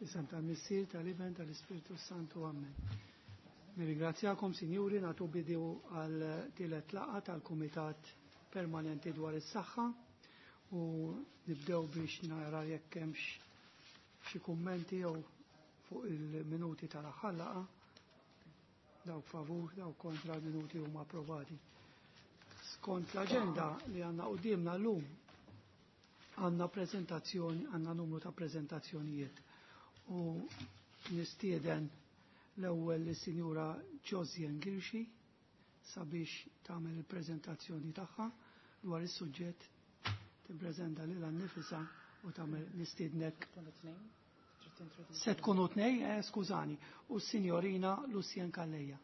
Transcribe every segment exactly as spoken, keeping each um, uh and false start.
F'isem tal-Missier, tal-Iben, tal-Ispirtu Santu, Amen. Nirringrazzjakom, sinjuri, nagħtu bidu għal tielet laqgħa tal-Kumitat Permanenti dwar is-Saħħa u nibdew biex nara jekk hemmx xi kummenti jew fuq il-minuti tal-aħħar laqgħa. Dawk favur, dawk kontra, l-minuti huma approvati. Skont l-aġenda li għandna qudiemna llum għandna prezentazzjoni, għandna numru ta' prezentazzjonijiet. U nistieden l-ewwel lis-Sinjura Josiane Ghirxi sabiex tagħmel il-preżentazzjoni tagħha dwar is-suġġett, tippreżenta lilha nnifisha u tagħmel nistiednek. Se tkunu tnej, eh, skużani, u s-Sinjorina Lucienne Calleja.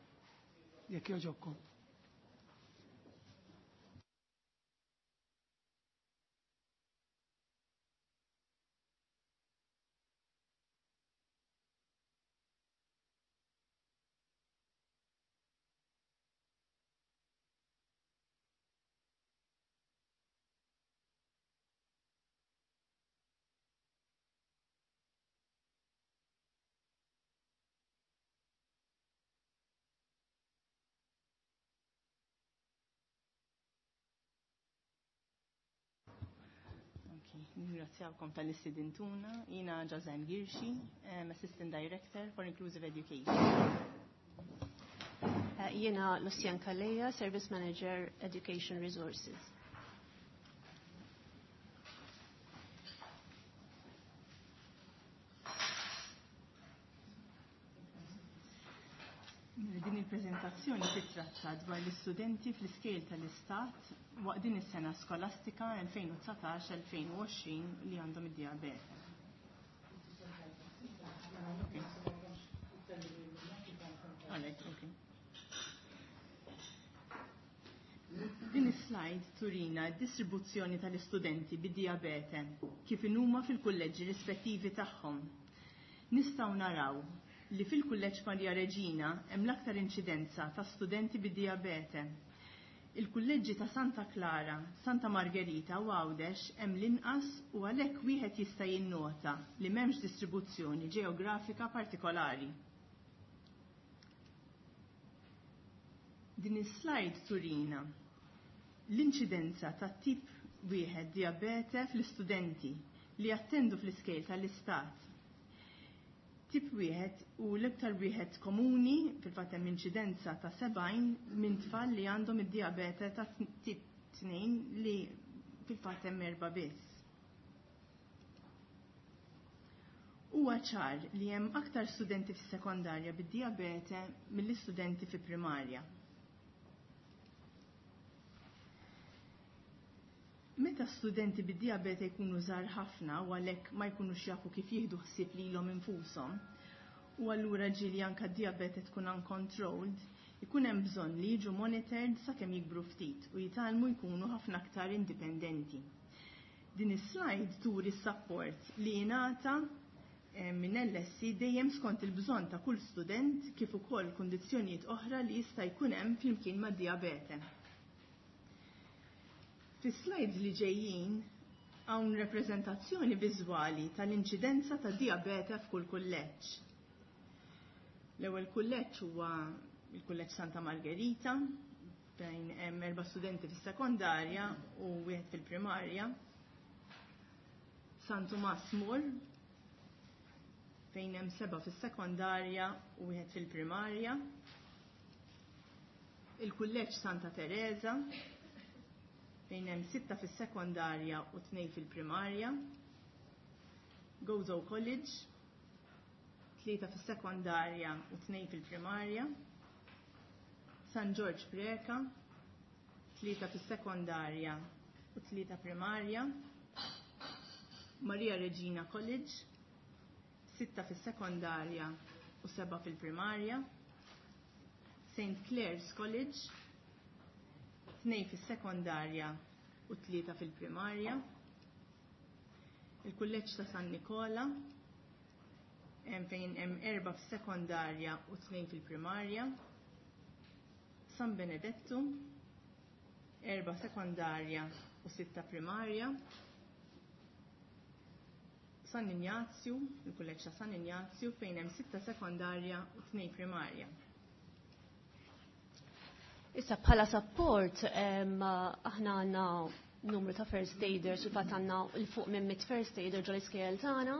Jekk jogħġobkom. Nirringrazzjawkom talli stedintuna. Jiena Josiane Ghirxi, um, Assistant Director for Inclusive Education. Uh, Jiena Lucian Calleja, Service Manager, Education Resources. Din il-prezentazzjoni titratta dwar l-istudenti fl-iskejjel tal-Istat waqt din is-sena skolastika elfejn u dsatax-elfejn u għoxrin li għandhom id-diabete. Okay. Alright, okay. Din is-slide turina d-distribuzzjoni tal-istudenti bid-diabete kif inhuma fil-kulleġġi rispettivi tagħhom. Nistgħu naraw li fil-Kulleġġ Maria Reġina hemm l-aktar inċidenza ta' studenti bid-diabete. Il-kulleġġi ta' Santa Clara, Santa Margherita u Għawdex hemm l-inqas u għalhekk wieħed jista' jinnota li m'hemmx distribuzzjoni ġeografika partikolari. Din is-slide turina l-inċidenza ta' tip wieħed diabete fl-istudenti li jattendu fl-iskejjel tal-istat. Tip wieħed u l-iktar wieħed komuni, fil-fatt hemm inċidenza ta' sebgħin minn tfal li għandhom id-diabete ta' tip tnejn li fil-fatt hemm erba' biss. Huwa ċar li hemm aktar studenti fis-sekondarja bid-diabete mill-istudenti fi primarja. Meta studenti bid-diabete jkunu żgħar ħafna u għalhekk ma jkunux jafu kif jieħdu ħsieb lilhom infushom, u allura ġieli anke d-diabete tkun uncontrolled, ikun hemm bżonn li jiġu monitored sakemm jikbru ftit u jitgħallmu jkunu ħafna aktar indipendenti. Din is-slide turi s-support li jingħata eh, minn L S E dejjem skont il-bżonn ta' kull student kif ukoll kundizzjonijiet oħra li jista' jkun hemm flimkien mad-diabete. Fis-slides li ġejjin hawn reprezentazzjoni viżwali tal-inċidenza ta' diabete f'kull kulleġġ. L-ewwel kulleġġ huwa il-Kulleġġ Santa Margherita, fejn hemm erba' studenti fis-sekondarja u wieħed fil-primarja. San Tumas More, fejn hemm seba' fis-sekondarja u wieħed fil-primarja. Il-Kulleġġ Santa Teresa, fejn hemm sitta fis-sekondarja u tnejn fil-primarja. Gozo College, tlieta fis-sekondarja u tnejn fil-primarja. San George Preca, tlieta fis-sekondarja u tlieta primarja. Maria Regina College, sitta fis-sekondarja u seba' fil-primarja. Saint Clair's College, tnejn fis-sekondarja u tlieta fil-primarja. Il-Kulleġġ ta' San Nikola, hemm fejn hemm erba' fis-sekondarja u tnejn fil-primarja. San Benedetto, erba' sekondarja u sitta primarja. San Ignazju, il-kulleġġ ta' San Ignazju, fejn hemm sitta sekondarja u tnejn primarja. Issa bħala support aħna għandna numru ta' first aiders, u fatt għandna 'l fuq minn mitt first aider ġol-iskejjel tagħna.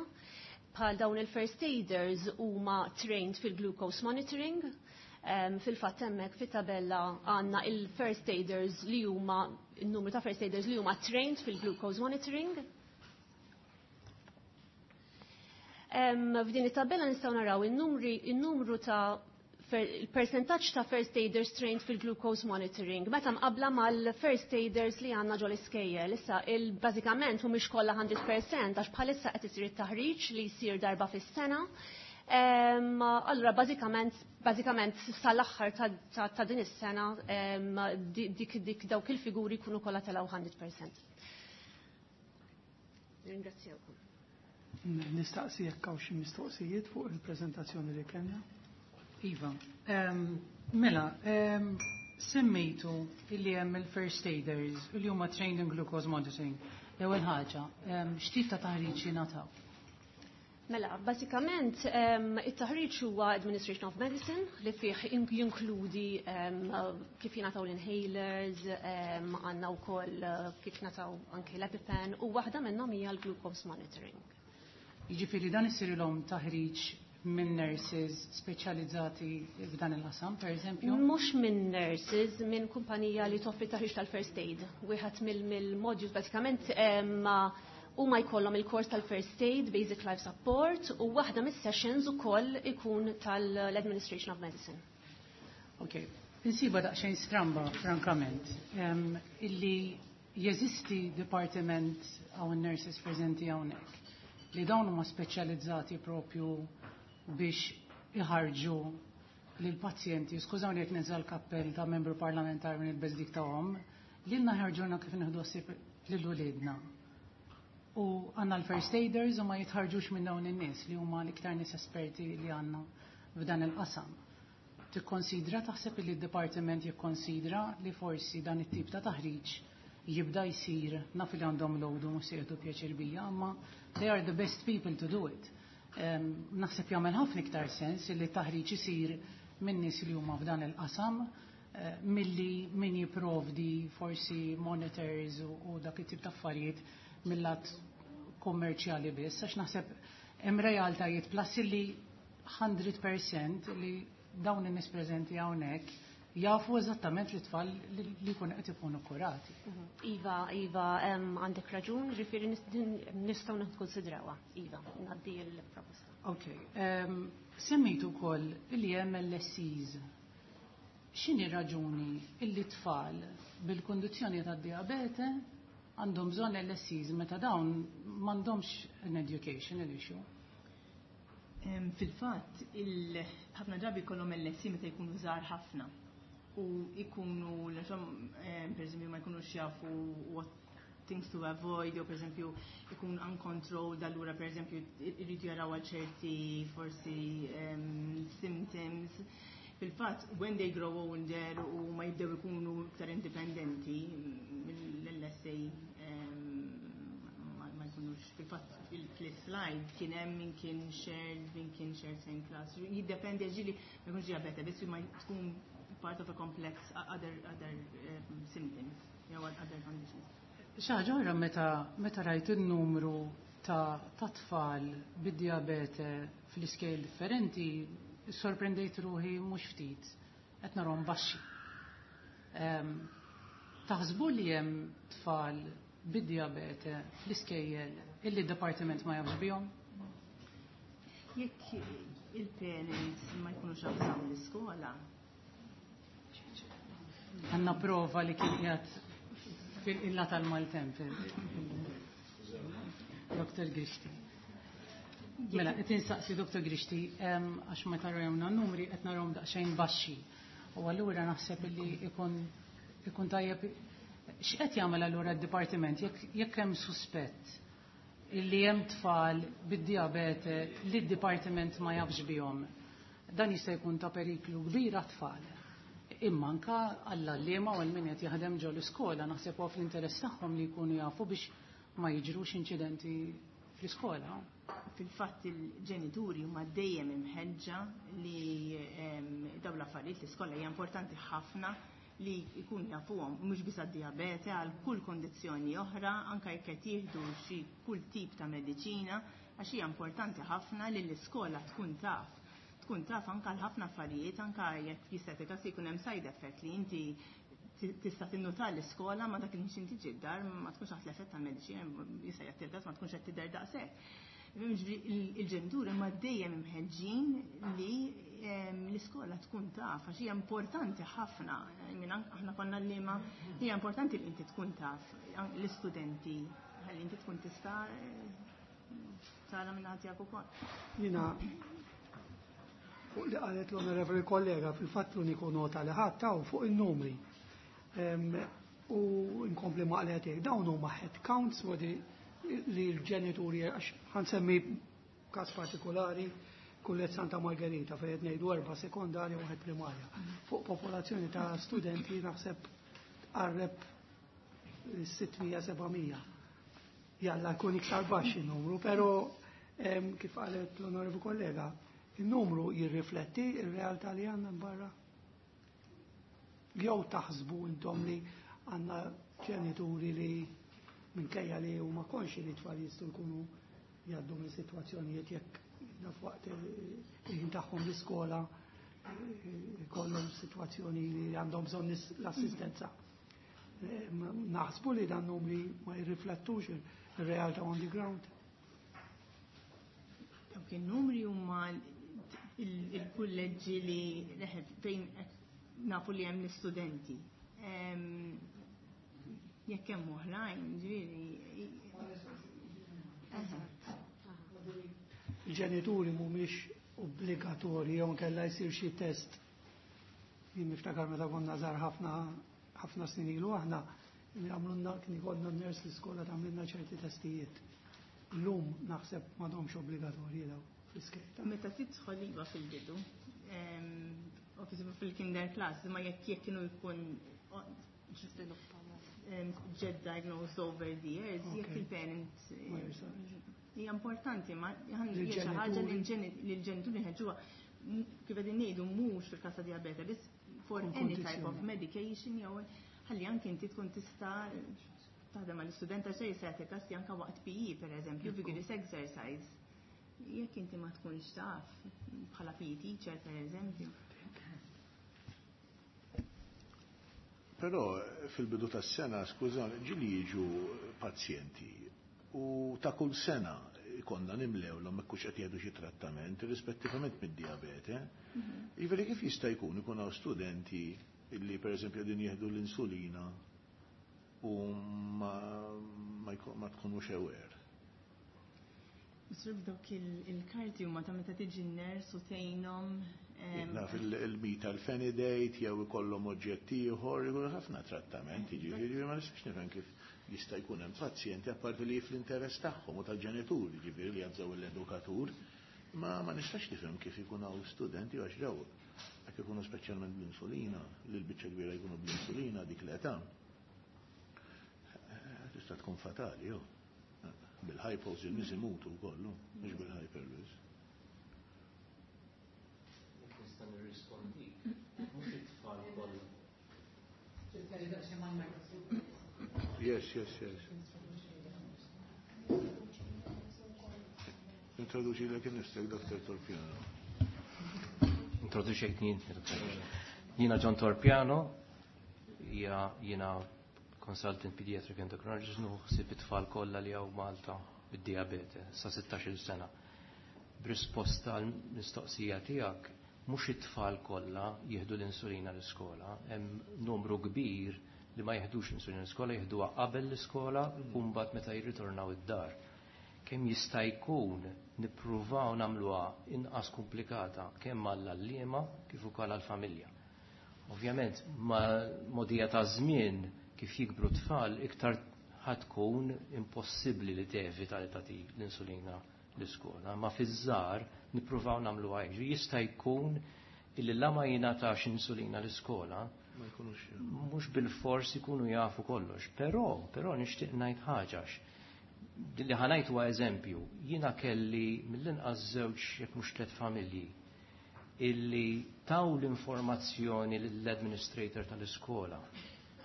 Bħal dawn il-first aiders huma trained fil-glucose monitoring. Fil-fatt hemmhekk fit-tabella għandna il-first aiders li huma il-numru ta' first aiders li huma trained fil-glucose monitoring. F'din it-tabella nistgħu naraw in-numru ta' il-percentaġġ ta' first aiders trained fil-glucose monitoring meta mqabla mal-first aiders li għandna ġol iskejjel. Issa il-bażikament mhumiex kollha mija fil-mija għax bħalissa qed isir it-taħriġ li jsir darba fis-sena. Allura bażikament bażikament sal-aħħar ta' din is-sena dik dik dawk il-figuri jkunu kollha telgħu mija fil-mija. Ringrazzjawkom. Nistaqsi jekk hawn xi mistoqsijiet fuq il-preżentazzjoni li kellna. Iva, mela, semmejtu illi hemm il-first aiders li huma trained in glucose monitoring. L-ewwel ħaġa, x'tip ta' taħriġ jingħataw? Mela, basikament, it-taħriġ huwa Administration of Medicine li fih jinkludi kif jingħataw l-inhalers, għandna wkoll kif jingħataw anke l-EpiPen, u waħda minnhom hija l-glucose monitoring. Jiġifieri dan isirilhom taħriġ minn nurses speċjalizzati f'dan il-qasam, per eżempju? Mhux minn nurses, minn kumpanija li toffri taħriġ tal-first aid. Wieħed mill-modules basikament huma jkollhom il-kors tal-first aid, basic life support, u waħda mis-sessions ukoll ikun tal-administration of medicine. Ok, insiba daqsxejn stramba, frankament, illi jeżisti departiment hawn nurses preżenti hawnhekk li dawn huma speċjalizzati propju biex iħarġu lil pazjenti, skużawni jekk ninża' l-kappell ta' membru parlamentari minn il-beżdik ta' om, lilna ħarġuna kif nieħdu ħsieb lil uliedna. U għandna l-first aiders u ma jitħarġux minn dawn in-nies li huma l-iktar nies esperti li għandna f'dan il-qasam. Tikkonsidra, taħseb li d-dipartiment jikkonsidra li forsi dan it-tip ta' taħriġ jibda jsir, naf li għandhom load u mhux se jieħdu pjaċir bija, imma they are the best people to do it. Naħseb jagħmel ħafna iktar sens li taħriġ isir minn nies li huma f'dan il-qasam eh, milli min jipprovdi forsi monitors u dak it-tip ta' affarijiet mill-lat kommerċjali biss, għax naħseb hemm realtajiet plus li mija fil-mija li dawn in-nies preżenti hawnhekk jafu eżattament li tfal li jkunu qed ikunu kurati. Mhm. Iva, Iva, għandek raġun, ġifieri nistgħu nikkonsidrawha. Iva, ngħaddi l-proposta. Ok, semmejtu wkoll li hemm L S Es. X'inhi raġuni illi tfal bil-kondizzjoni tad-diabete għandhom bżonn L S Es meta dawn m'għandhomx an educational issue? Fil-fatt, ħafna drabi kollhom L S E meta jkunu żgħar ħafna u ikunu, per eżempju, ma jkunux jafu what things to avoid, jew per eżempju ikun uncontrolled, allura per eżempju irridu jaraw għal ċerti forsi um, symptoms. Fil-fatt, when they grow older u ma jibdew ikunu iktar indipendenti, mill-L S A ma jkunux. Fil-fatt, fil-slide kien hemm min kien shared, min kien shared same class. Jiddependi, ġieli ma jkunx diabete, biss ma tkun part of a complex other other um, symptoms, you know, other conditions. Xi ħaġa oħra, meta meta rajt il-numru ta' ta' tfal bid-diabete fl-iskejjel differenti, sorprendejt ruħi mhux ftit, qed narhom baxxi. Taħsbu li hemm tfal bid-diabete fl-iskejjel illi d-dipartiment ma jafx bihom? Jekk il-parents ma jkunux avżaw l-iskola. Għandna prova li kien qiegħed fil-illa tal-maltemp. Doktor Grixti. Mela, qed insaqsi Doktor Grixti, għax meta rajna numri qed narahom daqsxejn baxxi. U allura naħseb li ikun ikun tajjeb x'qed jagħmel allura d-dipartiment jekk hemm suspett illi hemm tfal bid-diabete li d-dipartiment ma jafx bihom. Dan jista' jkun ta' periklu kbir għat-tfal. Imma anka għall-għalliema u għal min qed jaħdem ġo l-iskola, naħseb huwa fl-interess tagħhom li jkunu jafu biex ma jiġrux inċidenti fl-iskola. Fil-fatt il-ġenituri huma dejjem imħeġġa li dawn l-affarijiet l-iskola hija importanti ħafna li jkun jafuhom mhux biss għad-dijabete, għal kull kondizzjoni oħra, anke jekk qed jieħdu xi kull tip ta' mediċina, għax hija importanti ħafna li l-iskola tkun taf. Tkun taf anke għal ħafna affarijiet, anke jekk jista' każ jkun hemm side effect li inti tista' tinnota l-iskola ma dak il-ħin inti ġid-dar ma tkunx taħt l-effett tal-mediċina, jista' jagħti il-każ ma tkunx qed tidher daqshekk. Il-ġenituri ma dejjem imħeġġin li l-iskola tkun taf, għax hija importanti ħafna. Aħna konna l-liema, hija importanti li inti tkun taf l-istudenti, ħalli inti tkun tista' tara minn ħadd tiegħek ukoll. Jiena fuq li qalet l-onorevoli kollega, fil-fatt l-uniku nota li ħadd taw fuq in-numri. U nkompli ma qalet dawn huma head counts li l-ġenituri, għax ħansemmi każ partikolari, Kulleġġ Santa Margherita fejn qed ngħidu erba' sekondarja u wieħed primarja. Fuq popolazzjoni ta' studenti naħseb tqarreb sitt mija seba' mija. Jalla jkun iktar baxx in-numru, però kif qalet l-onorevoli kollega, il-numru jirrifletti ir-realtà li għandna barra. Jew taħsbu intom li għandna ġenituri li minkejja li huma konxi li tfal jistgħu jkunu jgħaddu minn sitwazzjonijiet jekk naf waqt il-ħin tagħhom l-iskola jkollhom sitwazzjoni li għandhom bżonn l-assistenza. Naħsbu li dan numri ma jirriflettux ir-realtà on the ground. Dawk in-numri huma il-kulleġġi li fejn nafu li hemm l-istudenti. Jekk hemm oħrajn, ġifieri. Il-ġenituri mhumiex obbligatorji jew nkella jsir xi test. Jien niftakar meta konna żgħar ħafna ħafna snin ilu aħna għamlulna kien ikollna n-ners l-iskola tagħmlilna ċerti testijiet. Illum naħseb m'għadhomx obbligatorji daw fl-iskejta. Meta tidħol iva fil-bidu, ovviously fil-kinder class, ma jekk jekk kienu jkun ġed diagnosed over the years, jekk il-parent hija importanti, ma hija xi ħaġa li l-ġenituri nħeġġuha kif qegħdin ngħidu mhux fil-każ ta' diabete, biss for any type of medication jew ħalli anke inti tkun tista' taħdem mal-istudent għax jista' jagħti każ anke waqt P E pereżempju, vigorous exercise. Jekk inti ma tkunx taf bħala P E teacher pereżempju. Però fil-bidu tas-sena, skużani, ġieli jiġu pazjenti u ta' kull sena konna nimlewlhom hekk hux qed jieħdu xi trattament rispettivament mid-diabete. Jiġifieri kif jista' jkun ikun hawn studenti illi pereżempju qegħdin jieħdu l-insulina u ma, ma, ma tkunux aware. Misrib dawk il-karti huma ta' meta tiġi n-ners u tgħinhom. Naf il-mita l-fenidate jew ikollhom oġġett ieħor, ikunu ħafna trattamenti, jiġifieri ma nistax nifhem kif jista' jkun hemm pazjenti apparti li fl-interess tagħhom u tal-ġenituri, jiġifieri li jabżaw l-edukatur, ma ma nistax nifhem kif ikun hawn studenti għax daw jekk ikunu speċjalment bl-insulina, li l-biċċa kbira jkunu bl-insulina dik l-età. Tista' tkun fatali, jew. Bil-hypos il-nies imutu wkoll, mhux bil-hyperlus. Nista' nirrispondik, mhux it-tfal kollha. Yes, yes, yes. Introduċi l innifsek, Doktor Torpiano. Introduċejt jien, Jiena John Torpiano, jiena consultant pediatric endocrinologist, nuħsib it-tfal kollha li hawn Malta bid-diabete sa sittax-il sena. B'risposta għal mistoqsija tiegħek, mhux it-tfal kollha jieħdu l-insulina l-iskola, hemm numru kbir li ma jieħdux l-insulina l-iskola, jieħduha qabel l-iskola u mbagħad meta jirritornaw id-dar. Kemm jista' jkun nippruvaw nagħmluha inqas komplikata kemm għall-għalliema kif ukoll għall-familja. Ovvjament, ma modija ta' żmien kif jikbru tfal iktar ħatkun impossibbli li tevita li tagħti l-insulina l-iskola, ma fiż-żgħar nippruvaw nagħmluha hekk. Jista' jkun illi la ma jingħatax insulina l-iskola, Ma jkunux mhux bil-fors ikunu jafu kollox, però, però nixtieq ngħid ħaġa Li ħa ngħid huwa eżempju, jiena kelli mill-inqas żewġ jekk mhux tliet familji illi taw l-informazzjoni l-administrator tal-iskola.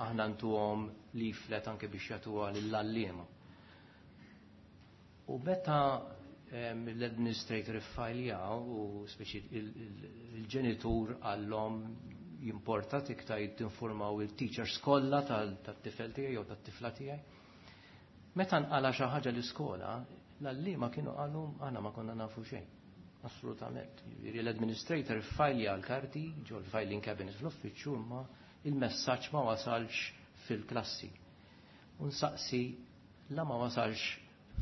Aħna ntuhom leaflet anke biex jagħtuha lill-għalliema. U meta l-administrator iffajljaw u speċi il-ġenitur għallhom jimporta tikta tinformaw il-teachers kollha tat-tifel tiegħi jew tat-tifla tiegħi. Meta nqala xi ħaġa l-iskola, l-għalliema kienu qalu aħna ma konna nafu xejn. Assolutament. Jiġifieri l-administrator iffajlja l-karti ġol filing cabinet fl-uffiċċju imma il-messaġġ ma wasalx fil-klassi. U nsaqsi la ma wasalx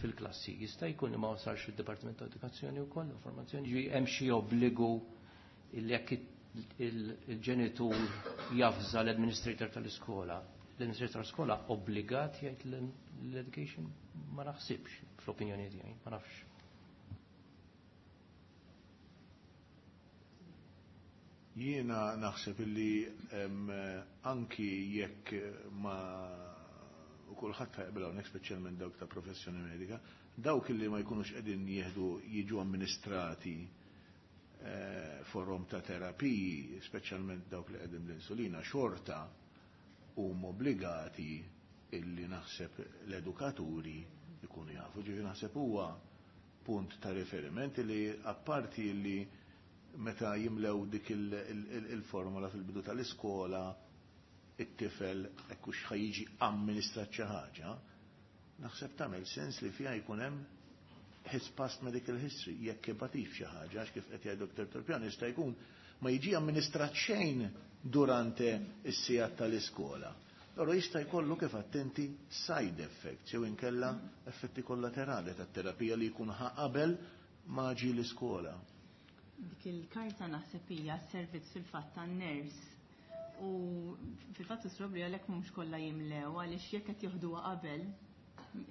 fil-klassi. Jista' jkun li ma wasalx fid-Dipartiment ta' Edukazzjoni wkoll informazzjoni, ġi hemm xi obbligu illi jekk il-ġenitur jafża l-administrator tal-iskola. L-administrator tal-iskola obbligat jgħid l-education ma naħsibx fl-opinjoni tiegħi, ma nafx. Jiena naħseb illi anki jekk ma u kulħadd jaqbel hawnhekk speċjalment dawk ta' professjoni medika, dawk illi ma jkunux qegħdin jieħdu jiġu amministrati forom ta' terapiji, speċjalment dawk li qegħdin l-insulina, xorta huma obbligati illi naħseb l-edukaturi jkunu jafu. Ġifieri naħseb huwa punt ta' riferiment li apparti li meta jimlew dik il-formula fil-bidu tal-iskola it-tifel hekk hux ħajjiġi amministrat xi ħaġa, naħseb tagħmel sens li fiha jkun hemm his past medical history, jekk ibatix xi ħaġa, għax kif qed jgħid Doktor Torpiano jista' jkun ma jiġi amministrat xejn durante is-sigħat tal-iskola. Allora jista' jkollu kif attenti side effects jew inkella effetti kollaterali tat-terapija li jkun ħa qabel ma ġie l-iskola. Dik il-karta naħseb hija servizz fil-fatt tan-ners. U fil-fatt isrobli għalhekk mhux kollha jimlew għaliex jekk qed joħduha qabel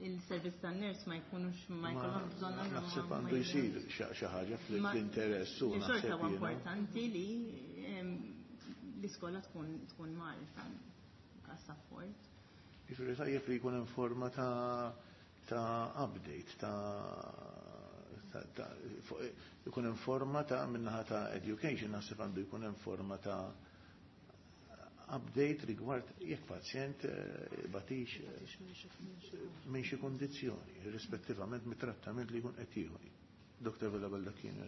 il-servizz tan-ners ma jkunux ma jkollhom bżonn. Naħseb għandu jsir xi ħaġa fl-interess u naħseb huwa importanti li l-iskola tkun tkun magħrufa każ support. Jiġifieri tajjeb li jkun hemm forma ta' ta' update ta' jkun hemm forma ta' minnaħa ta' education, naħseb għandu jkun hemm forma ta' update rigward jekk pazjent batix minn xi kondizzjoni, rispettivament mit-trattament li jkun qed jieħu. Doktor Vella Baldacchino.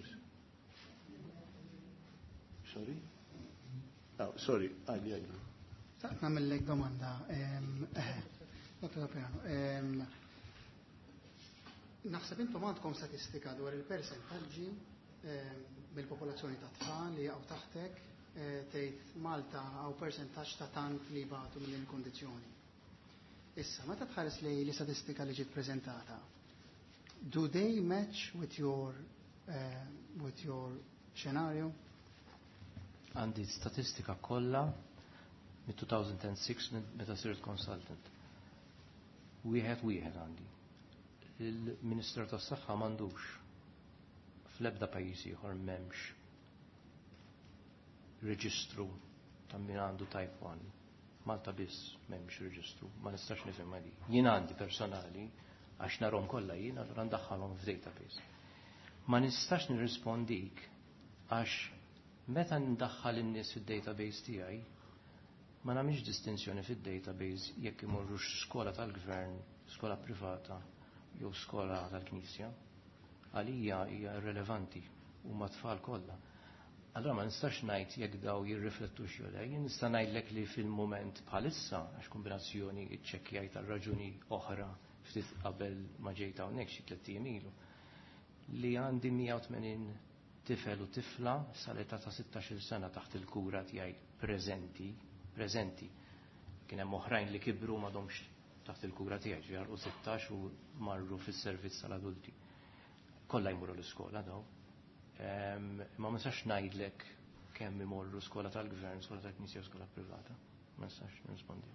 Sorry? Oh, sorry, għalli għalli. Nagħmellek domanda. Dottor Torpiano, naħseb intom għandkom statistika dwar il-persentaġġi mill-popolazzjoni ta' tfal li jaqgħu taħtek tgħid Malta hawn persentaġġ ta' tant li jbatu minn il-kondizzjoni. Issa, meta tħares li l-istatistika li ġiet preżentata, do they match with your uh, with your scenario? Għandi statistika kollha mit-two thousand six meta sirt consultant. Wieħed wieħed għandi. Il-Ministru tas-Saħħa m'għandux, fl-ebda pajjiż ieħor m'hemmx reġistru ta' min għandu type one. Malta biss m'hemmx reġistru, ma nistax nifhem di. Jien għandi personali għax narhom kollha jien, allura ndaħħalhom f'database. Ma nistax nirrispondik għax meta ndaħħal in-nies fid-database tiegħi ma nagħmilx distinzjoni fid-database jekk imorrux skola tal-gvern, skola privata jew skola tal-Knisja. Għalija hija irrelevanti, huma tfal kollha. Allora ma nistax ngħid jekk daw jirriflettux jew le. Jien nista' ngħidlek li fil-mument bħalissa, għax kombinazzjoni iċċekkjajt għal raġuni oħra ftit qabel ma ġejt hawnhekk xi tliet ijiem ilu, li għandi mija u tmenin tifel u tifla sal-età ta' sittax-il sena taħt il-kura tiegħi preżenti, preżenti. Kien hemm oħrajn li kibru m'għadhomx taħt il-kura tiegħi, ġifieri u sittax u marru fis-servizz tal-adulti. Kollha jmorru l-iskola daw. Ma nistax ngħidlek kemm imorru skola tal-gvern, skola tal-knisja u skola privata. Ma nistax nirrispondi.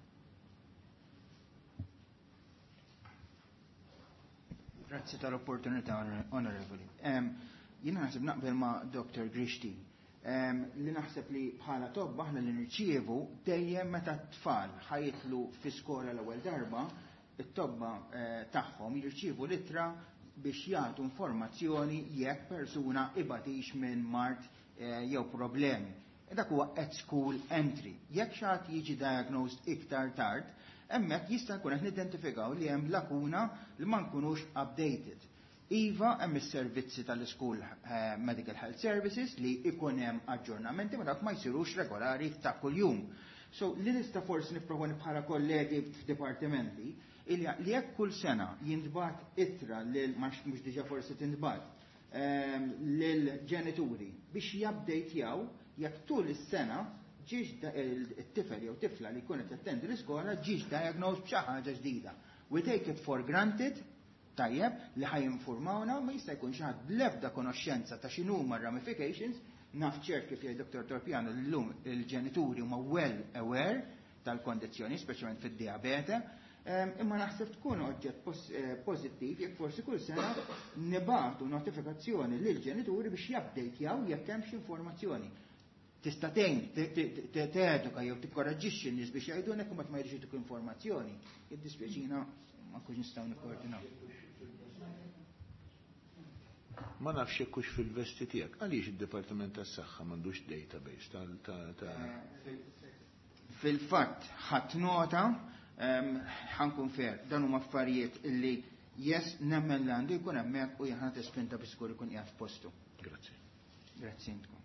Grazzi tal-opportunità, onorevoli. Jiena naħseb naqbel ma' Doktor Grixti li naħseb li bħala tobba aħna li nirċievu dejjem meta t-tfal ħa jidħlu fi skola l-ewwel darba, it-tobba eh, tagħhom jirċievu littra biex jagħtu informazzjoni jekk persuna ibatix minn mard eh, jew problemi. E dak huwa at school entry. Jekk xi ħadd jiġi diagnosed iktar tard, hemmhekk jista' jkun qed nidentifikaw li hemm lakuna li ma nkunux updated. Iva, hemm is-servizzi tal-School eh, Medical Health Services li ikun hemm aġġornamenti ma dak ma jsirux regolari ta' kuljum. So li nista' forsi nipproponi bħala kollegi f'dipartimenti li jekk kull sena jintbagħat ittra lil mhux diġà forsi tintbagħat ehm, lil ġenituri biex jabdejtjaw jekk tul is-sena ġiex it-tifel jew tifla li jkun qed jattendi l-iskola ġiex diagnosed b'xi ħaġa ġdida. We take it for granted, tajjeb, li ħa jinformawna, ma jista' jkun xi ħadd bl-ebda konoxxenza ta' x'inhuma ramifications, naf ċert kif jgħid Dottor Torpiano llum il-ġenituri huma well aware tal-kondizzjoni, speċjalment fid-diabete, imma naħseb tkun oġġett eh, pożittiv jekk forsi kull sena nibagħtu notifikazzjoni lil ġenituri biex jabdejtjaw jekk hemm xi informazzjoni. Tista' tgħin teduka jew tikkoraġġixxi n-nies biex jgħidulek u ma jridx informazzjoni. Jiddispjaċina ma nkunx nistgħu nikkoordinaw. Ma nafx hekk hux fil-vesti tiegħek. Għaliex id-Dipartiment tas-Saħħa m'għandux database tal ta' Fil-fatt ħadd nota, ħankun fair, dan huma affarijiet illi yes nemmen li għandu jkun hemmhekk u jien tispinta biex żgur ikun qiegħed f'postu. Grazzi. Grazzi intkom.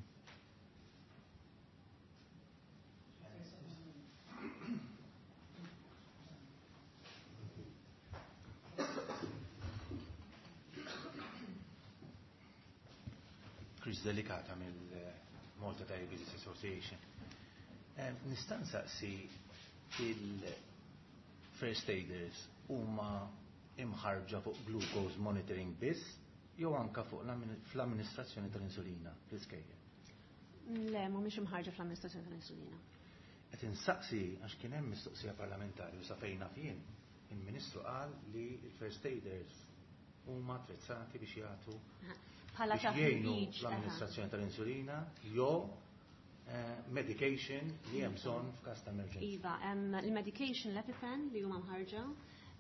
Chris Delicata mill-Malta Diabetes Association. Nista' nsaqsi il-first aiders huma imħarġa fuq glucose monitoring biss jew anka fuq fl-amministrazzjoni tal-insulina fl-iskejjel? Le, mhumiex imħarġa fl-amministrazzjoni tal-insulina. Qed insaqsi għax kien hemm mistoqsija parlamentari u sa fejn naf jien, il-Ministru qal li l-first aiders huma attrezzati biex jagħtu bħala biex jgħinu taħriġ, l-amministrazzjoni tal-insulina jew eh, medication li hemm bżonn f'każ ta' emerġenza. Iva, hemm il-medication l-EpiPen li huma mħarġa.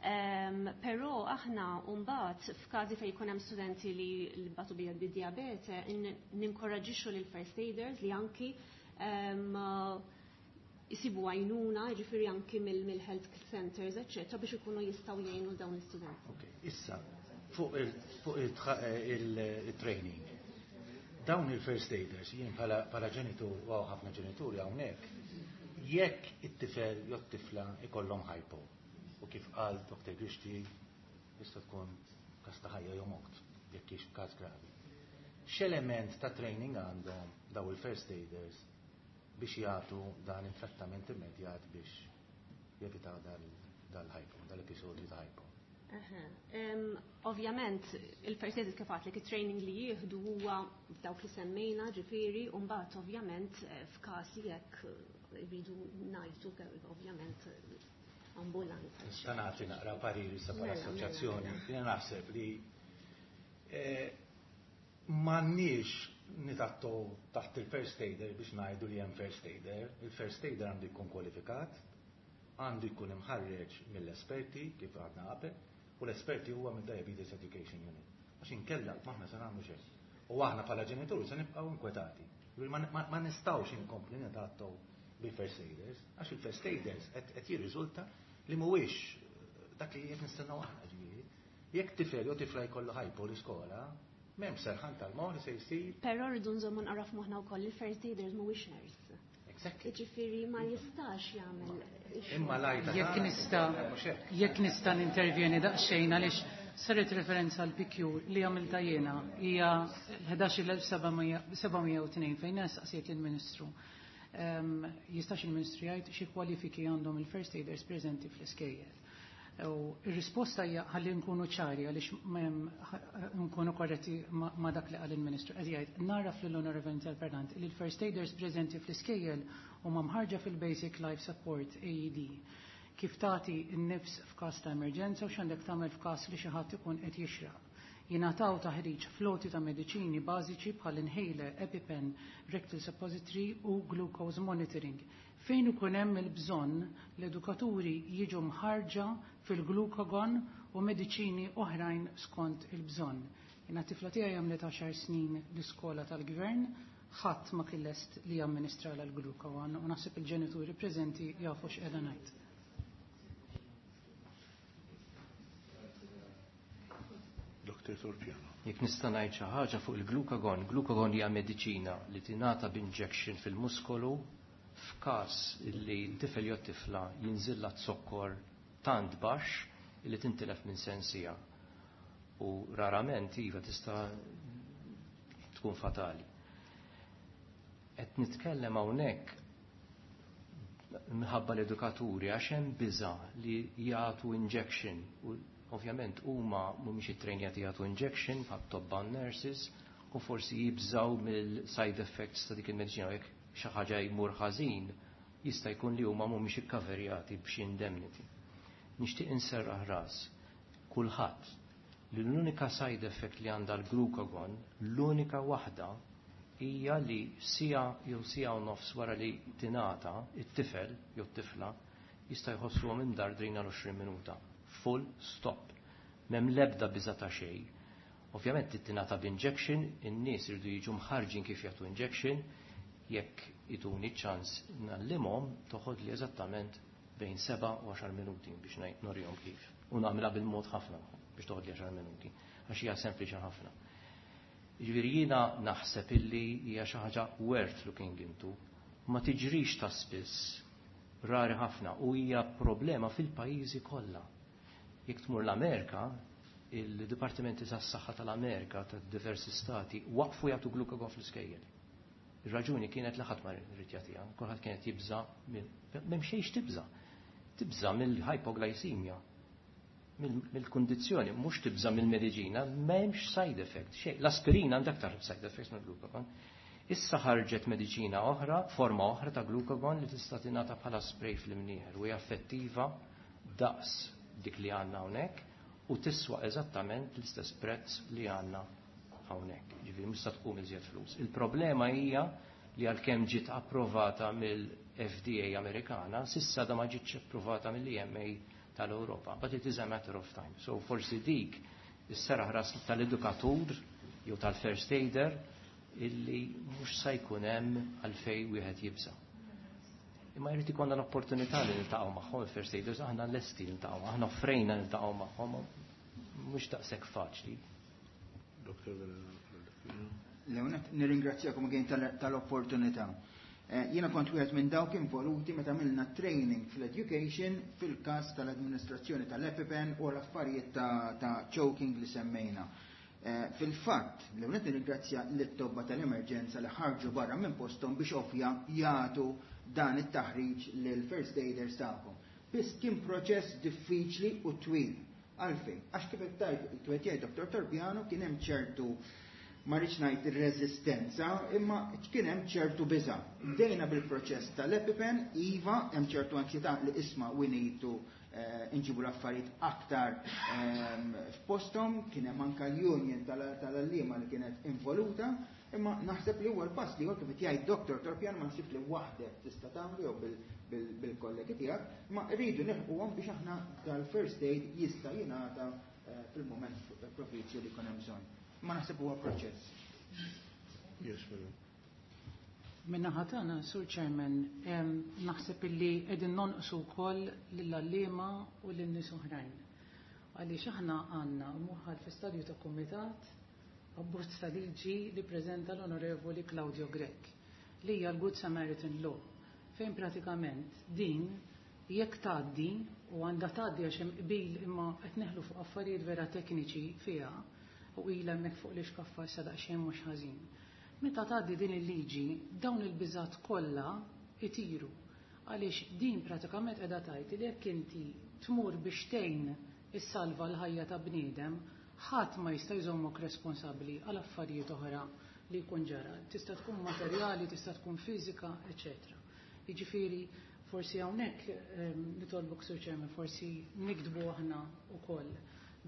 Um, però aħna mbagħad f'każi fejn jkun hemm studenti li li batu bid-diabete ninkoraġixxu lil first aiders li anki um, jisibu għajnuna, jiġifieri anki mill-health centers, eċċetera, biex ikunu jistgħu jgħinu dawn l-istudenti. Ok, issa fuq il-training. Dawn il-first aiders, jien bħala ġenitur, u ħafna ġenituri hawnhekk, jekk it-tifel jew t-tifla ikollhom hypo, u kif qal Doktor Grixti jista' tkun każ ta' ħajja jew mewt, jekk hix każ gravi. X'element ta' training għandhom daw il-first aiders biex jagħtu dan it-trattament immedjat biex jevitaw dal-hypo, dal-episodju ta' hypo? Ovvjament, il-first aid kif għedtlek it-training li jieħdu huwa f'dawk li semmejna, ġifieri, u mbagħad ovvjament f'każ jekk jridu ngħidu ovvjament ambulanza. Nista' nagħti naqra pariri sa bħala Mela, mela, assoċjazzjoni. mela. Jiena naħseb li eh, m'għandniex nitattu taħt il-first aider biex ngħidu li hemm first aider. Il-first aider għandu jkun kwalifikat, għandu jkun imħarreġ mill-esperti kif għadna qabel, u l-esperti huwa mid-Diabetes Education Unit. Għax inkella maħna se nagħmlu xejn. U aħna bħala ġenituri se nibqgħu inkwetati. Ma, ma, ma nistgħux inkompli nitattu bil-first aiders, għax il-first aiders qed jirriżulta li mhuwiex dak li qed nistennew aħna ġifieri. Jekk tifel jew tifla jkollu hypo l-iskola, m'hemm serħan tal-moħħ li se jsir. Però rridu nżommu nqaraf moħħna wkoll il-first aiders mhuwiex nurse. Exactly. Jiġifieri ma jistax jagħmel Imma lajta Jekk ta' nista' mhux hekk. jekk nista' nintervjeni daqsxejn għaliex saret referenza għal P Q li għamilta jiena hija l-ħdax il elf seba' mija u tnejn fejn saqsiet lill-Ministru. Ehm, jistax il-Ministru jgħid xi kwalifiki għandhom il-first aiders preżenti fl-iskejjel. U ir-risposta hija ħalli nkunu ċari għaliex m'hemm nkunu korretti ma dak li qal il-Ministru. Qed jgħid naraf lill-Onorevoli Interpellant li l-first aiders preżenti fl-iskejjel huma mħarġa fil-Basic Life Support A E D. Kif tagħti n-nifs f'każ ta' emerġenza u x'għandek tagħmel f'każ li xi ħadd ikun qed jixraq. Jingħataw taħriġ floti ta' mediċini bażiċi bħal inhaler, EpiPen, rectal suppository u glucose monitoring. Fejn ikun hemm il-bżonn l-edukaturi jiġu mħarġa fil-glukagon u mediċini oħrajn skont il-bżonn. Jiena tifla tiegħi għamlet għaxar snin l-iskola tal-gvern, ħadd ma kien lest li jamministra l-glukagon u naħseb il-ġenituri preżenti jafu x'qiegħda ngħid. Doktor Torpiano. Jekk nista' ngħid xi ħaġa fuq il-glukagon, glukagon hija mediċina li tingħata b'injection fil-muskolu f'każ li t-tifel jew tifla jinżilla zokkor tant baxx li tintilef minn sensija. U rarament iva tista' tkun fatali. Qed nitkellem hawnhekk minħabba l-edukaturi għax hemm biża' li jagħtu injection u ovvjament huma mhumiex ittrejnjati jagħtu injection bħal tobba nurses u forsi jibżaw mill-side effects ta' dik il-mediċina jekk xi ħaġa jmur ħażin jista' jkun li huma mhumiex ikkaverjati b'xi indemnity. Nixtieq inserraħ ras kulħadd li l-unika side effect li għandha l-glucagon, l-unika waħda hija li sija jew sija u nofs wara li tingħata it-tifel jew t-tifla jista' jħossuhom imdardrin għal għoxrin minuta. Full stop. M'hemm l-ebda biża' ta' xejn. Ovvjament tingħata b'injection, in-nies iridu jiġu mħarġin kif jagħtu injection, jekk ituni ċans nallimhom toħod li eżattament bejn seba' u għaxar minuti biex ngħid kif. U nagħmilha bil-mod ħafna biex toħod li għaxar minuti, għax hija sempliċi ħafna. Jiġifieri jiena naħseb illi hija xi ħaġa worth looking into, ma tiġrix ta' spiss, rari ħafna, u hija problema fil-pajjiżi kollha. Jekk tmur l-Amerika, il-Dipartimenti tas-Saħħa tal-Amerika ta' diversi stati waqfu jagħtu glukagon fl-iskejjel. Ir-raġuni kienet li ħadd ma rrid jagħtiha, kulħadd kienet jibża' m'hemm xejn tibża'. Tibża' mill-hypoglycemia, mill-kundizzjoni, mhux tibża' mill-mediċina, m'hemmx side effect, xejn. L-aspirina għandha aktar side effects mill-glucagon. Issa ħarġet mediċina oħra, forma oħra ta' glucagon li tista' tingħata bħala spray fl-imnieħer u hija effettiva daqs dik li għandna hawnhekk u tiswa eżattament l-istess prezz li għandna hawnhekk. Ġifieri mhux se tqum iżjed flus. Il-problema hija li għalkemm ġiet approvata mill-F D A Amerikana, sissa da ma ġietx approvata mill-E M A tal-Ewropa. But it is a matter of time. So forsi dik is-seraħ ras tal-edukatur jew tal-first aider illi mhux se jkun hemm għalfejn wieħed jibża'. Imma jrid ikollna l-opportunità li niltaqgħu magħhom il-first aiders, aħna lesti niltaqgħu, aħna offrejna niltaqgħu magħhom, mhux daqshekk faċli. Doktor Verena. Leonet, nirringrazzjakom again tal-opportunità. Jiena kont wieħed minn dawk involuti meta għamilna training fl-education fil-każ tal-administrazzjoni tal-EpiPen u l-affarijiet ta', ta choking li semmejna. Fil-fatt, Leonet nirringrazzja lit-tobba tal-emerġenza li ħarġu barra minn posthom biex ovvja jagħtu dan it-taħriġ lill-first aiders tagħhom. Biss kien proċess diffiċli u twil. Għalfejn, għax kif qed tgħid kif qed jgħid Doktor Torpiano kien hemm ċertu ma rridx ngħid ir-reżistenza, imma kien hemm ċertu biża'. Bdejna bil-proċess tal-EpiPen, iva, hemm ċertu ansjetà li isma' we need to inġibu l-affarijiet aktar f'posthom, kien hemm anke l-union tal-għalliema li kienet involuta, imma naħseb li huwa l-pass li huwa kif qed jgħid Doktor Torpiano ma naħsibx li waħdek tista' tagħmlu jew bil-kollegi tiegħek, ma rridu nilħquhom biex aħna dal-first aid jista' jingħata fil-mument propizju li jkun hemm bżonn. Ma naħseb huwa proċess. Yes, madam. Minna ħatana, Sur Chairman, naħseb illi qegħdin nonqsu wkoll lill-għalliema u lin-nies oħrajn. Għaliex aħna għandna muħal fi stadju ta' kumitat abbozz ta' liġi li preżenta l-Onorevoli Claudio Grech li hija l-Good Samaritan Law, fejn pratikament din jekk tgħaddi u għandha tgħaddi għax hemm qbil imma qed neħlu fuq affarijiet vera tekniċi fiha u ilha hemmhekk fuq l-ixkaffa issa daqsxejn mhux ħażin. Meta tgħaddi din il-liġi, dawn il-biżgħat kollha itiru. Għaliex din pratikament qiegħda tgħid li jekk inti tmur biex tgħin issalva l-ħajja ta' bniedem, ħadd ma jista' jżommok responsabbli għal affarijiet oħra li jkun ġara. Tista' tkun materjali, tista' tkun fiżika, eċċetera. Jiġifieri forsi hawnhekk nitolbok Sur Chairman, forsi nikdbu aħna wkoll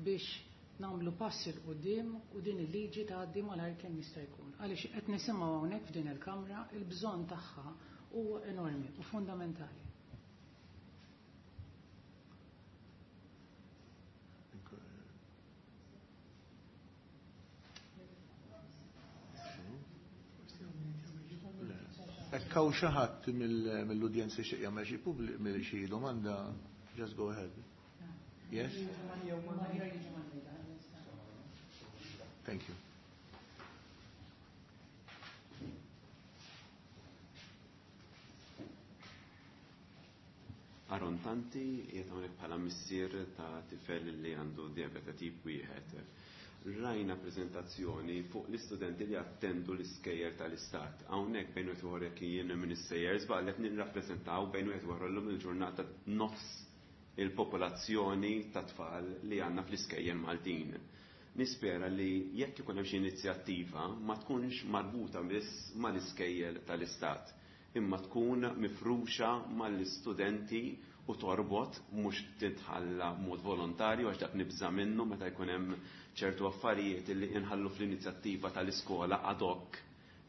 biex nagħmlu pass il quddiem u din il-liġi tgħaddi malajr kemm jista' jkun. Għaliex qed nisimgħu hawnhekk f'din il-Kamra il-bżonn tagħha huwa enormi u fundamentali. Jekk hawn xi ħadd mill-udjenza xi jagħmel xi pubblic xi domanda, just go ahead. Yes? Thank you. Aron Tanti, qiegħed hawnhekk bħala missier ta' tifel li għandu diabete tip wieħed. Rajna prezentazzjoni fuq l-istudenti li attendu l-iskejjel tal-istat. Hawnhekk bejn wieħed ieħor jekk jien minn is-sejjer żball qed nirrappreżentaw bejn wieħed ieħor illum il-ġurnata nofs il-popolazzjoni ta' tfal li għandna fl-iskejjel Maltin. Nispera li jekk ikun hemm xi inizjattiva ma tkunx marbuta biss mal-iskejjel tal-istat, imma tkun mifruxa mal-istudenti u torbot mhux titħalla mod volontarju għax dak nibża' minnu meta jkun hemm ċertu affarijiet li inħallu fl-inizjattiva tal-iskola ad hoc.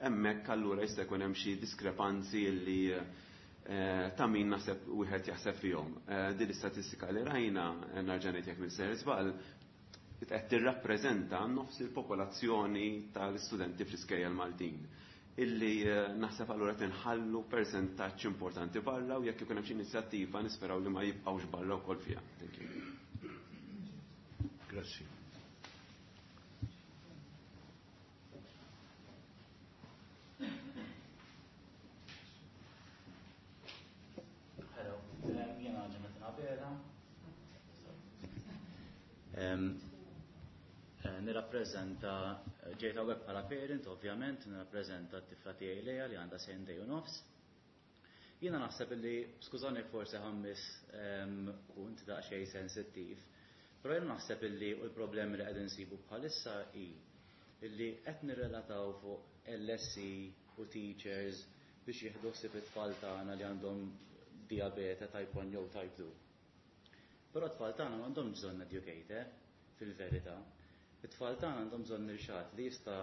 Hemmhekk allura jista' jkun hemm xi diskrepanzi li eh, ta' min naħseb wieħed jaħseb fihom. Eh, din l-istatistika li rajna, eh, nerġa' ngħid jekk minn ser żball, qed tirrappreżenta nofs il-popolazzjoni tal-istudenti fl-iskejjel Maltin illi naħseb allura tinħallu persentaġġ importanti barra u jekk ikun hemm xi inizjattiva nisperaw li ma jibqgħux barra wkoll fiha. Thank you. Grazzi. Hello, jiena Jonathan Abela. Nirrappreżenta, ġejt hawnhekk bħala parent, ovvjament, nirrappreżenta t-tifla tiegħi Lea li għandha sentejn u nofs. Jiena naħseb li, skużani forsi ħammis punt daqsxejn sensittiv, però jiena naħseb illi u l-problemi li qegħdin nsibu bħalissa hi illi qed nirrelataw fuq L S C u teachers biex jieħdu ħsieb it-tfal tagħna li għandhom diabete type one jew type two. Però t-tfal tagħna m'għandhomx bżonn educator fil-verità. It-tfal tagħna għandhom bżonn irxat li jista'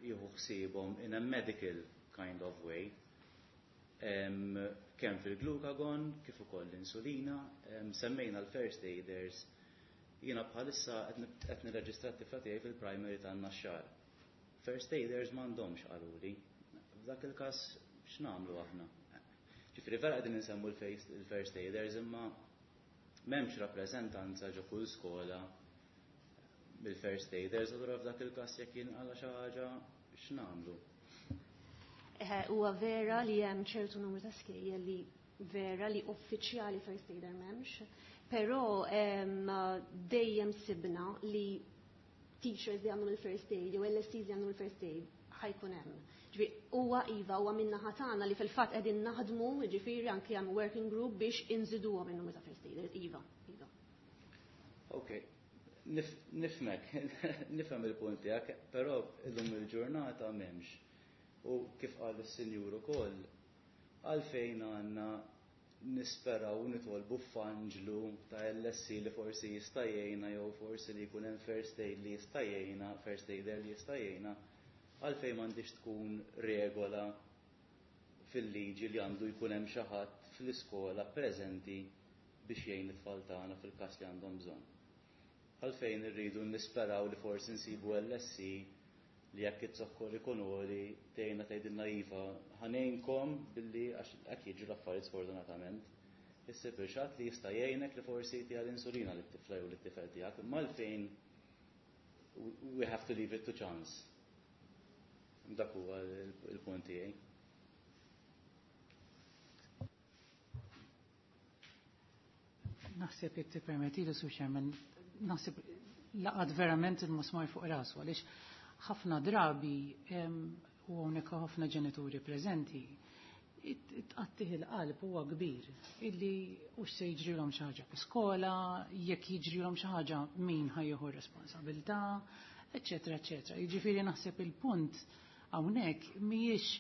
jieħu ħsiebhom in a medical kind of way. Em, kemm fil-glucagon, kif ukoll l-insulina, em, semmejna l-first aiders. Jiena bħalissa qed nib-, qed nirreġistra t-tifla tiegħi fil-primary tan-Naxxar. First aiders m'għandhomx qaluli. F'dak il-każ x'nagħmlu aħna? Ġifieri vera qegħdin insemmu l-first, il-first aiders imma m'hemmx rappreżentanza ġo kull skola bil-first aiders, allura f'dak il-każ jekk jinqala xi ħaġa x'nagħmlu? Eħe, huwa vera li hemm ċertu numru ta' skejjel li vera li uffiċjali first aider m'hemmx, però, em, dejjem sibna li teachers li għandhom il-first aid jew L S Cs li għandhom il-first aid ħajkun hemm. Ġifieri huwa iva huwa min-naħa tagħna li fil-fatt qegħdin naħdmu, ġifieri anke hemm working group biex inżiduhom in-numru ta' first aiders, iva, iva. Okay. Nif-, nifmek, nifhem il-punt tiegħek, però illum il-ġurnata m'hemmx. U kif qal is-sinjur ukoll, għalfejn għandna nisperaw nitolbu f'anġlu ta' L S C li forsi jista' jgħinna jew forsi li jkun hemm first aid li jista' jgħinna, first aider li jista' jgħinna, għalfejn m'għandix tkun regola fil-liġi li għandu jkun hemm xi ħadd fl-iskola preżenti biex jgħin it-tfal tagħna fil-każ li għandhom bżonn. Għalfejn irridu nisperaw li forsi nsibu L S C li jekk it-zokkor ikun għoli tgħinna tgħidilna iva ħanejnkom billi għax hekk jiġu l-affarijiet sfortunatament. Issib il-xatt li jista' jgħinek li forsi jtiha l-insulina lit-tifla jew lit-tifel tiegħek, imma għalfejn we have to leave it to chance. Dak huwa il-punt tiegħi. Naħseb jekk tippermettili, Sur Chairman, naħseb laqad verament il-musmar fuq rasu, għaliex ħafna drabi, em, u hawnhekk ħafna ġenituri preżenti, it-, it-tqattih il-qalb huwa kbir illi hux se jiġrilhom xi ħaġa fl-iskola, jekk jiġrilhom xi ħaġa min ħajjieħu r-responsabilità, eċċetera, eċċetera. Jiġifieri naħseb il-punt hawnhekk mhijiex,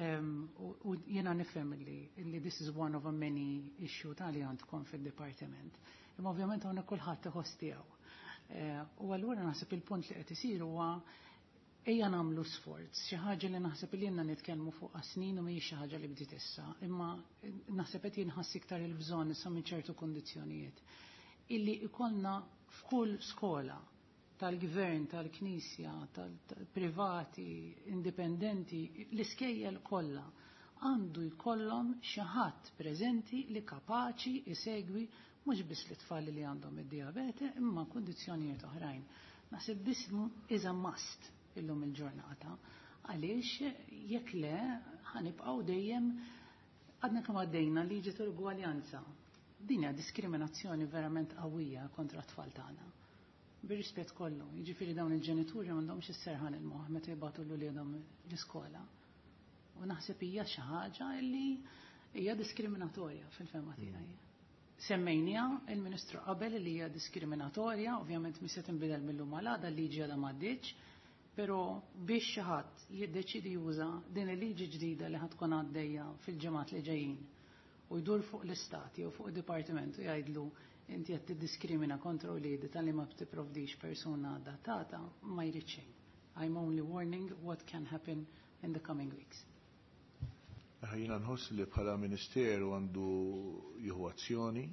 em, u, u jiena nifhem illi, illi this is one of a many issue ta' li għandkom fid-dipartiment. Imma ovvjament hawnhekk kulħadd iħoss tiegħu. Eh, u allura naħseb il-punt li qed isir huwa Ejja nagħmlu sforz, xi ħaġa li naħseb li jenna nitkellmu fuq snin u mhijiex xi ħaġa li bdiet issa, imma naħseb qed jinħass iktar il-bżonn issa minn ċertu kundizzjonijiet. Illi ikollna f'kull skola tal-gvern, tal-knisja, tal-privati, indipendenti, l-iskejjel kollha għandu jkollhom xi ħadd preżenti li kapaċi isegwi mhux biss l-tfal li għandhom id-dijabete imma kundizzjonijiet oħrajn. Naħseb this is a must illum il-ġurnata, għaliex jekk le ħa nibqgħu dejjem għadna kemm għaddejna liġi tal-ugwaljanza. Din hija diskriminazzjoni verament qawwija kontra t-tfal tagħna. Bir-rispett kollu, jiġifieri dawn il-ġenituri m'għandhomx is-serħan il-moħħ meta jibagħtu lil uliedhom l-iskola. U naħseb hija xi ħaġa li hija diskriminatorja fil-fehma tiegħi. Semmejnija il-Ministru qabel li hija diskriminatorja, ovvjament mhix se tinbidel mill-lum għal għada, l-liġi għadha m'għaddietx, però biex xi ħadd jiddeċidi juża din il-liġi ġdida li ħa tkun għaddejja fil-ġimgħat li ġejjin u jdur fuq l-istat jew fuq id-dipartiment u jgħidlu inti qed tiddiskrimina kontra wliedi talli ma tipprovdix persuna adattata, ma jrid xejn. I'm only warning what can happen in the coming weeks. Jiena nħoss li bħala ministeru għandu jieħu azzjoni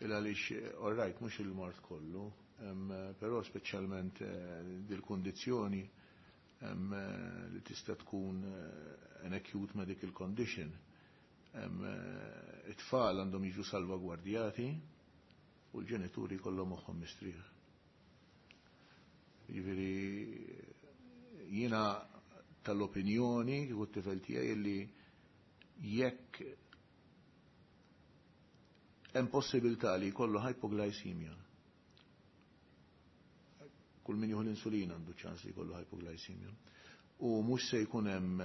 il għaliex, all right, mhux il-mard kollu, però speċjalment dil-kundizzjoni li tista' tkun an acute medical condition. It-tfal għandhom jiġu salvagwardjati u l-ġenituri kollhom moħħhom mistrieħ. Jiġifieri jiena tal-opinjoni kieku t-tifel tiegħi li jekk hemm possibilità li jkollu hypoglycemia. Kull min jieħu l-insulina għandu ċans li jkollu hypoglycemia. U mhux se jkun hemm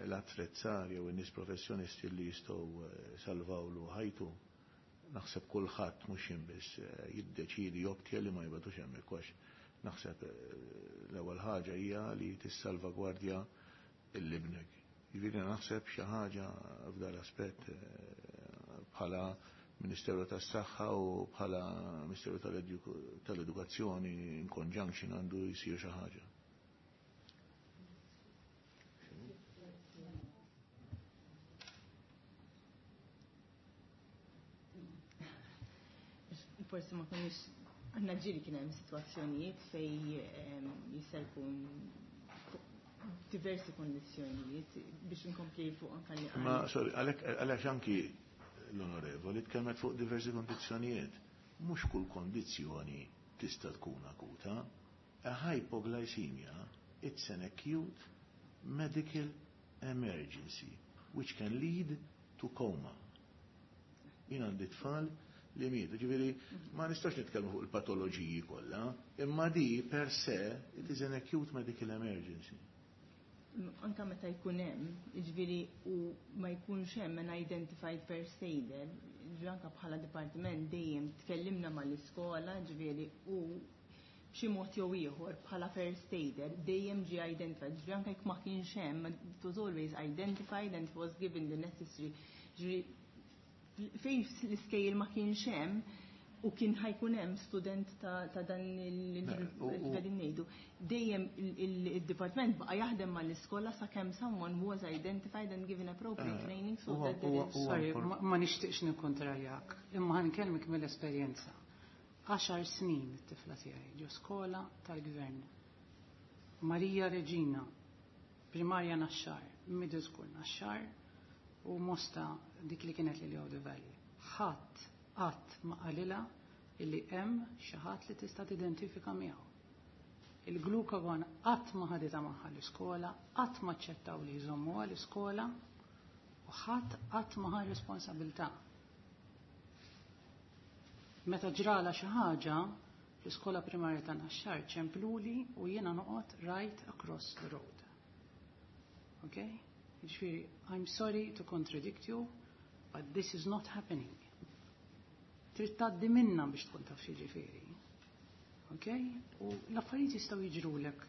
l-attrezzar jew in-nies professjonisti li jistgħu salvawlu ħajtu. Naħseb kulħadd mhux jien biss jiddeċidi joptja li ma jibgħatux hemmhekk għax naħseb l-ewwel ħaġa hija li tissalvagwardja l-ibnek. Jiġifieri naħseb xi ħaġa f'dan l-aspett bħala Ministeru tas-Saħħa u bħala Ministeru tal-Edukazzjoni in conjunction għandu jsir xi ħaġa. Forsi ma konniex għandna ġieli kien hemm sitwazzjonijiet fejn jista' jkun diversi kondizzjonijiet biex inkompli fuq anka li. Ma sorry, għalhekk anki l-onorevoli tkellmet fuq diversi kondizzjonijiet. Mhux kull kondizzjoni tista' tkun akuta. A hypoglycemia, it's an acute medical emergency which can lead to coma. Jien għandi tfal li mietu, ġifieri ma nistax nitkellmu fuq il-patoloġiji kollha, imma di per se it is an acute medical emergency. Anka meta jkun hemm, jiġifieri u ma jkunx hemm an identified first aider, ġifieri anka bħala dipartiment dejjem tkellimna mal-iskola, ġifieri u b'xi mod jew ieħor bħala first aider dejjem ġie identified, ġifieri anke jekk ma kienx hemm, it was always identified and was given the necessary, ġifieri fejn l-iskejjel ma kienx hemm u kien ħa jkun hemm student ta' dan il-qegħdin ngħidu. Dejjem il-dipartiment baqa' jaħdem mal-iskola sakemm someone was identified and given appropriate training so that there is. Sorry, ma nixtieqx nikkontrarjak, imma ħa nkellmek mill-esperjenza. Għaxar snin it-tifla tiegħi ġo skola tal-gvern. Marija Regina, primarja Naxxar, middle school Naxxar, u Mosta dik li kienet li the Valley. Ħadd qatt ma qalilha illi hemm xi ħadd li tista' tidentifika miegħu. Il-glucagon qatt ma ħaditha magħha l-iskola, qatt ma aċċettaw li jżommuha l-iskola u ħadd qatt ma ħa responsabilità. Meta ġrala xi ħaġa, l-iskola primarja ta' Naxxar ċempluli u jiena noqgħod right across the road. Okay? Jiġifieri, I'm sorry to contradict you, but this is not happening. Trid tgħaddi minna biex tkun taf x'jiġifieri. Okay? U l-affarijiet jistgħu jiġrulek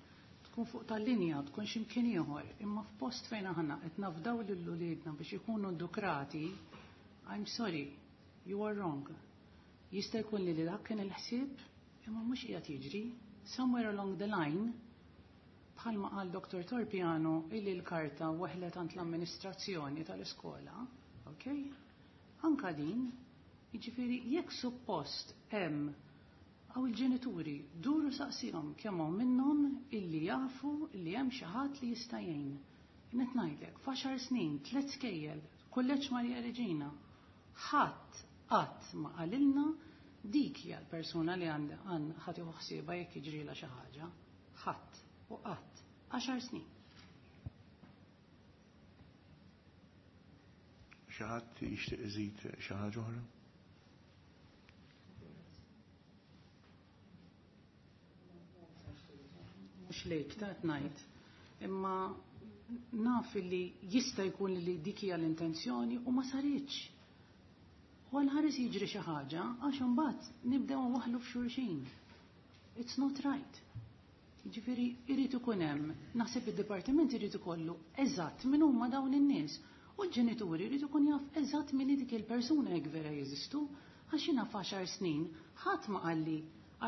tkun fuq tal-linja, tkun x'imkien ieħor, imma f'post fejn aħna qed nafdaw lil uliedna biex ikunu edukrati, I'm sorry, you are wrong. Jista' jkun li dak kien il-ħsieb, imma mhux qiegħed jiġri. Somewhere along the line, Bħalma qal Dottor Torpiano illi l-karta weħlet għand l-amministrazzjoni tal-iskola, ok? Anka din, jiġifieri jekk suppost hemm għaw il-ġenituri duru saqsihom kemm hawn minnhom illi jafu illi hemm xi ħadd li jista' jgħin. Qed ngħidlek, f'għaxar snin, tliet skejjel, Kulleġġ Marija Reġina, ħadd qatt ma qalilna dik hija l-persuna li għandha ħadd jieħu ħsiebha jekk jiġrilha xi ħaġa. Ħadd u qatt. Għaxar snin. Xi ħadd jixtieq iżid xi ħaġa oħra? Mhux lejk ta' ngħid, imma naf li jista' jkun li dik hija l-intenzjoni u ma saritx. U għal-ħares jiġri xi ħaġa għax imbagħad nibdew nwaħħlu f'xulxin. It's not right. Jiġifieri irid ikun hemm, naħseb id-dipartiment irid ikollu eżatt min huma dawn in-nies. U l-ġenituri jrid ikun jaf eżatt min dik il-persuna jekk vera jeżistu, għax jiena f'għaxar snin ħadd ma qalli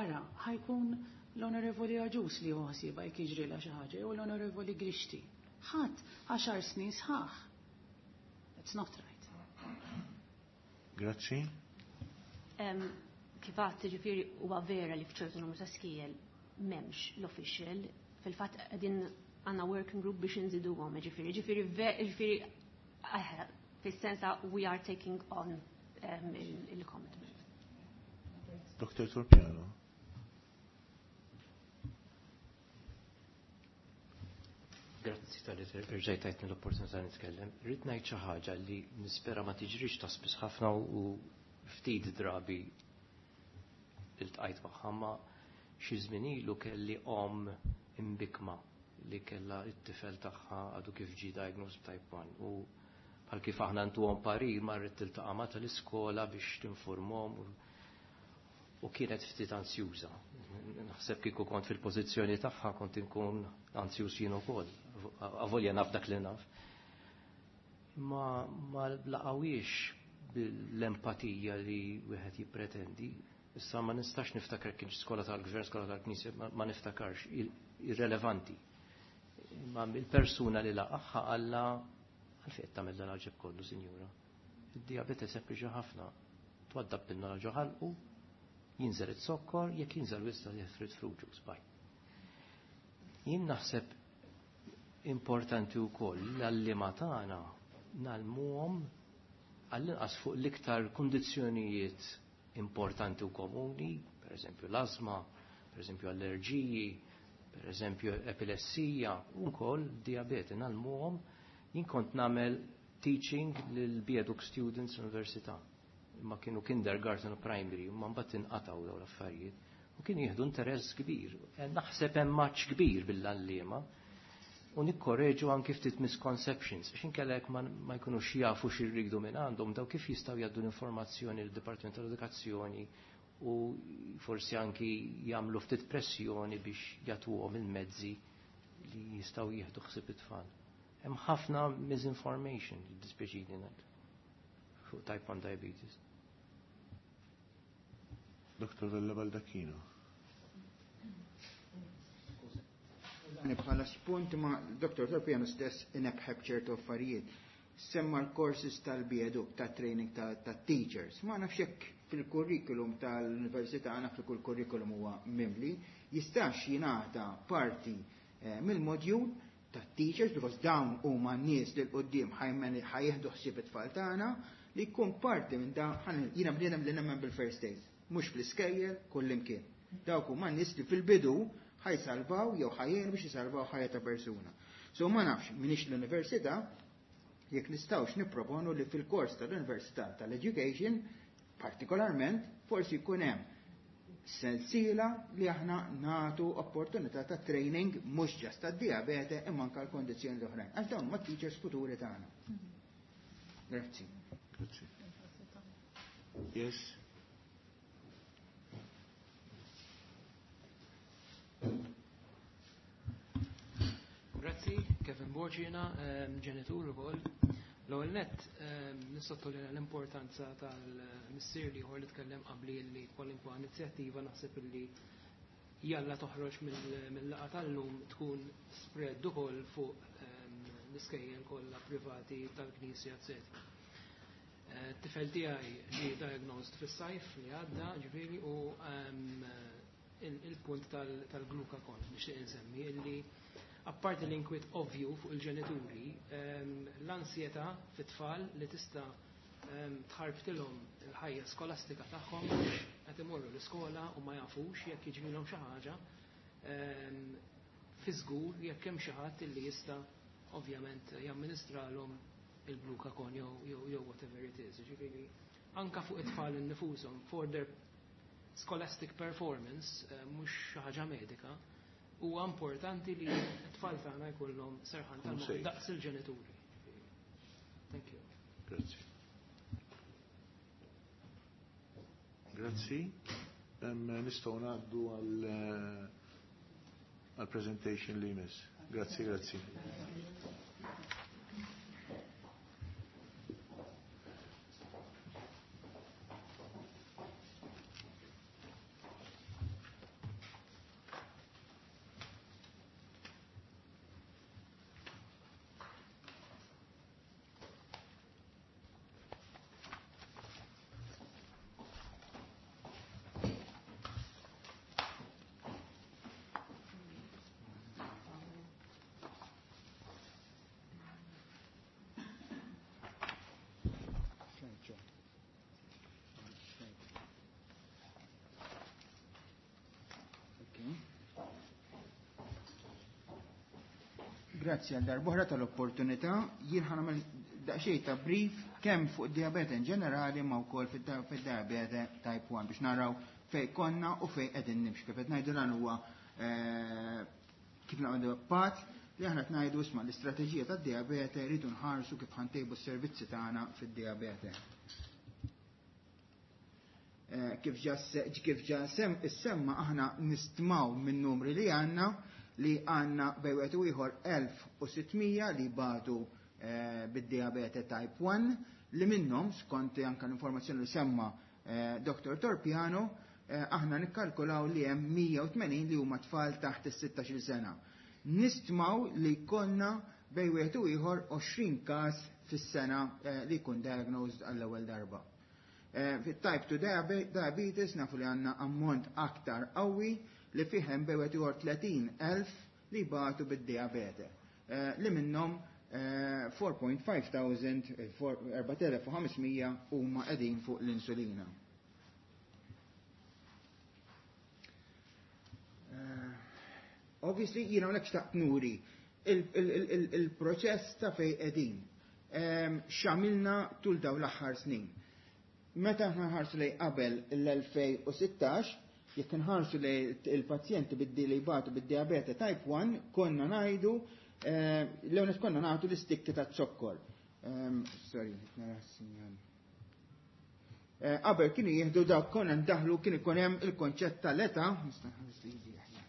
ara ħa jkun l-Onorevoli Agius li hu ħsiebha jekk jiġrilha xi ħaġa jew l-Onorevoli Grixti. Ħadd għaxar snin sħaħ. It's not right. Grazzi. Kif għadt, ġifieri huwa vera li f'ċertu numru ta' skejjel m'hemmx l-official, fil-fatt qegħdin għandna working group biex nżiduhom, ġifieri, ġifieri, ġifieri, fis-sensa we are taking on um, il-commitment. Doktor Torpiano. Grazzi tal-li rġajt tajtni l-opportunità nitkellem. Rrid ngħid xi ħaġa li nispera ma tiġrix ta' spiss ħafna u ftit drabi iltqajt magħha, ma xi żmien ilu kelli om imbikma li kellha t-tifel tagħha għadu kif ġie diagnosed b'type one u bħal kif aħna ntuhom parir marret tiltaqa' ma' tal-iskola biex tinformhom u kienet ftit ansjuża. Naħseb kieku kont fil-pożizzjoni tagħha kont inkun ansjuż jien ukoll, avolja naf dak li naf. Ma ma laqawiex bil-empatija li wieħed jippretendi. Issa ma nistax niftakar kienx skola tal-gvern, skola tal-knisja, ma niftakarx, irrelevanti. Ma il-persuna li laqaħħa għalla għalfejn tagħmel dan għaġeb kollu, sinjura. Id-diabete sempliċi ħafna. Twaddab pinnola ġo ħalqu, jinżel it-sokkor, jekk jinżel wista jifrid fruit juice, bye. Jien naħseb importanti wkoll l-għalliema tagħna nagħlmuhom għall-inqas fuq l-iktar kundizzjonijiet importanti u komuni, per eżempju l-azma, per eżempju allerġiji, per eżempju epilessija, u wkoll diabete nagħlmuhom. Jien kont nagħmel teaching lil Bieduk students l-università. Ma kienu kindergarten u primary, ma mbagħad inqatgħu dawn l-affarijiet. U kienu jieħdu interess kbir. Naħseb hemm maċ kbir bil-għalliema. U nikkorreġu anki ftit misconceptions, għax inkella jekk ma jkunux jafu x'irridu minn għandhom, daw kif jistgħu jgħaddu l-informazzjoni lid-Dipartiment tal-Edukazzjoni u forsi anki jagħmlu ftit pressjoni biex jagħtuhom il-mezzi li jistgħu jieħdu ħsieb it-tfal. Hemm ħafna misinformation, jiddispjaċini ngħid, fuq type one diabetes. Doktor Vella Baldacchino. Bħala spunt ma Doktor Torpiano stess inebħeb ċertu affarijiet. Semma l-courses tal-biedu, ta' training ta' teachers. Ma nafx jekk fil-kurrikulum tal-università, naf li kull kurrikulum huwa mimli, jistax jingħata parti mill-modjul ta' teachers, because dawn huma n-nies li l-qoddim ħajjeħdu ħsieb it-tfal tagħna, li jkun parti minn dawn, jiena bniedem li nemmen bil-first aid, mhux fl-iskejjel kullimkien. Dawk huma n-nies li fil-bidu ħajsalvaw jew ħajjin biex jisalvaw ħajja ta' persuna. So ma nafx minix l-università jekk nistgħux nipproponu li fil-kors tal-università tal-education partikolarment forsi jkun hemm sensiela li aħna nagħtu opportunità ta' training mhux ġast tad-diabete imma anke l-kondizzjoni l-oħrajn. Għax dawn huma teachers futuri tagħna. Grazzi. Grazzi. Yes. Grazzi, Kevin Borgina, ġenitur ukoll. L-ewwel nett nissottolinja l-importanza tal-missier li ieħor li tkellem qabli li kwalinkwa inizjattiva naħseb illi jalla toħroġ mill-laqgħa tal-lum tkun spread ukoll fuq l-iskejjel kollha privati tal-Knisja, eċetera. Tifel tiegħi ġie diagnosed fis-sajf li għadda, ġifieri, u il-punt tal-glucagon nixtieq insemmi illi apparti l-inkwiet ovvju fuq il-ġenituri, l-ansjetà fit-tfal li tista' tħarbtilhom il-ħajja skolastika tagħhom qed imorru l-iskola u ma jafux jekk jiġrilhom xi ħaġa fi żgur jekk hemm xi ħadd illi jista' ovvjament jamministralhom il-glucagon jew whatever it is. Ġifieri anka fuq it-tfal innifushom for their scholastic performance, mhux xi ħaġa medika, huwa importanti li t-tfal tagħna jkollhom serħan tal-moħħ daqs il-ġenituri. Thank you. Grazzi. Grazzi. Nistgħu ngħaddu għal presentation li jmiss. Grazzi, grazzi. Grazzi għal darb'oħra tal-opportunità. Jien ħa nagħmel daqsxejn ta' brief kemm fuq diabete in ġenerali ma wkoll fid-diabete type one biex naraw fejn konna u fejn qegħdin nimxu. Kif qed ngħidu dan huwa kif nagħmlu pat li aħna qed ngħidu isma' l-istrateġija tad-diabete rridu nħarsu kif ħantejbu s-servizzi tagħna fid-diabete. Kif ġa kif ġa issemma aħna nistmaw minn numri li għandna li għanna bejn wieħed u ieħor elf u sittmija li batu eh, bid-diabete type one, li minnhom skont anke l-informazzjoni li semma eh, Doktor Torpiano, eh, aħna nikkalkulaw li hemm mija u tmenin li huma tfal taħt is-sittax-il sena. Nistmaw li konna bejn wieħed u ieħor għoxrin każ fis-sena eh, li jkun diagnosed għall-ewwel darba. Eh, fit-type two diabetes nafu li għandna ammont aktar qawwi li fihem bejn wieħed u ieħor tletin elf li batu bid-diabete, eh, li minnhom eh, four point five thousand, erbat elef u ħamsmija huma qegħdin fuq l-insulina. Eh, obviously, jiena hawnhekk xtaqt nuri il-proċess ta' fejn qegħdin. X'għamilna tul dawn l-aħħar snin. Meta aħna nħarsu lejn qabel l-elfejn u sittax, jekk nħarsu li il-pazjenti bid-di li jbatu bid-diabete type one, konna ngħidu, eh, l-ewwel konna nagħtu l-istikki ta' zokkor. Ehm, sorry, nara s-sinjal. Eh, qabel kienu jieħdu dawk konna ndaħlu kien ikun hemm il-konċett tal-età. Nista' nħares li jiġi aħjar.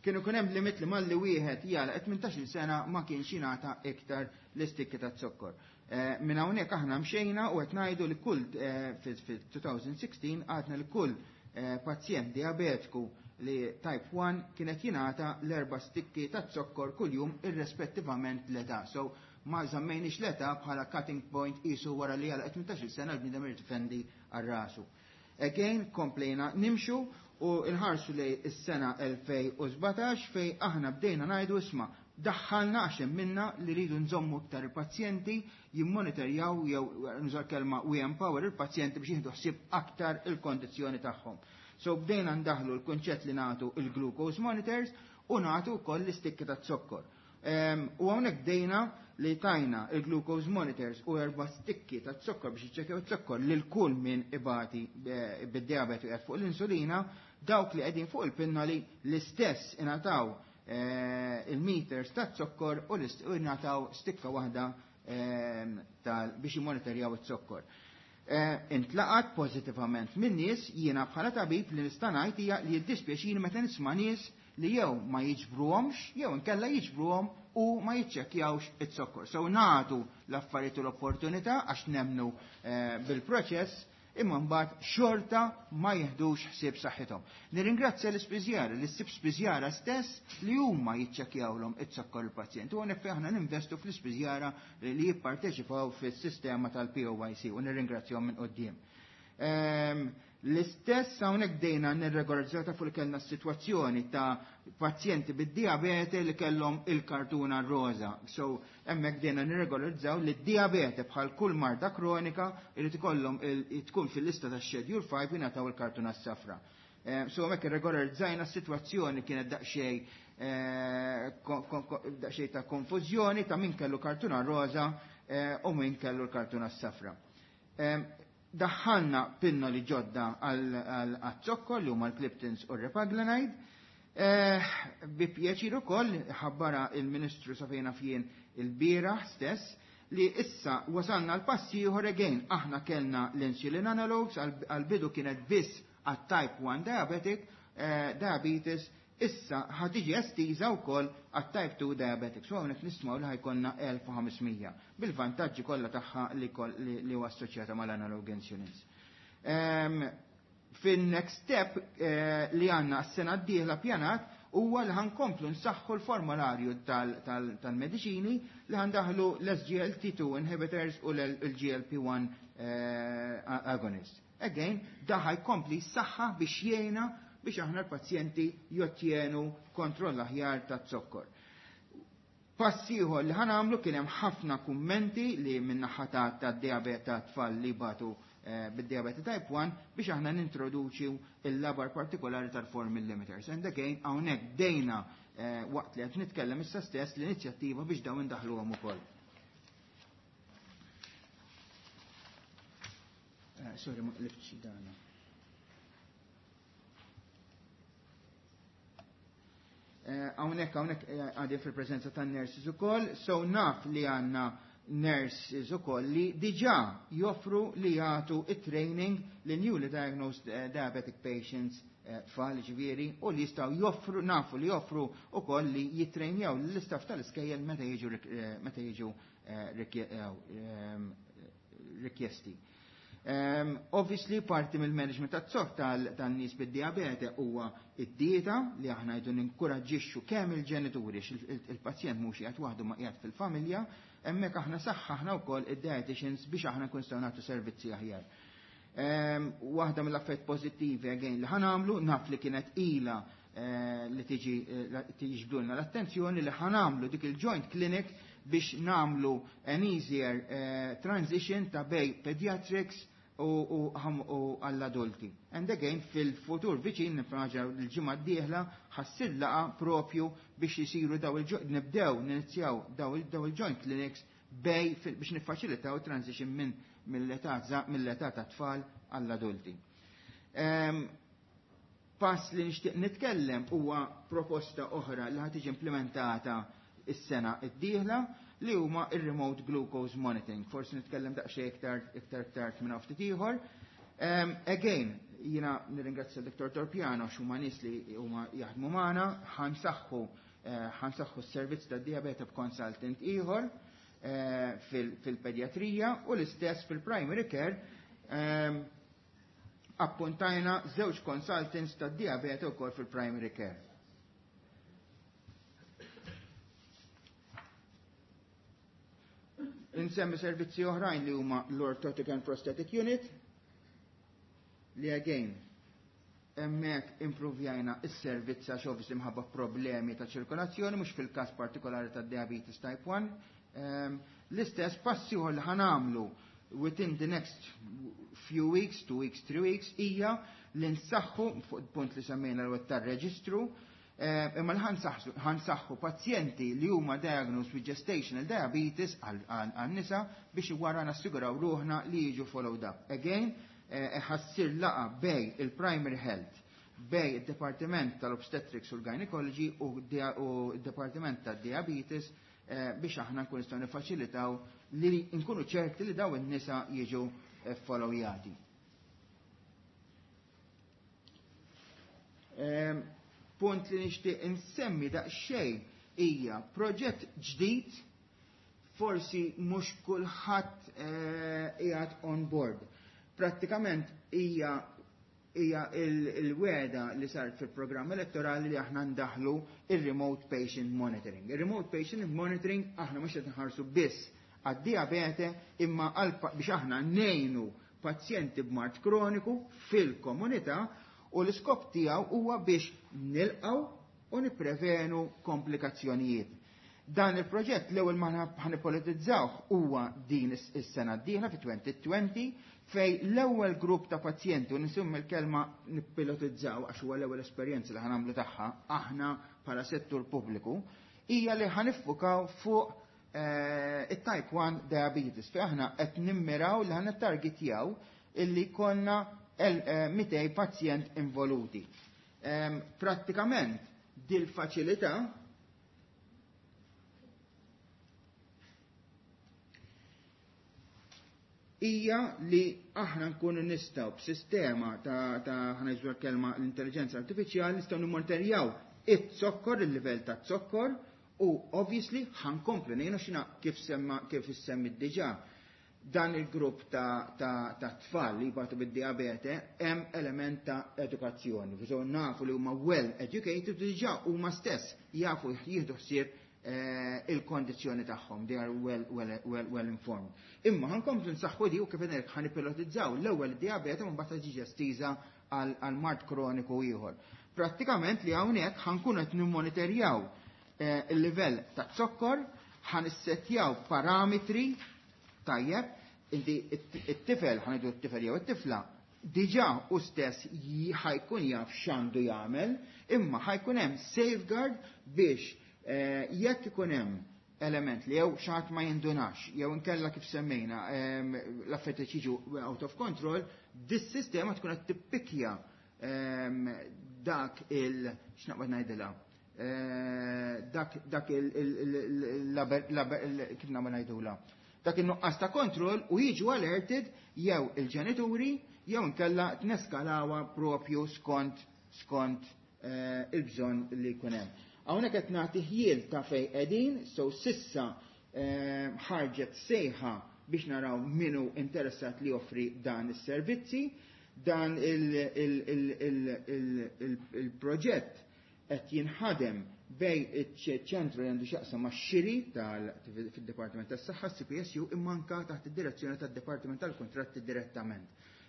Kienu ikun hemm limit li malli wieħed jagħlaq tmintax-il sena ma kienx jingħata iktar l-istikki ta' zokkor. Eh, minn hawnhekk aħna mxejna u qed ngħidu li kull, eh, fil-two thousand sixteen għadna li kull, eh, pazjent diabetiku li type one kienet jingħata l-erba' stikki ta' zokkor kuljum irrispettivament l-età. So ma żammejniex l-età bħala cutting point qisu wara li għalaq tmintax-il sena l-bniedem irid ifendi għal rasu. Again, komplejna nimxu u nħarsu lejn is-sena elfejn u sbatax fej aħna bdejna ngħidu isma' daħħalna għax hemm minna li rridu nżommu iktar il-pazjenti jimmonitorjaw jew nużar kelma we empower il-pazjenti biex jieħdu ħsieb aktar il-kondizzjoni tagħhom. So bdejna ndaħlu l-kunċett li nagħtu il-glucose monitors u nagħtu wkoll l-istikki ta' zokkor. Ehm, u hawnhekk bdejna li tajna il-glucose monitors u erba' stikki ta' zokkor biex jiċċekkjaw iz-zokkor lil kull min ibati, eh, bid-diabete qiegħed fuq l-insulina, dawk li qegħdin fuq il-pinnoli l-istess ingħataw, eh, il-meters ta' zokkor u l-ist-, u ingħataw stikka waħda, ehm, tal-, biex jimmonitorjaw iz-zokkor. Eh, intlaqat pożittivament minn nies, jiena bħala tabib li nista' ngħid hija li jiddispjaċini meta nisma' nies li jew ma jiġbruhomx jew inkella jiġbruhom u ma jiċċekkjawx iz-zokkor. So nagħtu l-affarijiet u l-opportunità għax nemnu, eh, bil-proċess, imma mbagħad xorta ma jiħdux ħsieb saħħithom. Nirringrazzja l-ispiżjara, l-issib spiżjara stess li huma jiċċekkjawlhom iz-zokkor il-pazjent. U hawnhekk aħna ninvestu fl-ispiżjara li jipparteċipaw fis-sistema tal-P O Y C u nirringrazzjahom minn quddiem. Ehm, L-istess hawnhekk bdejna nirregolarizzaw ta' fuq li kellna s-sitwazzjoni ta' pazjenti bid-diabete li kellhom il-kartuna roza. So hemmhekk bdejna nirregolarizzaw li d-diabete, bħal kull marda kronika, irid ikollhom tkun fil-lista ta' Schedule five, jingħataw il-kartuna s-safra. Ehm, so hemmhekk irregolarizzajna s-sitwazzjoni, kienet daqsxejn eh, daqsxejn ta' konfużjoni ta' min kellu kartuna roza eh, u min kellu l-kartuna s-safra. Ehm, daħħalna pinnoli ġodda għal-zokkor li huma l-Gliptins u r-Repaglinide. Eh, bi pjaċir ukoll ħabbara il-Ministru Safejna fien il-bieraħ stess li issa wasalna l-passi ieħor. Again, aħna kellna l-insulin analogs, għal-bidu kienet biss għat-type one diabetic eh, diabetes, issa ħa tiġi estiża wkoll għat-type two diabetics. U hawnhekk nismaw li ħa jkollna elf u ħames mija bil-vantaġġi kollha tagħha li li huwa assoċjata mal-analog insulins. Ehm, fin-next step eh, li għandna s-sena d-dieħla pjanat huwa li ħa nkomplu nsaħħu l-formularju tal-mediċini, li ħa ndaħħlu l-S G L T two inhibitors u l-G L P one eh, agonist. Again, dan ħa jkompli saħħa biex jgħina biex aħna l-pazjenti jottjenu kontroll aħjar ta' zokkor. Pass ieħor li ħa nagħmlu, kien hemm ħafna kummenti li min-naħa ta' diabete ta' tfal li batu eh, bid-diabete type one biex aħna nintroduċi il-labar partikolari tal-four millimeters. And again, hawnhekk bdejna eh, waqt li qed nitkellem issa stess l-inizjattiva biex dawn indaħluhom ukoll. Eh, sorry, ma qlibtx dana. Hawnhekk hawnhekk eh, għadi fil-preżenza ta' nurses ukoll, so naf li għandna nurses ukoll li diġà joffru li jagħtu it-training li newly diagnosed eh, diabetic patients, eh, tfal ġifieri, u li jistgħu joffru, nafu li joffru ukoll li jitrejnjaw l-istaff tal-iskejjel meta jiġu meta jiġu rikjesti. Um, obviously, parti mill-management tat-zokkor tan-nies bid-diabete huwa id-dieta, li aħna jdu ninkoraġġixxu kemm il-ġenituri, il-pazjent mhux qiegħed waħdu ma qiegħed fil-familja, hemmhekk aħna saħħaħna wkoll id-dietitians biex aħna nkun nistgħu nagħtu servizzi aħjar. Um, waħda mill-affarijiet pożittivi again li ħa nagħmlu, naf li kienet ila eh, li tiġi eh, tiġbdulna l-attenzjoni, li ħa nagħmlu dik il-joint clinic biex nagħmlu an easier uh, transition ta' bejn pediatrics u għall-adulti. And again, fil-futur viċin, nifraġa l-ġimgħa d-dieħla, ħa ssir laqgħa propju biex jisiru daw il nibdew ninizjaw daw il-joint clinics bejn biex niffaċilitaw transition minn mill-età mill-età ta' tfal għall-adulti. Pass li nixtieq nitkellem huwa proposta oħra li ħa tiġi implementata is-sena d-dieħla, li huma ir-remote glucose monitoring. Forsi nitkellem daqsxejn iktar iktar tard minn ftit ieħor. Um, again, jiena nirringrazzja Dottor Torpiano x'huma nies li huma jaħdmu magħna, ħa nsaħħu eh, ħa nsaħħu s-servizz tad-diabete b'consultant ieħor eh, fil-pediatrija u l-istess fil-primary care, um, appuntajna żewġ consultants tad-diabete wkoll fil-primary care. Insemmi servizzi oħrajn li huma l-Orthotic and Prosthetic Unit, li again hemmhekk improvjajna is-servizz għax obviously mħabba problemi ta' ċirkolazzjoni, mhux fil-każ partikolari ta' diabetes type one. Um, l-istess passi li ħa nagħmlu within the next few weeks, two weeks, three weeks, hija li nsaħħu fuq punt li semmejna l tar-reġistru, eh, imma li ħa nsaħħu pazjenti li huma diagnosed with gestational diabetes għal-nisa biex wara nassiguraw ruħna li jiġu followed up. Again, eh, ħa ssir laqgħa bejn il-primary health, bejn il-Departiment tal-Obstetrics u l-Gynecology u il-Departiment tal-Diabetes eh, biex aħna nkun nistgħu nifaċilitaw li nkunu ċerti li daw in-nisa jiġu followjati. Ehm, punt li nixtieq insemmi daqsxejn hija proġett ġdid, forsi mhux kulħadd eh, qiegħed on board. Prattikament hija hija il-wegħda li saret fil-programm elettorali li aħna ndaħlu il-remote patient monitoring. Il-remote patient monitoring aħna mhux qed nħarsu biss għad-diabete imma biex aħna ngħinu pazjenti b'mard kroniku fil-komunità u l-iskop tiegħu huwa biex nilqgħu u nipprevenu komplikazzjonijiet. Dan il-proġett l-ewwel ma ħanipolitizzawh huwa din is-sena d-dieħla fi twenty twenty, fej l-ewwel grupp ta' pazjenti, u nisimmi l-kelma nippilotizzaw għax huwa l-ewwel esperjenza li ħanamlu tagħha aħna bħala settur pubbliku, hija li ħaniffukaw fuq eh, it-type one diabetes, fej aħna qed nimmiraw li ħa nittargetjaw illi konna mitejn eh, pazjent involuti. Prattikament dil-faċilità hija li aħna nkunu nistgħu b'sistema ta' ta' ħa ngħidu kelma l-intelligenza artifiċjali nistgħu nimmonitorjaw it-zokkor, il-livell ta' zokkor, u obviously ħa nkomplu ngħinu xina kif semma kif issemmi diġà dan il-grupp ta', ta, ta' tfal li jbatu bid-diabete hemm element ta' edukazzjoni. So nafu li huma well educated, diġà huma stess jafu jieħdu ħsieb eh, il-kondizzjoni tagħhom, they are well, well, well, well informed. Imma ħa nkomplu nsaħħu di u kif ngħid ħa nipilotizzaw l-ewwel diabete, mbagħad tiġi estiża għal mard kroniku ieħor. Prattikament li hawnhekk ħa nkunu qed nimmonitorjaw eh, il-livell ta' zokkor, ħa nissettjaw parametri tajjeb, inti it-tifel, ħa ngħidu it-tifel jew it-tifla, diġà u stess ħa jkun jaf x'għandu jagħmel, imma ħa jkun hemm safeguard biex eh, jekk ikun hemm element li jew xi ħadd ma jindunax, jew inkella kif semmejna l-affarijiet jiġu out of control, dis-sistema tkun qed tippikja dak il x'naqbad ngħidilha eh, dak dak il kif nagħmel ngħidula dak in-nuqqas ta' kontroll u jiġu alerted jew il-ġenituri jew inkella tneskalawha propju skont skont eh, il-bżonn li jkun hemm. Hawnhekk qed nagħti ħjiel ta' fejn qegħdin, so sissa eh, ħarġet sejħa biex naraw minu interessat li joffri dan is-servizzi. Dan il-proġett qed jinħadem bejn iċ-ċentru li għandu x'jaqsam ma' xiri fil-Dipartiment tas-Saħħa, C P S U, imma anka taħt id-direzzjoni tad-Dipartiment tal-Kontratti direttament.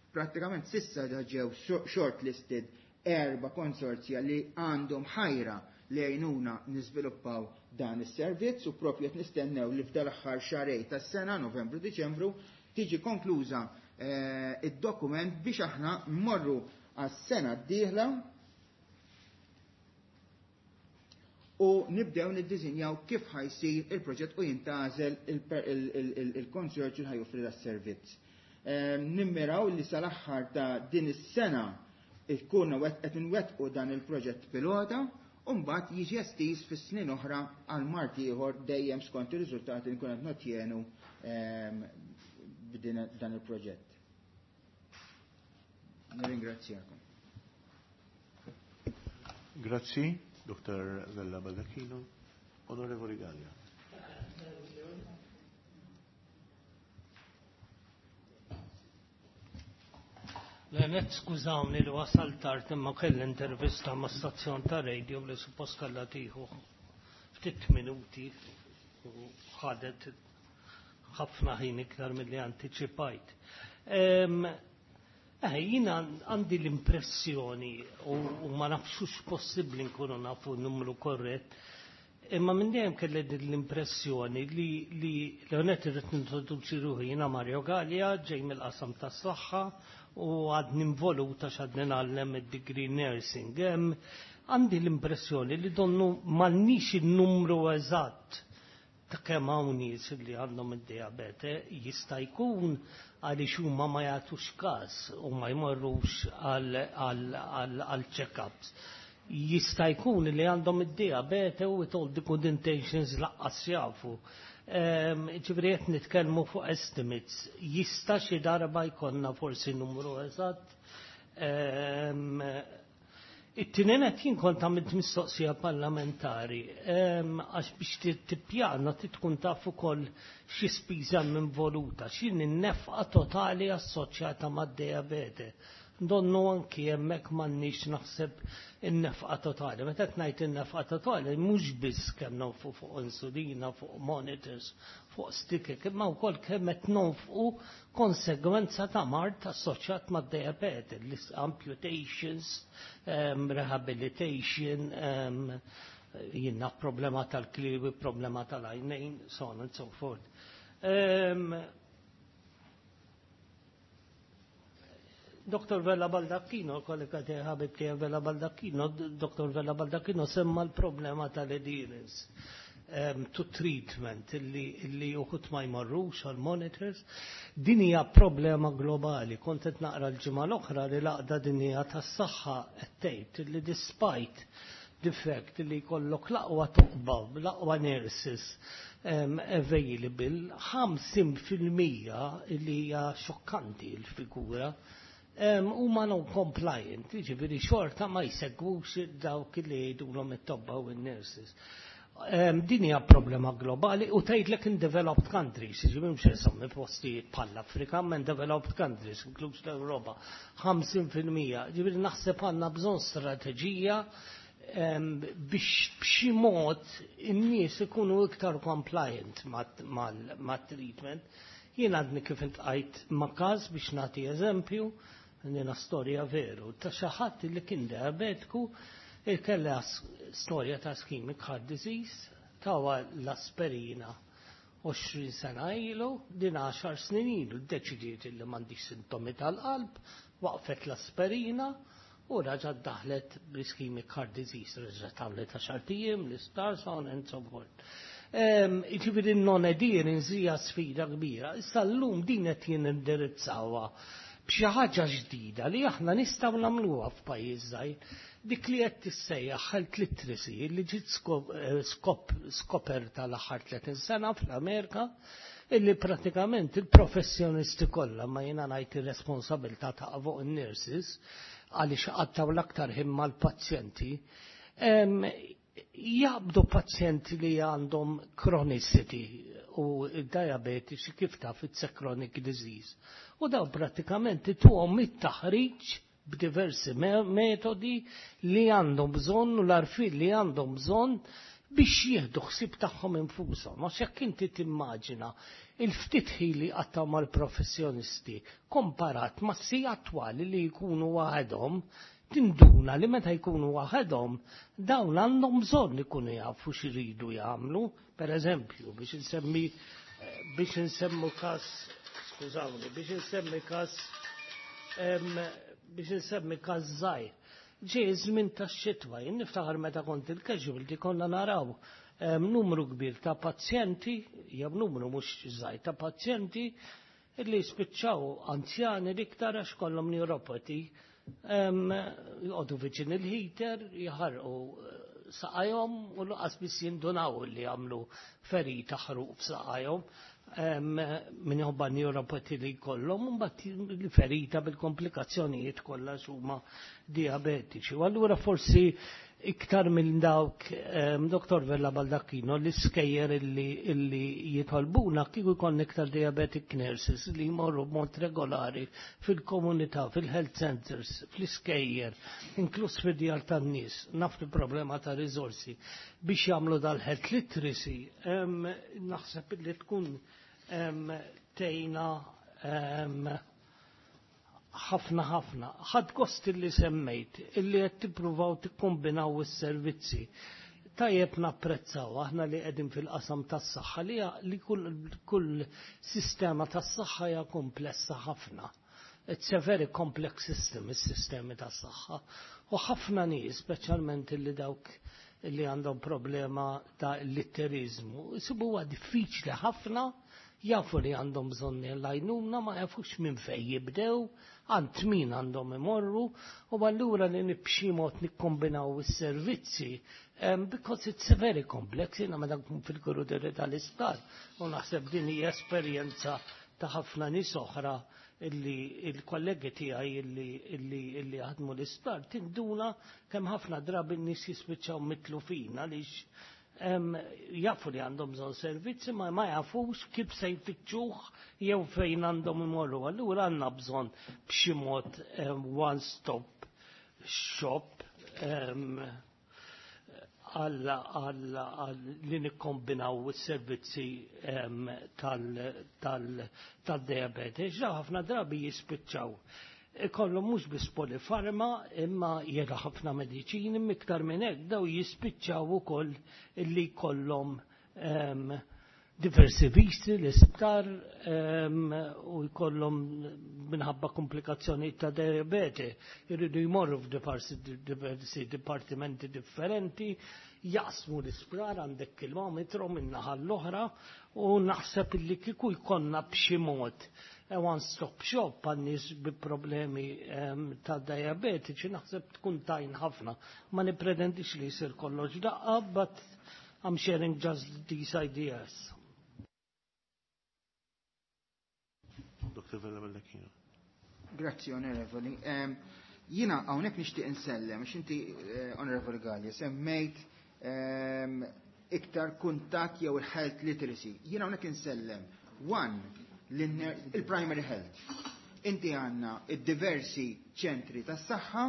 Prattikament sissa ġew shortlisted erba' konsorzja li għandhom ħajra li jgħinuna niżviluppaw dan is-servizz u propju qed nistennew li f'dal aħħar xahrejn tas-sena, Novembru, Diċembru, tiġi konkluża eh, id-dokument biex aħna mmorru għas-sena d-dieħla u nibdew niddisinjaw kif ħa jsir il-proġett u jintgħażel il-konsorzju ħa joffri das-servizz. Ehm, nimmiraw li sal-aħħar ta' din is-sena ikunu qed inwettqu dan il-proġett pilota u mbagħad jiġi estiż fis-snin oħra għal mard ieħor, dejjem skont ir-riżultati li nkun qed notjenu ehm, b'din dan il-proġett. Nirringrazzjakom. Grazzi, Doctor Vella Baldacchino. Onorevoli Gallia. L-għanet skużawni li wasal tard, imma kelli intervista ma' stazzjon ta' radio li suppost kellha tieħu ftit minuti u ħadet ħafna ħin iktar milli antiċipajt. Eh, jina għandi l-impressjoni u, u ma nafxux possibbli nkunu nafu numru korrett, imma minn dejjem kelli din l-impressjoni li li l-għonet irrid nintroduċi ruħi, jiena Mario Gallia, ġej mill-qasam tas-saħħa u għadni involuta x'għadni ngħallem id-degree nursing. Għandi l-impressjoni li donnu m'għandniex il-numru eżatt ta' kemm hawn nies li għandhom id-diabete. Jista' jkun għaliex huma ma jagħtux każ u ma jmorrux għal check-ups. Jista' jkun li għandhom id-diabete u with all the good intentions lanqas jafu. Ġifieri qed nitkellmu fuq estimates. Jista' xi darba jkollna forsi numru eżatt. It-tieni nett, jien kont għamilt mistoqsija parlamentari, għax biex tippjana tkun taf ukoll xi spiża involuta, x'inhi n-nefqa totali assoċjata mad-diabete. Donnu anki hemmhekk m'għandniex, naħseb, in-nefqa totali. Meta qed ngħid in-nefqa totali, mhux biss kemm nonfqu fuq insulina, fuq monitors, fuq sticker, imma wkoll kemm qed nonfqu konsegwenza ta' mard assoċjat mad-diabete, amputations, um, rehabilitation, um, jiena problema tal-kliwi, problema tal-għajnejn, so on and so forth. Um, Doktor Vella Baldacchino, kollega tiegħi, ħabib tiegħi Vella Baldacchino, Doktor Vella Baldacchino semma l-problema tal-adherence um, to treatment illi, illi uħud ma jmorrux għal monitors. Din hija problema globali. Kont qed naqra l-ġimgħa l-oħra li l-Għaqda Dinjija tas-Saħħa qed tgħid li despite the fact li jkollok l-aqwa tobba, l-aqwa nurses um, available, ħamsin fil-mija, li hija xokkanti l-figura, huma non compliant, ġifieri xorta ma jsegwux dawk li jgħidulhom it-tobba u n-nurses. Um, din hija problema globali u tgħidlek in developed countries, ġifieri mhux insemmi postijiet bħall-Afrika, ma in developed countries, inkluż l-Ewropa, ħamsin fil-mija. Ġifieri naħseb għandna bżonn strateġija um, biex b'xi mod in-nies ikunu iktar compliant mat-treatment. Jien għadni kif iltqajt ma' każ, biex nagħti eżempju, jiena storja veru, ta' xi ħadd li kien diabetiku, il-kella storja ta' ischemic heart disease, tawha l-aspirina għoxrin sena ilu, din għaxar snin ilu, deċidiet li m'għandix sintomi tal-qalb, waqfet l-aspirina u raġat daħlet b'ischemic heart disease, reġgħet għamlet għaxart ijiem, l-isptar, so on and so forth. Ġifieri non-adherence hija sfida kbira. Issa llum din qed jindirizzawha b'xi ħaġa ġdida li aħna nistgħu nagħmluha f'pajjiż żgħir, dik li qed tissejjaħ health literacy, li ġiet skop skoperta l-aħħar tletin sena fl-Amerika, illi pratikament il-professjonisti kollha, ma jiena ngħid ir-responsabilità ta' fuq in-nurses għaliex qattgħu l-aktar ħin mal-pazjenti, jaqbdu pazjenti li għandhom chronicity u diabetiċi, kif taf, it's a chronic disease. U daw pratikament tuhom it-taħriġ b'diversi metodi li għandhom bżonn u l-għarfien li għandhom bżonn biex jieħdu ħsieb tagħhom infushom. Għax jekk inti timmaġina il-ftit ħin li qattgħu mal-professjonisti komparat ma' sigħat twal li jkunu waħedhom, tinduna li meta jkunu waħedhom dawn għandhom bżonn ikunu jafu x'iridu jagħmlu. Per eżempju, biex insemmi biex insemmu każ, skużawni, biex insemmi każ biex insemmi każ żgħir. Ġej żmien tax-xitwa, jien niftaħar meta kont il-casualty konna naraw numru kbir ta' pazjenti, jew numru mhux żgħir ta' pazjenti illi spiċċaw anzjani l-iktar għax kollhom neuropathy, joqogħdu viċin il-heater, jaħarqu saqajhom u lanqas biss jindunaw li għamlu ferita, ħruq f'saqajhom minħabba neuropathy li jkollhom, u mbagħad il-ferita bil-komplikazzjonijiet kollha huma diabetiċi. U allura forsi iktar minn dawk, Doktor Vella Baldacchino, l-iskejjel illi, illi jitolbuna kieku jkun iktar diabetic nurses li jmorru b'mod regolari fil-komunità, fil-health centers, fl-iskejjel, inkluż fid-djar tan-nies, naf il-problema ta' risorsi, biex jagħmlu dal-health literacy, naħseb li tkun tgħinna ħafna ħafna. Ħadt gost illi semmejt illi qed tippruvaw tikkombinaw is-servizzi. Tajjeb napprezzaw aħna li qegħdin fil-qasam tas-saħħa li, li kull, kull sistema tas-saħħa hija komplessa ħafna. It's a very complex system, is-sistemi tas-saħħa. U ħafna nies, speċjalment illi dawk li għandhom problema ta' litterizmu, isibuha diffiċli ħafna, jafu li għandhom bżonn l-għajnuna, ma jafux minn fej jibdew, għand min għandhom imorru, u allura li b'xi mod nikkombinaw is-servizzi, um, because it's very complex. Jiena meta nkun fil-kuruderi tal-isptar, u naħseb din hija esperjenza ta' ħafna nies oħra illi il-kollegi tiegħi illi illi illi jaħdmu l-isptar tinduna kemm ħafna drabi n-nies jispiċċaw mitlufin għaliex jafu li għandhom bżonn servizzi ma ma jafux kif se jfittxuh jew fejn għandhom imorru. Allura għandna bżonn b'xi mod one stop shop għal li nikkombinaw is-servizzi tal-diabete. Ġa ħafna drabi jispiċċaw. Ikollhom mhux biss polifarma imma jera ħafna mediċini iktar minn hekk daw jispiċċaw ukoll illi jkollhom diversi visti l-isptar u jkollhom minħabba komplikazzjoni ta' diabete jridu jmorru f'diversi diversi dipartimenti differenti, jaqsmu l-isptar għandek kilometru minn naħa l-oħra u naħseb illi kieku jkollna b'xi mod one stop shop għan-nies bi problemi ta' diabetiċi naħseb tkun tajn ħafna. Ma nipretendix li jsir kollox daqqa, but I'm sharing just these ideas. Doktor Vella Baldacchino. Grazzi, Onorevoli. Um, Jiena hawnhekk nixtieq insellem, għax inti, eh, Onorevoli Gallia, semmejt um, iktar kuntatt jew il-health literacy. Jiena hawnhekk insellem, one, il-primary health. Inti għandna id-diversi ċentri tas-saħħa,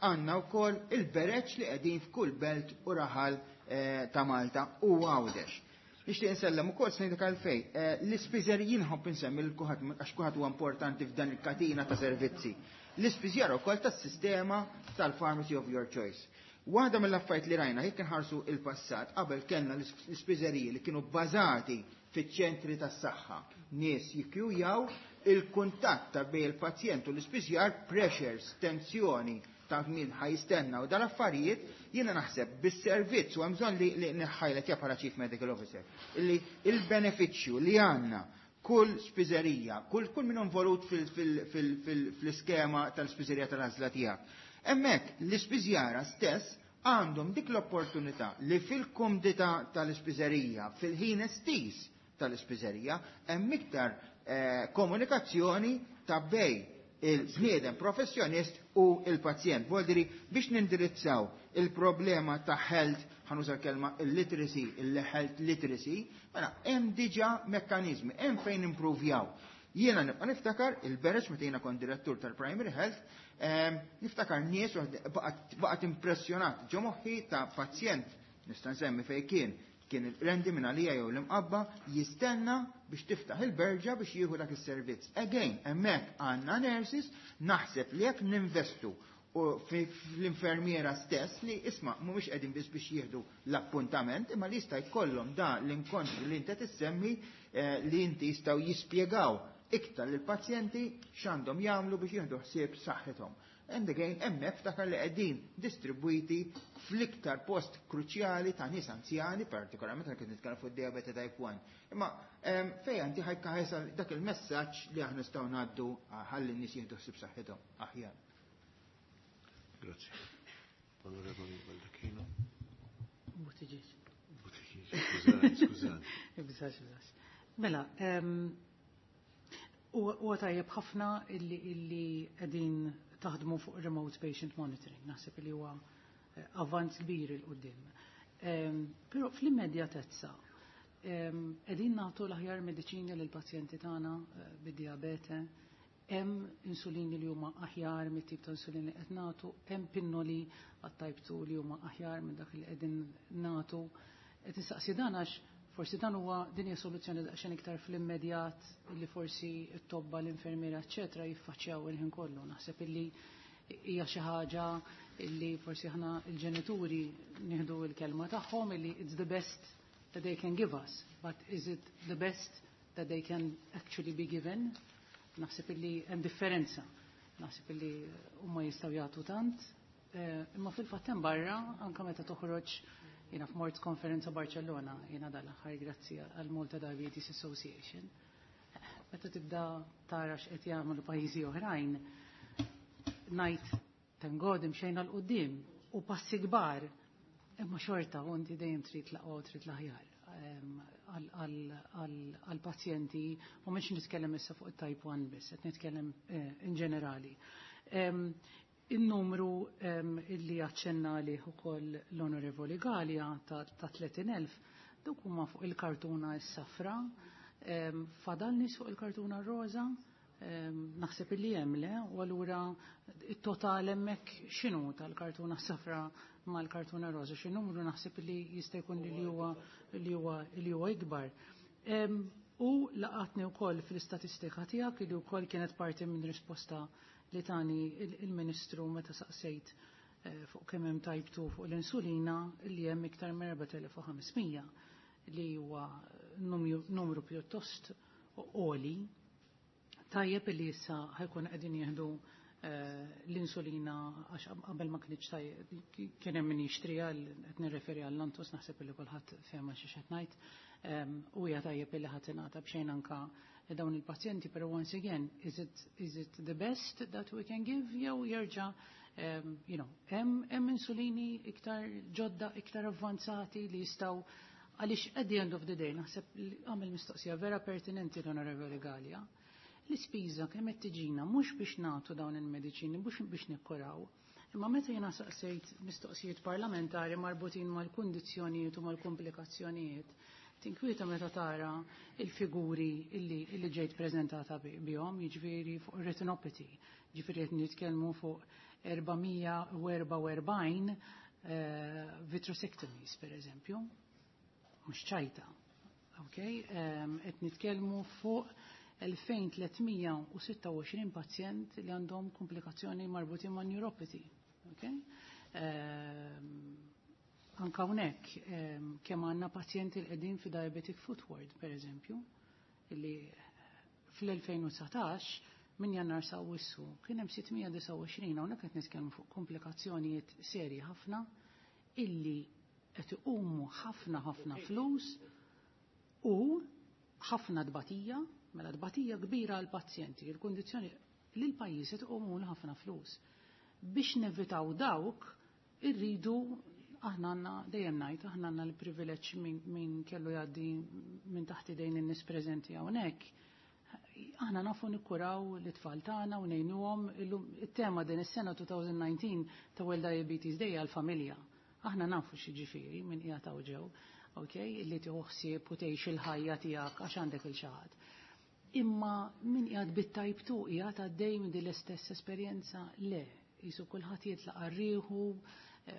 għandna wkoll il-bereċ li qegħdin f'kull belt u raħal eh, ta' Malta u Għawdex. Nixtieq insellem ukoll se ngħidlek għalfejn. Eh, l-ispiżeriji nħobb insemmi lil kulħadd għax kulħadd huwa importanti f'dan il-katina ta' servizzi. L-ispiżjara wkoll tas-sistema tal-pharmacy of your choice. Waħda mill-affarijiet li rajna jekk inħarsu il-passat qabel kellna l-ispiżeriji li kienu bbażati fiċ-ċentri tas-saħħa. Nies jikkjujaw il-kuntatt ta' bejn il-pazjent u l-ispiżjar, pressures, tensjoni ta' min ħa jistenna u dal-affarijiet, jiena naħseb bis-servizz u hemm bżonn li, li nħajlet ja bħala Chief Medical Officer illi il-benefiċċju li għandna kull spiżerija, kull kull min involut fil-iskema tal-spiżerija tal-għażla tiegħek. Hemmhekk l-ispiżjara stess għandhom dik l-opportunità li fil-kumdità tal-ispiżerija, fil-ħin estiż tal-ispiżerija, hemm iktar eh, komunikazzjoni ta' bejn il-bniedem professjonist u il-pazjent. Voldiri biex nindirizzaw il-problema ta' health, ħa nuża l-kelma il-literacy, il-health literacy, mela hemm diġà mekkanizmi, hemm fejn improvjaw. Jiena nibqa' niftakar il-bereġ meta jiena kont direttur tal-Primary Health, ehm, niftakar nies baqgħet impressjonat ġo moħħi ta' pazjent, nista' nsemmi fejn kien, kien il-rendi minn għalija jew l-Imqabba jistenna biex tiftaħ il-berġa biex jieħu dak is-servizz. Again, hemmhekk għandna nurses, naħseb li jekk ninvestu u fl-infermiera stess li isma' mhumiex qegħdin biss biex jieħdu l-appuntament, imma li jista' jkollhom da l-inkontri li inti tissemmi eh, li inti jistgħu jispjegaw iktar lill-pazjenti x'għandhom jagħmlu biex jieħdu ħsieb saħħithom. And again, hemmhekk ftakar li qegħdin distribwiti fl-iktar post kruċjali ta' nies anzjani, partikolarment għal kif nitkellem fuq diabete type one. Imma fejn inti ħajka dak il-messaġġ li aħna nistgħu ngħaddu ħalli n-nies jieħdu ħsieb saħħithom aħjar. Grazie. Onorevoli Baldacchino. Buttigieg. Buttigieg, skużani, skużani. Ibżax, ibżax. Mela, huwa tajjeb ħafna illi illi qegħdin taħdmu fuq remote patient monitoring, naħseb li huwa eh, avvanz kbir 'il quddiem. Però fl-immedjatezza qegħdin nagħtu l-aħjar mediċini lill-pazjenti tagħna eh, bid-diabete, hemm insulini li huma aħjar mit-tip ta' insulini li qed nagħtu, hemm pinnoli għat-type two li huma aħjar minn dak li qegħdin nagħtu. Qed nistaqsi dan għax forsi dan huwa din hija soluzzjoni daqsxejn iktar fl-immedjat li forsi t-tobba, l-infermiera, eċċetera jiffaċċjaw il-ħin kollu. Naħseb illi hija xi ħaġa illi forsi aħna il-ġenituri nieħdu l-kelma tagħhom illi it's the best that they can give us, but is it the best that they can actually be given? Naħseb illi hemm differenza. Naħseb illi huma jistgħu jagħtu tant, eh, imma fil-fatt hemm barra anke meta toħroġ jiena f'mort konferenza Barcellona, jiena dal-aħħar grazzi għal Malta Diabetes Association. Meta tibda tara x'qed jagħmlu pajjiżi oħrajn, ngħid thank God imxejna 'l quddiem u passi kbar, imma xorta u inti dejjem trid l-aqwa u trid l-aħjar. għal-pazjenti u mhux nitkellem issa fuq it-type one biss, qed nitkellem in ġenerali. Il-numru illi aċċenna li ukoll l-Onorevoli Galea ta' tletin elf, dawk huma fuq il-kartuna s-safra, fadal nies fuq il-kartuna roża, naħseb illi hemm le, u allura it-total hemmhekk x'inhu tal-kartuna safra mal-kartuna roża, xi numru naħseb li jista' jkun li huwa li huwa li huwa ikbar. U laqatni wkoll fl-istatistika tiegħek li wkoll kienet parti minn risposta li tani il-Ministru meta saqsejt fuq kemm hemm type two fuq l-insulina li hemm iktar minn erba' elef u ħames mija li huwa numru pjuttost għoli. Tajjeb li issa ħajkun qegħdin jieħdu l-insulina għax qabel ma kienx tajjeb kien hemm min jixtriha, qed nirreferi għal Lantus, naħseb li kulħadd fehma xi qed ngħid. U hija tajjeb li ħadd ingħata b'xejn anka dawn il-pazjenti, però once again, is it, is it the best that we can give? Jew jerġa', you know, hemm insulini iktar ġodda, iktar avvanzati li jistgħu, għaliex at the end of the day, naħseb li għamel mistoqsija vera pertinenti l-Onorevoli Galea, l-ispiża kemm qed tiġina mhux biex nagħtu dawn il-mediċini, mhux biex nikkuraw, imma meta jiena saqsejt mistoqsijiet parlamentari marbutin mal-kundizzjonijiet u mal-komplikazzjonijiet, tinkwieta meta tara il-figuri illi, illi ġejt prezentata bihom, jiġifieri fuq retinopathy, jiġifieri qed nitkellmu fuq erba' mija u erba' u erbgħin vitreosectomies, per eżempju, mhux ċajta. Okay? Qed nitkellmu fuq elfejn tliet mija u sitta u għoxrin pazjent li għandhom komplikazzjoni marbutin ma' neuropathy. Okay? Anka hawnhekk kemm għandna pazjenti li qegħdin fi diabetic foot ward, per eżempju, li fl-elfejn u dsatax minn Jannar sa Awwissu kien hemm sitt mija disgħa u għoxrin, hawnhekk qed nitkellmu fuq komplikazzjonijiet serji ħafna illi qed iqumu ħafna ħafna flus u ħafna tbatija, mela tbatija kbira għall pazjenti, il-kundizzjoni li l-pajjiż qed iqumu ħafna flus. Biex nevitaw dawk irridu aħna għandna, dejjem ngħid, aħna għandna l-privileġġ min, min kellu jgħaddi minn taħt idejn in-nies preżenti hawnhekk. Aħna nafu nikkuraw l-itfal tagħna u ngħinuhom. Illum it-tema din is-sena twenty nineteen ta' World Diabetes Day għall-familja. Aħna nafu x'jiġifieri minn qiegħed hawn ġew, okay, illi tieħu ħsieb u tgħix il-ħajja tiegħek għax għandek il xi ħadd. Imma min qiegħed bit-type two qiegħed għaddej minn din l-istess esperjenza? Le, jisu kulħadd jitlaq għar-rieħu,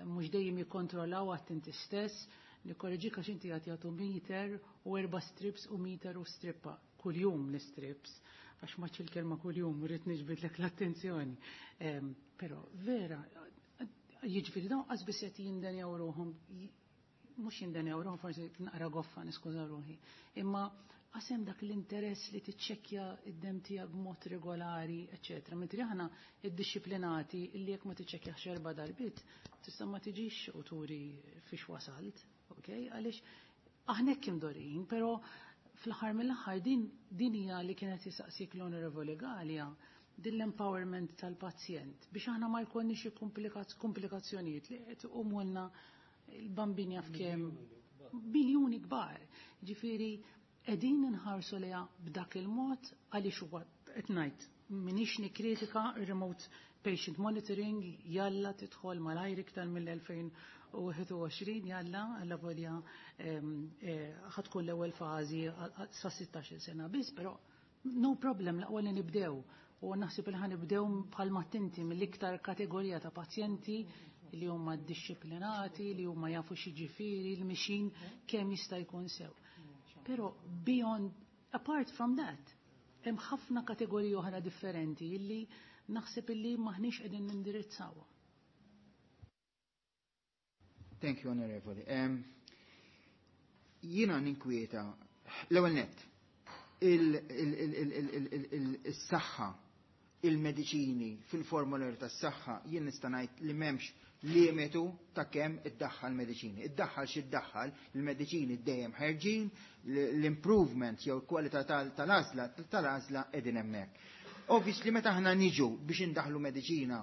mhux dejjem jikkontrollaw għat inti stess, nikkorreġik għax inti qed jagħtu meter u erba' strips u meter u strippa kuljum l-strips, għax ma il-kelma kuljum rrid niġbidlek l-attenzjoni. Ehm, però vera, jiġifieri dawn qas biss qed jindenjaw ruħhom, mhux jindenjaw ruħhom, forsi naqra goffa, niskuża ruħi, imma għasem dak l-interess li tiċċekkja id-dem tiegħek b'mod regolari, eċċetera. Mentri aħna iddixxiplinati li jekk ma tiċċekkjax erba' darbiet, tista' ma tiġix u turi fiex wasalt, okay? Għaliex aħna hekk imdorin, però fl-aħħar mill-aħħar din, din hija li kienet jisaqsik l-Onorevoli Galea, din l-empowerment tal-pazjent biex aħna ma jkollniex xi komplikazzjonijiet li qed iqumulna il-bambini jaf kemm biljuni kbar. Ġifieri qegħdin inħarsu liha b'dak il-mod għaliex huwa qed ngħid m'iniex nikkritika remote patient monitoring, jalla tidħol malajr iktar mill-elfejn u wieħed u għoxrin, jalla alla volja, ehm, eh, ħatkun l-ewwel fażi sa sittax-il sena biss, però no problem, l-aqwa li nibdew. U naħseb li ħanibdew bħalma tinti mill-iktar kategorija ta' pazjenti li huma disċiplinati, li huma jafu x'jiġifieri, li mixin kemm jista' jkun sew. Però beyond, apart from that, hemm ħafna kategoriji oħra differenti illi naħseb illi maħniex qegħdin nindirizzawha. Thank you, Onorevoli. Um, jiena ninkwieta, l-ewwel nett, il-saħħa, il-mediċini fil-formular tas-saħħa, jien nista' ngħid li m'hemmx limitu ta' kemm iddaħħal mediċini. Iddaħħal xi iddaħħal, il-mediċini dejjem ħerġin, l-improvement jew l-kwalità tal-għażla tal-għażla qegħdin hemmhekk. Obviously meta aħna niġu biex indaħlu mediċina,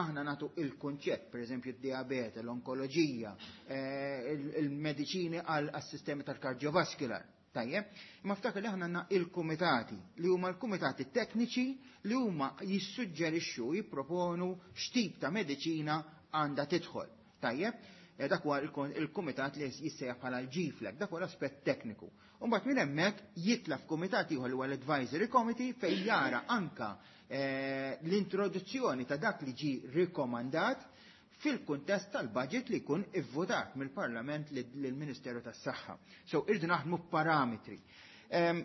aħna natu il-kunċett, per eżempju id-diabete, l-onkoloġija, eh, il-mediċini għal-sistemi tal-kardiovascular. Tajjeb, imma ftakar li aħna għandna il-kumitati li huma l-kumitati tekniċi li huma jissuġġerixxu, jipproponu x'tip ta' mediċina għandha tidħol. Tajjeb, eh, dak huwa il-kumitat li jissejjaħ bħala l-G FLAG, dak huwa l-aspett tekniku. U mbagħad minn hemmhekk jitla' f'kumitat ieħor li huwa l-Advisory Committee, fejn jara anka eh, l-introduzzjoni ta' dak li ġi rikomandat fil-kuntest tal-budget li jkun ivvotat mill-Parlament lill-Ministeru tas-Saħħa. So irdu naħdmu parametri.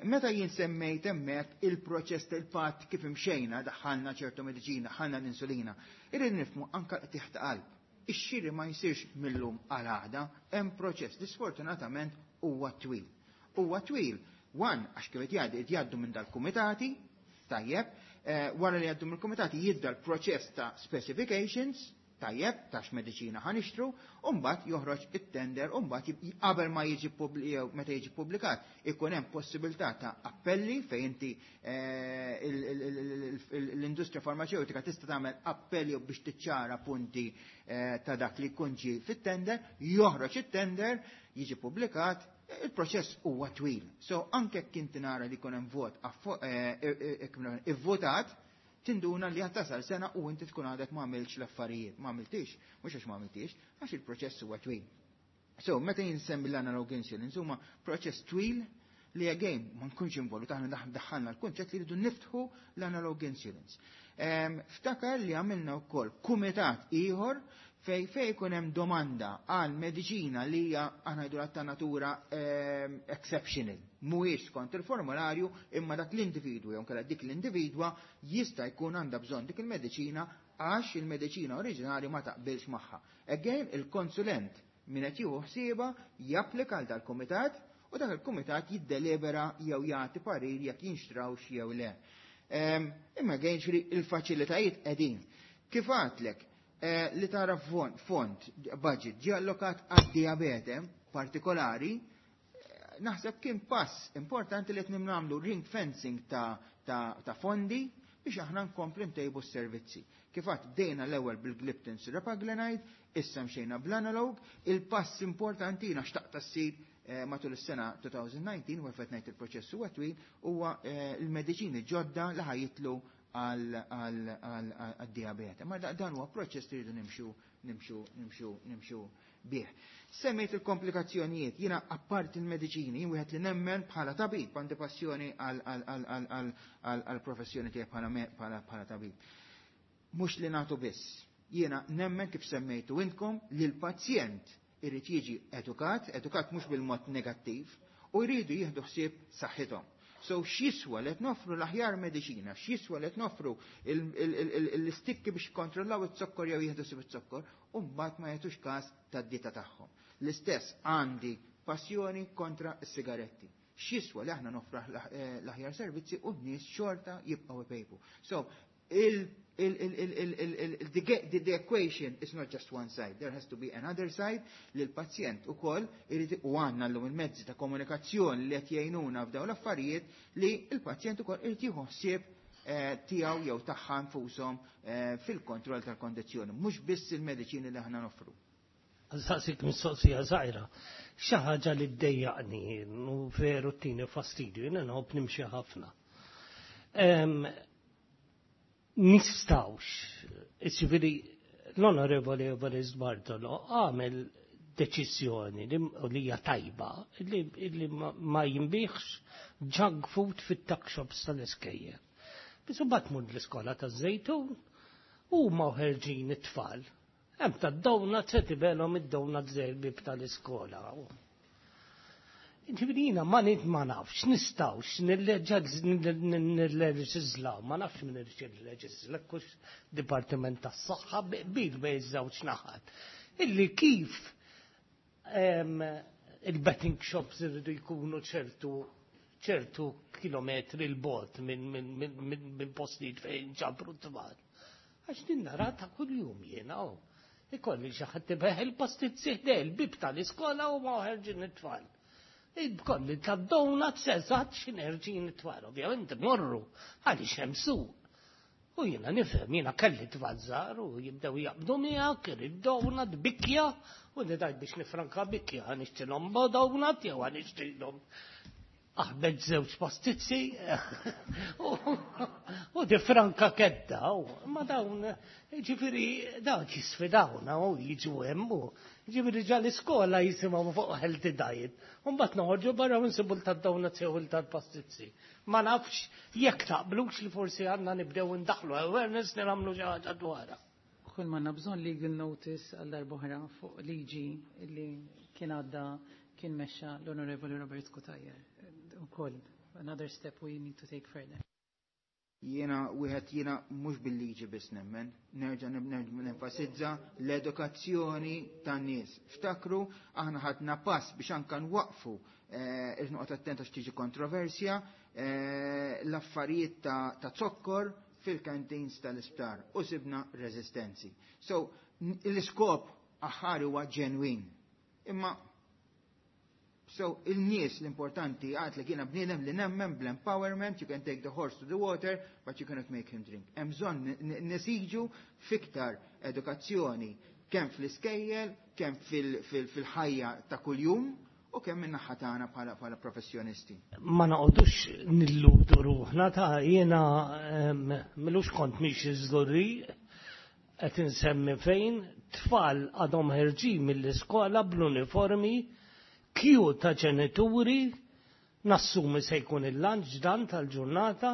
Meta jien semmejt hemmhekk il-proċess tal-patt kif imxejna, daħħalna ċertu mediċina, ħalna l-insulina, irrid nifhmu anka qtigħ ta' qalb. Ix-xiri ma jsirx millum għal għada, hemm proċess li sfortunatament huwa twil. Huwa twil, one, għax kif qed jgħaddu minn dal-kumitati, tajjeb, eh, wara li jgħaddu mill-kumitati jibda l-proċess ta' specifications, tajjeb, ta' x'mediċina ħa nixtru, u mbagħad joħroġ it-tender, u mbagħad qabel ma jiġi jew meta jiġi publikat, ikun hemm possibilità ta' appelli fejn inti eh, l-industrija farmaceutika tista' tagħmel appelli biex tiċċara punti eh, ta' dak li jkun ġie fit-tender, joħroġ it-tender, jiġi publikat, il-proċess huwa twil. So anke kien nara li jkun hemm vot eh, ivvotat, tinduna li tasal sena u inti tkun għadek ma għamilx l-affarijiet. Ma għamiltix, mhux għax ma għamiltix, għax il-proċess huwa twil. So, meta jinsemmi l-analog insulin, huma proċess twil li again ma nkunx involut, aħna daħħalna l-kunċett li rridu niftħu l-analog insulins. Ftakar li għamilna wkoll kumitat ieħor fej fej ikun hemm domanda għal mediċina li hija, aħna ngħidu, ta' natura exceptional. Mhuwiex skont il-formularju, imma dak l-individwu jew kellha dik l-individwa jista' jkun għandha bżonn dik il-mediċina għax il-mediċina oriġinali ma taqbilx magħha. Again, il-konsulent min qed jieħu ħsieba japplika għal dal-kumitat u dak il-kumitat jiddelibera jew jagħti parir jekk jinxtrawx jew le. Imma again, il-faċilitajiet qegħdin. Kif għedtlek, eh, li tara fond, budget, ġi allokat għad-diabete partikolari, eh, naħseb kien pass importanti li qed nagħmlu ring fencing ta', ta, ta fondi biex aħna nkomplu ntejbu s-servizzi. Kif għedt, bdejna l-ewwel bil-gliptins, repaglinide, issa mxejna bl-analog, il-pass importanti xtaqt ssir eh, matul is-sena elfejn u dsatax, u għalfejn ngħid il-proċess huwa twil, huwa il-mediċini ġodda li ħa jidħlu għal-diabete. Ma dan huwa proċess li rridu nimxu, nimxu, nimxu, nimxu bih. Semmejt il-komplikazzjonijiet, jiena apparti il-mediċini, jien wieħed li nemmen bħala tabib, għandi passjoni għal-professjoni tiegħi bħala tabib. Mhux li nagħtu biss. Jiena nemmen, kif semmejtu intkom, li l-pazjent irid jiġi edukat, edukat mhux bil-mod negattiv, u jridu jieħdu ħsieb saħħithom. So x'jiswa li noffru l-aħjar mediċina, x'jiswa li noffru l-istikki biex kontrollaw it-zokkor jew jieħdu ħsieb it-zokkor, u mbagħad ma jagħtux każ tad-dieta tagħhom. L-istess, għandi passjoni kontra s-sigaretti. X'jiswa li aħna noffru l-aħjar servizzi u n-nies xorta jibqgħu ipejpu? So il the, the equation is not just one side. There has to be another side li l-pazjent ukoll irid, u għandna llum il-mezzi ta' komunikazzjoni li qed jgħinuna f'dawn l-affarijiet, li l-pazjent ukoll irid jieħu ħsieb eh, tiegħu jew tagħha nfushom eh, fil-kontroll tal-kondizzjoni, mhux biss il-mediċini li aħna noffru. Saqsik mistoqsija żgħira. Xi ħaġa li ddejjaqni u veru tini fastidju, jiena nħobb nimxi ħafna. Nistgħux, ġifieri l-Onorevoli Evarist Bartolo għamel deċiżjoni li hija tajba li, li ma jinbiegħx junk food fit-tuck shops tal-iskejjel. Biss imbagħad mur l-iskola taż-Żejtun u ma ħerġin it-tfal. Hemm ta' donuts, qed ibelhom id-donuts il-bib tal-iskola. Ġifieri jiena ma nid ma nafx, nistgħux nilleġislaw, ma nafx min irid jilleġisla, kux Dipartiment tas-Saħħa bil bejn iż-żewġ naħat. Illi kif il-betting shops irridu jkunu ċertu ċertu kilometri 'l bogħod minn min, min, min, min postijiet fejn ġabru t-tfal. Għax din nara ta' kuljum jiena, oh. Ikolli xi ħadd ibigħ il-pastizzi il-bib tal-iskola u ma ħerġin it-tfal. Kolli ta' donuts eżatt x'ħin it-tfal, ovvjament morru, għaliex hemm suq. U jiena nifhem, jiena kelli tfal żgħar u jibdew jaqbdu miegħek, irid donut, bikja, u nidajt biex nifranka bikja, ħa nixtrilhom donut jew ħa nixtrilhom Aħbed żewġ pastizzi u di franka kedda, ma dawn, ġifieri dawn jisfidawna u jiġu hemm u ġifieri ġa l-iskola jisimgħu fuq healthy diet. U mbagħad noħorġu barra u nsibu tad-donuts jew tal-pastizzi. Ma nafx jekk taqblux li forsi għandna nibdew indaħlu awareness li nagħmlu xi ħaġa dwarha. Kull ma bżonn legal notice għal darb'oħra fuq liġi li kien għadda kien mexxa l-Onorevoli Robert Cutajar. Ukoll, another step we need to take further. Jiena wieħed jiena mhux bil-liġi biss nemmen, nerġa' nenfasizza l-edukazzjoni tan-nies. Ftakru aħna ħadna pass biex anka nwaqfu, eh, irrid noqgħod attent għax tiġi kontroversja, eh, l-affarijiet ta' zokkor fil-canteens tal-isptar u sibna reżistenzi. So, l-iskop aħħari huwa ġenwin. Imma So, il-nies l-importanti għat li kiena bniedem li nemmen bl-empowerment, you can take the horse to the water, but you cannot make him drink. Hemm bżonn nesiġu fiktar edukazzjoni kemm fl-iskejjel, kemm fil-ħajja ta' kuljum, u kemm minn naħa tagħna bħala professjonisti. Ma noqogħdux nilludu ruħna ta' jiena milux kont mhix iżdurri qed insemmi fejn tfal għadhom ħerġin mill-iskola bl-uniformi, kju ta' ġenituri, nassumi se jkun il-lunch dan tal-ġurnata,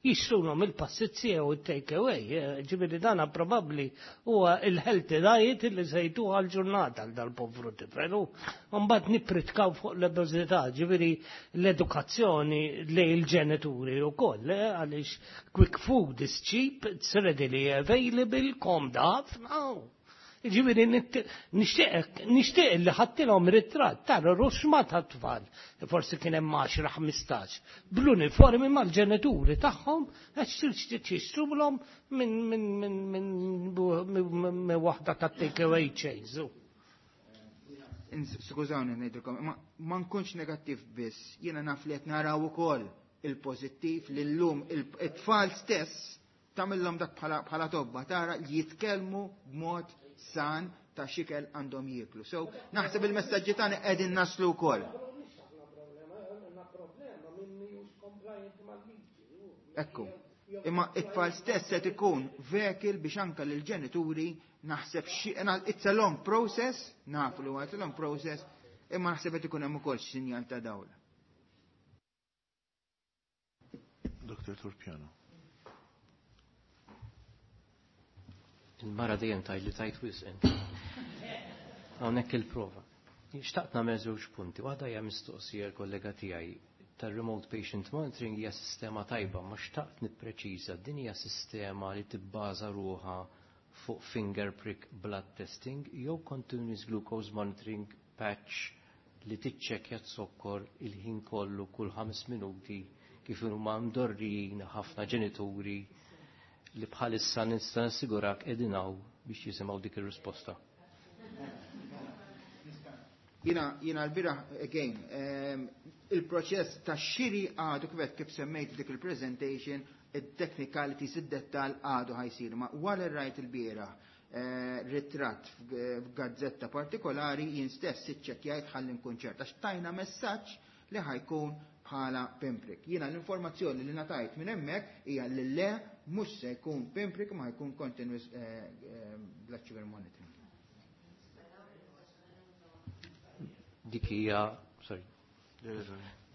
jixtrulhom il-pastizzi jew il-take away. Ġifieri dana probabbli huwa il-healthy diet li se jtuha għal-ġurnata għal dal-povru tifel. U mbagħad nippritkaw fuq l-obeżità, ġifieri l-edukazzjoni lejn il-ġenituri wkoll, għaliex quick food is cheap, it's readily available, komda ħafna. Ġifieri nixtieq nixtieq li ħadtilhom ritratt tara ruxma ta' tfal, forsi kien hemm għaxra ħmistax, bl-uniformi mal-ġenituri tagħhom għax jixtrulhom minn minn minn minn waħda ta' take away chains. Skużawni ngħidilkom, ma ma nkunx negattiv biss, jiena naf li qed naraw ukoll il-pożittiv li llum it-tfal stess tagħmilhom dak bħala tobba tara li jitkellmu b'mod san ta' xikel għandhom jieklu. So, naħseb il-messaġġi tagħna qegħdin naslu wkoll. Ekku. Imma it-tfal stess qed ikun vehicle biex anke lill-ġenituri naħseb xi it's a long process, nafu li huwa it's a long process, imma naħseb qed ikun hemm ukoll sinjal ta' dawl. Doktor Torpiano. Il-mara dejjem tajt li tajt wisq int. Hawnhekk il-prova. Xtaqt nagħmel żewġ punti. Waħda hija mistoqsija l-kollega tiegħi tar-remote patient monitoring hija sistema tajba, ma xtaqt nippreċiża din hija sistema li tibbaża ruħha fuq finger prick blood testing jew continuous glucose monitoring patch li tiċċekkja t-sokkor il-ħin kollu kull ħames minuti kif huma mdorrijin ħafna ġenituri li bħalissa nista' nassigurak qegħdin hawn biex jisimgħu dik ir-risposta. Jiena jiena l-bieraħ again, um, il-proċess ta' xiri għadu kif kif semmejt dik il-presentation, il-technicalities, id-dettal għadu ħajsir. Ma wara rajt il-bieraħ eh, ritratt f'gazzetta partikolari jien stess iċċekkjajt ħalli nkun ċert għax tajna messaġġ li ħajkun bħala pinprick. Jiena l-informazzjoni li ngħatajt minn hemmhekk hija li le mhux se jkun pinprick ma jkun continuous eh, eh, blood sugar monitoring. Dik hija, sorry,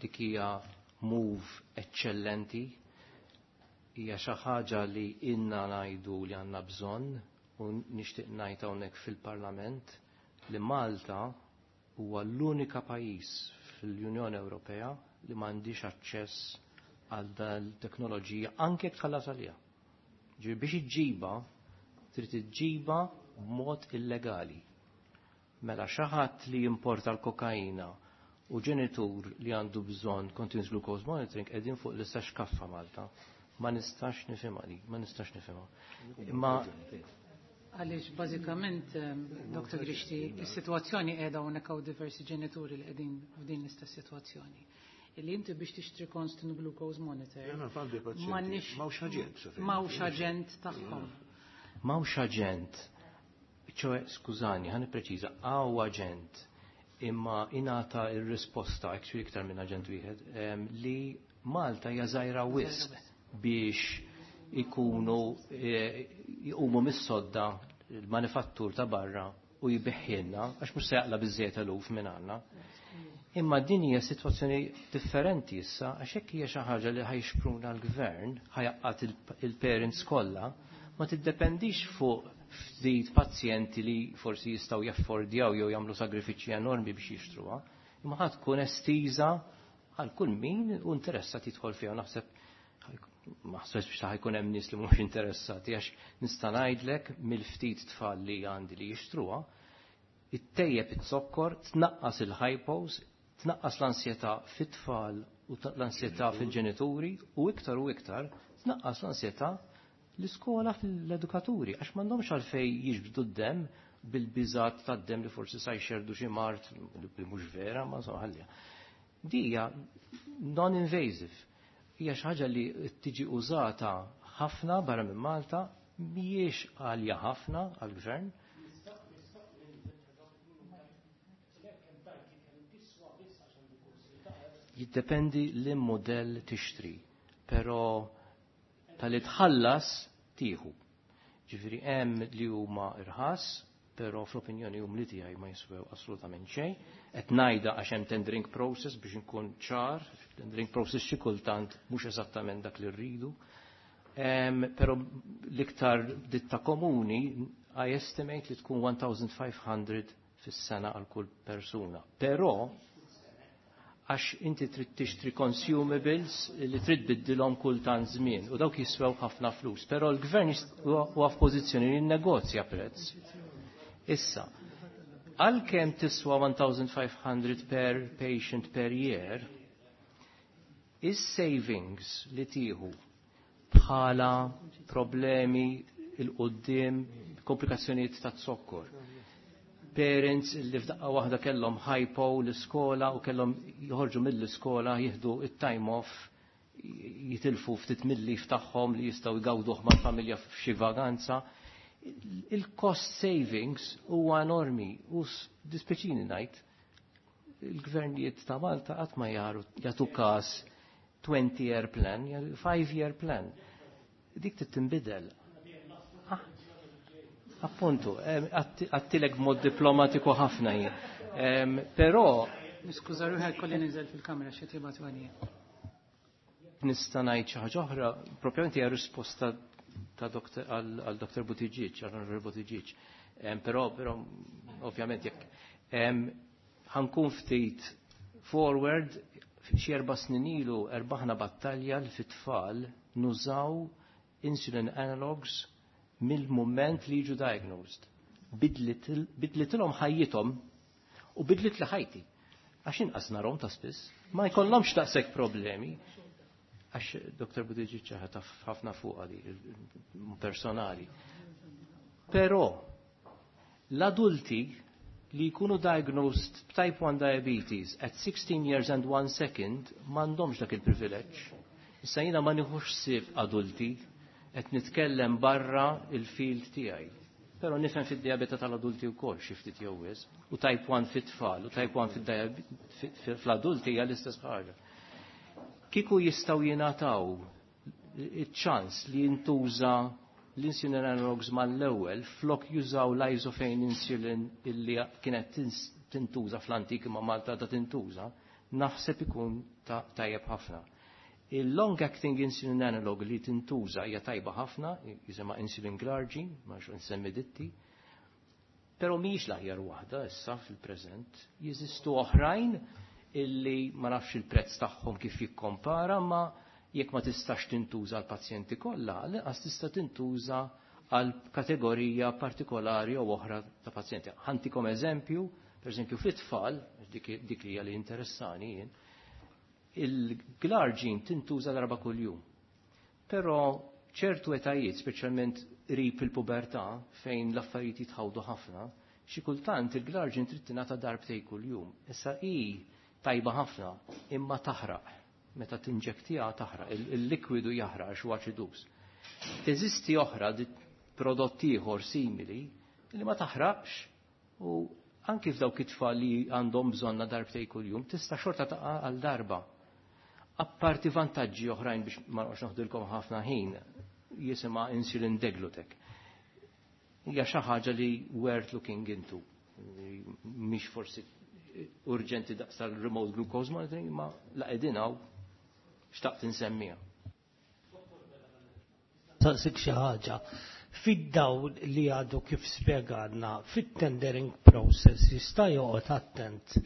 dik hija move eċċellenti, hija xi ħaġa li inna ngħidu li għandna bżonn u nixtieq ngħid hawnhekk fil-Parlament li Malta huwa l-unika pajjiż fl-Unjoni Ewropea li m'għandix aċċess għal dan teknoloġija anke jekk tħallas għaliha. Ġifieri biex iġġiba trid iġġiba b'mod illegali. Mela xi ħadd li jimporta l-kokaina u ġenitur li għandu bżonn continuous glucose monitoring qegħdin fuq l-istess kaffa Malta. Ma nistax nifhimha di, ma nistax nifhimha. Imma Għaliex bażikament, Doktor Grixti, is-sitwazzjoni qiegħda hawnhekk hawn diversi ġenituri li qegħdin f'din l-istess sitwazzjoni. Illi inti biex tixtri constant glucose monitor. Jena għandi pazjenti. M'għandniex- M'hawnx aġent, sa fejn. M'hawnx aġent tagħhom. M'hawnx aġent. ċoe, skużani, ħa nippreċiża, hawn aġent. Imma ingħata ir-risposta, actually iktar minn aġent wieħed, li Malta hija żgħira wisq biex ikunu jqumu mis-sodda il-manifattur ta' barra u jbiħħilna, għax mhux se jaqla biżejjed eluf minn għandna. Imma din hija sitwazzjoni differenti issa, għax hekk hija xi ħaġa li ħajxpruna l-gvern, ħajaqqat il-parents kollha, ma tiddependix fuq ftit pazjenti li forsi jistgħu jaffordjaw jew jagħmlu sagrifiċċji enormi biex jixtruha, imma ħad tkun estiża għal kull min u interessat jidħol fiha. Naħseb ma ħsebx biex ħajkun hemm nies li mhux interessati, għax nista' ngħidlek mill-ftit tfal li għandi li jixtruha, ittejjeb it-zokkor, tnaqqas il-hypos, tnaqqas l-ansjetà fit-tfal u l-ansjetà fil-ġenituri u iktar u iktar tnaqqas l-ansjetà l-iskola fil-edukaturi, għax m'għandhomx għalfej jiġbdu d-dem bil-biżat tad-dem li forsi sa jxerdu xi mart li mhux vera, ma ħallija. Dija non-invasive. Hija xi ħaġa li tiġi użata ħafna barra minn Malta, mhijiex għalja ħafna għall-gvern. Jiddependi li modell tixtri, però tal-li tħallas tieħu. Ġifieri hemm li huma irħas, però fl-opinjoni umli tiegħi ma jiswew assolutament xejn. Qed ngħidha għax hemm tendering process biex inkun ċar, tendering process xi kultant mhux eżattament dak li rridu. Però l-iktar ditta komuni I estimate li tkun one thousand five hundred fis-sena għal kull persuna. Però għax inti trid tixtri consumables li trid biddilhom kull tant żmien u dawk jiswew ħafna flus, però l-gvern huwa f'pożizzjoni li jinnegozja prezz. Issa, għalkemm tiswa one thousand five hundred per patient per year, is-savings li tieħu bħala problemi il-qoddim, komplikazzjonijiet ta' zokkor. Parents li f'daqqa waħda kellhom hypo l-iskola u kellhom joħorġu mill-iskola jieħdu it-time off, jitilfu ftit mill-lif tagħhom li jistgħu jgawduh mal-familja f'xi vaganza. Il-cost savings huwa enormi u dispeċini ngħid il-gvernijiet ta' Malta qatt ma jaru jagħtu każ twenty year plan, five year plan. Dik trid tinbidel. Appuntu, għattilek b'mod diplomatiku ħafna jien. Però Niskuża ruħi kolli ninżel fil-kamera xi tibgħat għalija. Nista' ngħid xi ħaġa oħra, propjament hija risposta ta' doktor għal Doktor Buttigieg, għal Onorevoli Buttigieg. Però, però ovvjament jekk ħankun ftit forward, xi erba' snin ilu erbaħna battalja li fit-tfal nużaw insulin analogs mill-moment li jiġu diagnosed. Bidlitilhom ħajjithom u bidlit li ħajti. Għax inqas narhom ta' spiss, ma jkollhomx daqshekk problemi. Għax Doktor Buttigieg taf ħafna fuqha di personali. Però l-adulti li jkunu diagnosed b'type one diabetes at sixteen years and one second m'għandhomx dak il-privileġġ. Issa jiena ma nieħux ħsieb adulti, qed nitkellem barra il-field tiegħi. Però nifhem fid-diabete tal-adulti wkoll xi ftit jew wisq, u type one fit-tfal u type one fl-adulti hija l-istess ħaġa. Kieku jistgħu jingħataw iċ-ċans li jintuża l-insulin analogs mal-ewwel flok jużaw l-isophane insulin illi kienet tintuża fl-antik imma Malta ta' tintuża, naħseb ikun tajjeb ħafna. Il-long acting insulin analog li tintuża hija tajba ħafna, jisimha insulin glargine, ma nafx nsemmi ditti, però mhijiex l-aħjar waħda issa fil-preżent. Jeżistu oħrajn illi ma nafx il-prezz tagħhom kif jikkompara, ma jekk ma tistax tintuża għal pazjenti kollha, lanqas tista' tintuża għal kategorija partikolari jew oħra ta' pazjenti. Ħantikom eżempju, pereżempju fit-tfal, dik, dik li hija li interessani jien, il-glargine tintuża darba kuljum. Però ċertu etajiet, speċjalment qrib il-pubertà, fejn l-affarijiet jitħawdu ħafna, xi kultant il-glargine trid tingħata darbtej kuljum. Issa hi tajba ħafna, imma taħraq. Meta tinġektija taħraq, il-likwidu jaħraq għax huwa aċidus. Teżisti oħra prodott ieħor simili li ma taħraqx u Anki f'dawk it-tfal li għandhom bżonna darbtej kuljum, tista' xorta taqa' għal darba. Apparti vantaġġi oħrajn biex ma noqgħodx noħdilkom ħafna ħin, jisimha insulin degludec. Hija xi ħaġa li worth looking into. Mhix forsi urġenti daqs tal-remote glucose monitoring, ma la qegħdin hawn xtaqt insemmiha. Saqsik xi ħaġa. Fid-dawl li għadu kif spjegalna fit-tendering process jista' joqgħod attent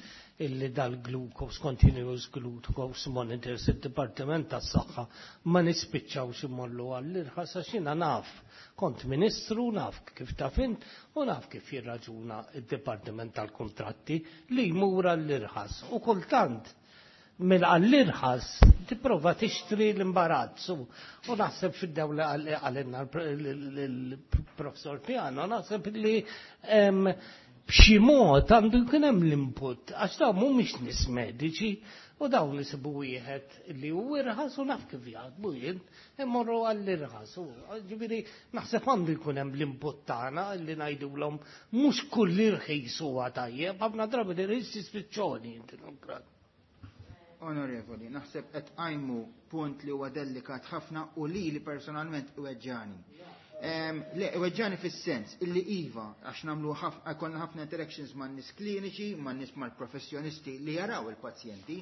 illi dal-glucose, continuous glucose monitors, id-Dipartiment tas-Saħħa ma nispiċċawx imorru għall-irħas għax jiena naf, kont ministru, naf kif taf int u naf kif jirraġuna id-Dipartiment tal-Kontratti li jmur għall-irħas. U kultant mill-għall-irħas tipprova tixtri l-imbarazz u naħseb fid-dawl li għalinna l-professor Piano, naħseb li b'xi mod għandu jkun hemm l-input għax dawn mhumiex nies mediċi u dawn isibu wieħed li hu irħas u naf kif jaħdmu jien immorru għall-irħas. Ġifieri naħseb għandu jkun hemm l-input tagħna li ngħidulhom mhux kull irħis huwa tajjeb, ħafna drabi l-irħis jispiċċoni inti non. Onorevoli, naħseb qed qajmu punt li huwa delikat ħafna u li li personalment iweġġani. Le, iweġġani fis-sens illi iva, għax nagħmlu konna ħafna interactions man nies kliniċi, man nies mal-professjonisti li jaraw il-pazjenti,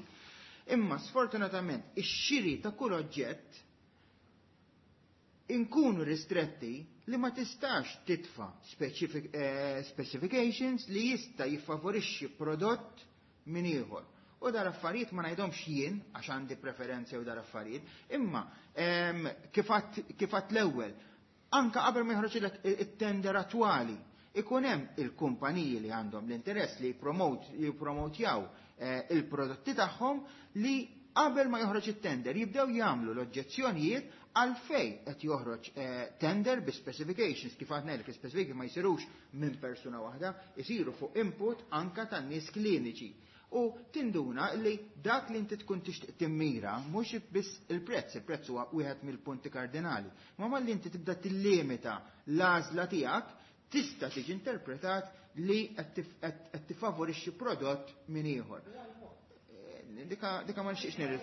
imma sfortunatament ix-xiri ta' kull oġġett inkunu ristretti li ma tistax titfa eh, specifications li jista' jiffavorixxi prodott minn ieħor. U dar affarijiet ma ngħidhomx jien għax għandi preferenzi u dar affarijiet, imma kif għadt l-ewwel, anka qabel ma joħroġ it-tender attwali, ikun hemm il-kumpaniji li għandhom l-interess li jippromotjaw eh, il-prodotti tagħhom li qabel ma joħroġ it-tender jibdew jagħmlu l-oġġezzjonijiet għalfej qed joħroġ eh, tender bi specifications kif għadna li specifications ma jsirux minn persuna waħda, isiru fuq input anka tan-nies kliniċi. U tinduna li dak li inti tkun tixtieq timmira mhux biss il-prezz, il-prezz huwa wieħed mill-punti kardinali, ma malli inti tibda tillimita l-għażla tiegħek tista' tiġi interpretat li qed tifavorixxi prodott minn ieħor. Dika, dika ma nixtieqx nir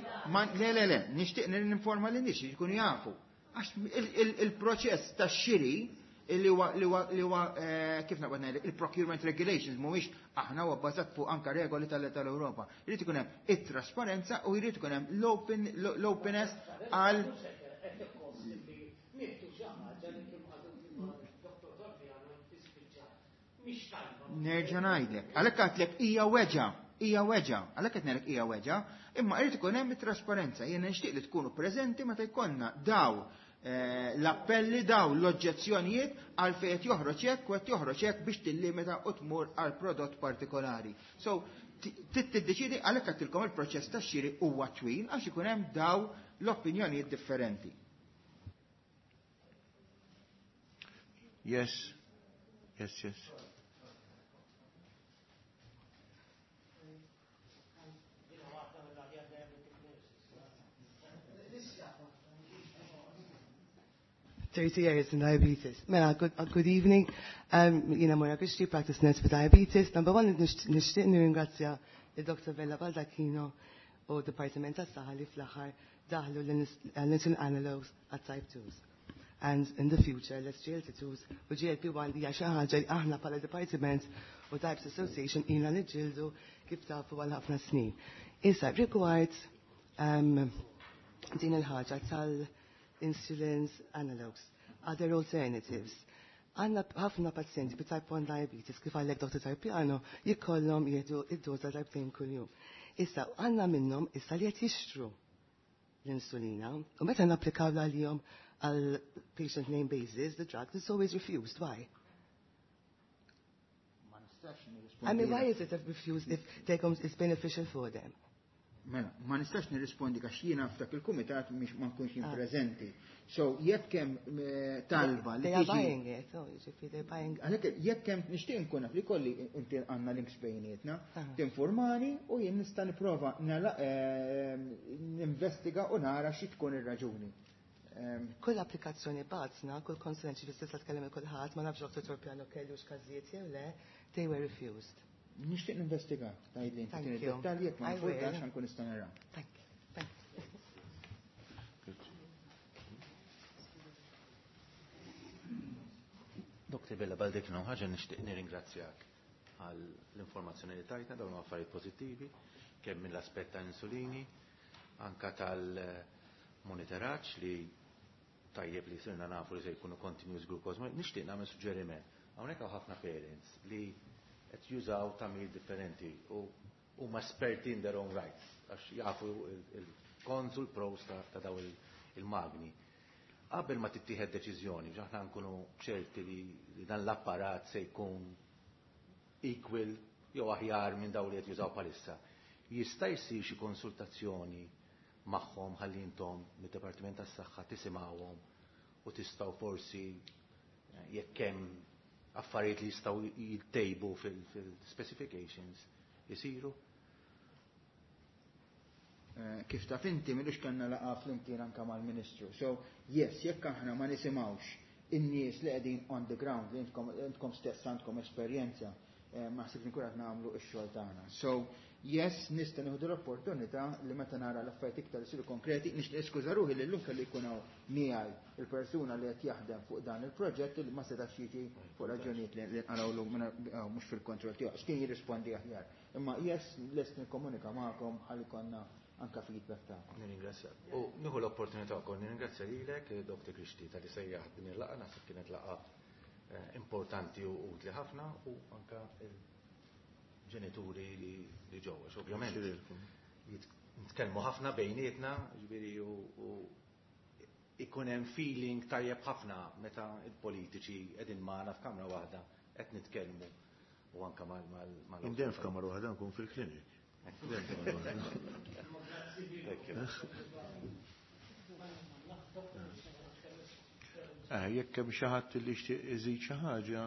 le le le, nixtieq ninforma lin nies jkunu jafu. Għax il-proċess tax-xiri li huwa li huwa li huwa kif naqbad ngħidlek il-procurement regulations mhuwiex aħna huwa bbażat fuq anka regoli tal-Ewropa. Jrid ikun hemm it-trasparenza u jrid ikun hemm l-openness għal Nerġa' ngħidlek. Għalhekk għedtlek hija weġa, hija weġa, għalhekk qed ngħidlek hija weġa, imma jrid ikun hemm it-trasparenza. Jiena nixtieq li tkunu preżenti meta jkollna daw l-appelli daw l-oġġezzjonijiet għal fejn qed joħroġ hekk u qed joħroġ hekk biex tillimita u tmur għal prodott partikolari. So, tiddeċidi għalhekk għedtilkom il-proċess tax-xiri huwa twil għax ikun hemm daw l-opinjonijiet differenti. Yes. Yes, yes. thirty years in diabetes. Mela, good, uh, good evening. Um, jiena Moira Christie, practice nurse for diabetes. Number one, nixtieq nirringrazzja il-Doctor Vella Baldacchino u Departiment tas-Saħħa li fl-aħħar daħlu l-insulin analogs għat type twos. And in the future, l-S G L T twos u G L P one hija xi ħaġa li aħna bħala Departiment u Types Association ilna niġġieldu kif tafu għal ħafna snin. Issa, rigward um, din il-ħaġa tal-insulins analogs, other alternatives. Għandna ħafna pazjenti bi type one diabetes, kif għalek Doctor Torpiano, jkollhom jieħdu id-doza darbtejn kuljum. Issa, għandna minnhom issa li qed jixtru l-insulina, u meta napplikaw għalihom għal patient name basis, the drug is always refused. Why? I mean, why is it refused if take is beneficial for them? Mela, ma nistax nirrispondi għax jiena f'dak il-kumitat mhix ma nkunx jien preżenti. So jekk hemm talba li They are buying it, oh, jiġifieri they're buying. Għalhekk jekk hemm nixtieq nkun naf li kolli inti għandna links bejnietna, tinformani u jien nista' nipprova ninvestiga u nara xi tkun ir-raġuni. Kull applikazzjoni bgħatna, kull konsulent ġifieri tista' tkellem kulħadd, ma nafx Doctor Torpiano kellux każijiet jew le, they were refused. Nixtieq ninvestiga, tgħidli inti tieni dettalji jekk ma nfurtax ħankun nista' nara. Thank you. Thank you. Doktor Vella Baldacchino, ħaġa nixtieq nirringrazzjak għal l-informazzjoni li tajtna, dawn affarijiet pożittivi, kemm mill-aspett ta' insulini, anka tal-monitoraġġ li tajjeb li sirna nafu li se jkunu continuous glucose. Nixtieq nagħmel suġġeriment. Hawnhekk hawn ħafna parents li qed jużaw tagħmir differenti u huma esperti in their own rights għax jafu il-cons u l-pros ta' daw il-magni. Qabel ma tittieħed deċiżjoni biex aħna nkunu ċerti li dan l-apparat se jkun equal jew aħjar minn dawn li qed jużaw bħalissa, jista' jsir xi konsultazzjoni magħhom ħalli intom mid-Dipartiment tas-Saħħa tisimgħuhom u tistgħu forsi jekk hemm affarijiet li jistgħu jittejbu fil-specifications isiru? Kif taf inti m'ilux kellna laqgħa flimkien anke mal-Ministru. So, yes, jekk aħna ma nisimgħux in-nies li qegħdin on the ground, li intkom stess għandkom esperjenza, ma ħsibx nkun qed nagħmlu x-xogħol tagħna. So, yes, nista' nieħdu l-opportunità li meta nara l-affarijiet iktar isiru konkreti, nixtieq niskuża ruħi li llum kelli jkun hawn miegħi il-persuna li qed jaħdem fuq dan il-proġett li ma setax jiġi fuq raġunijiet li nqalgħu mhux fil-kontroll tiegħu, x'kien jirrispondi aħjar. Imma yes, lest nikkomunika magħkom ħalli konna anka feedback tagħkom. Nirringrazzjak. U nieħu l-opportunità wkoll nirringrazzja lilek, Doktor Grixti, tal-li sejjaħ din il-laqgħa, naħseb kienet laqgħa importanti u utli ħafna u anka il-ġenituri li ġew, għax ovvjament nitkellmu ħafna bejnietna, ġifieri u ikun hemm feeling tajjeb ħafna meta il-politiċi qegħdin magħna f'kamra waħda qed nitkellmu u anka mal mal Indem f'kamra waħda nkun fil-klinik. Eh, jekk hemm xi ħadd li jixtieq iżid xi ħaġa.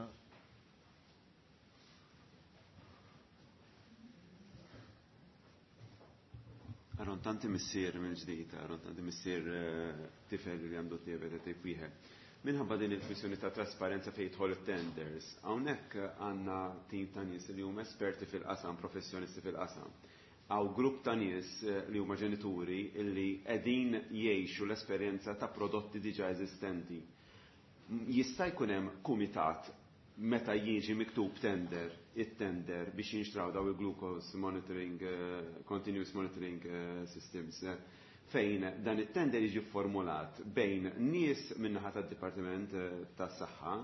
Aaron, tanti missier mill-ġdid, Aaron, tanti missier tifel li għandu diabete tip wieħed. Minħabba din il-kwistjoni ta' trasparenza fejn jidħol it-tenders, hawnhekk għandna tim ta' nies li huma esperti fil-qasam, professjonisti fil-qasam. Għaw grupp ta' nies li huma ġenituri illi qegħdin jgħixu l-esperjenza ta' prodotti diġà eżistenti. Jista' jkun hemm kumitat meta jiġi miktub tender, it-tender biex jinxtraw daw il-glucose monitoring, uh, continuous monitoring uh, systems, uh, fejn dan it-tender jiġi formulat bejn nies min-naħa tad-Dipartiment uh, tas-Saħħa,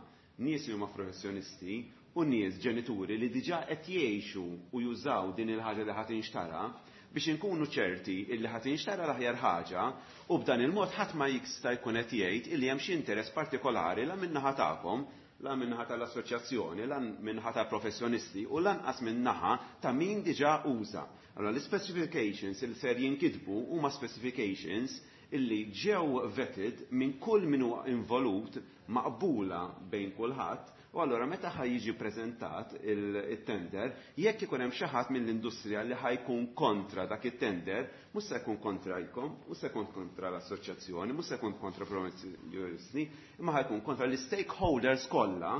nies li huma professjonisti u nies ġenituri li diġà qed jgħixu u jużaw din il-ħaġa li ħadd inxtara biex inkunu ċerti illi ħadd inxtara l-aħjar ħaġa u b'dan il-mod ħadd ma jista' jkun qed jgħid illi hemm xi interess partikolari la min-naħa tagħkom, la min-naħa tal-assoċjazzjoni, la min-naħa tal-professjonisti u lanqas min-naħa ta' min diġà uża. Allora l-specifications li ser jinkitbu huma specifications illi ġew vetted minn kull min huwa involut maqbula bejn kulħadd. U allora meta ħaj jiġi preżentat il-tender, jekk ikun hemm xi ħadd mill-industrija li ħajkun kontra dak it-tender, mhux se jkun kontrajkom, mhux se jkun kontra l-assoċjazzjoni, mhux se jkun kontra professjonisti, imma ħajkun kontra l-stakeholders kollha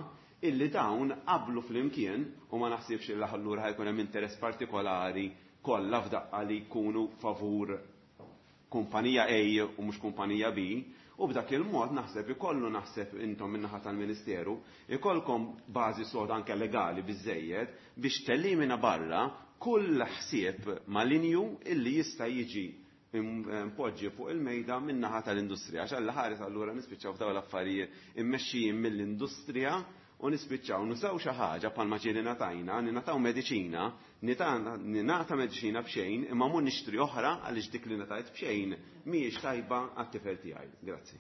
illi dawn qablu flimkien u ma naħsibx li allura ħajkun hemm interess partikolari kollha f'daqqa li jkunu favur kumpanija A u mhux kumpanija B. U b'dak il-mod naħseb ikollu naħseb intom min-naħa tal-Ministeru, ikollkom bażi soda anke legali biżejjed biex tellimina barra kull ħsieb malinju illi jista' jiġi mpoġġi fuq il-mejda min-naħa tal-industrija. Għax alla ħares allura nispiċċaw f'dawn l-affarijiet immexxijin mill-industrija u nispiċċaw nużaw xi ħaġa bħalma ġieli ngħatajna, ningħataw mediċina, ningħata mediċina b'xejn, imma mhu nixtri oħra għaliex dik li ngħatajt b'xejn mhijiex tajba għat-tifel tiegħi. Grazzi.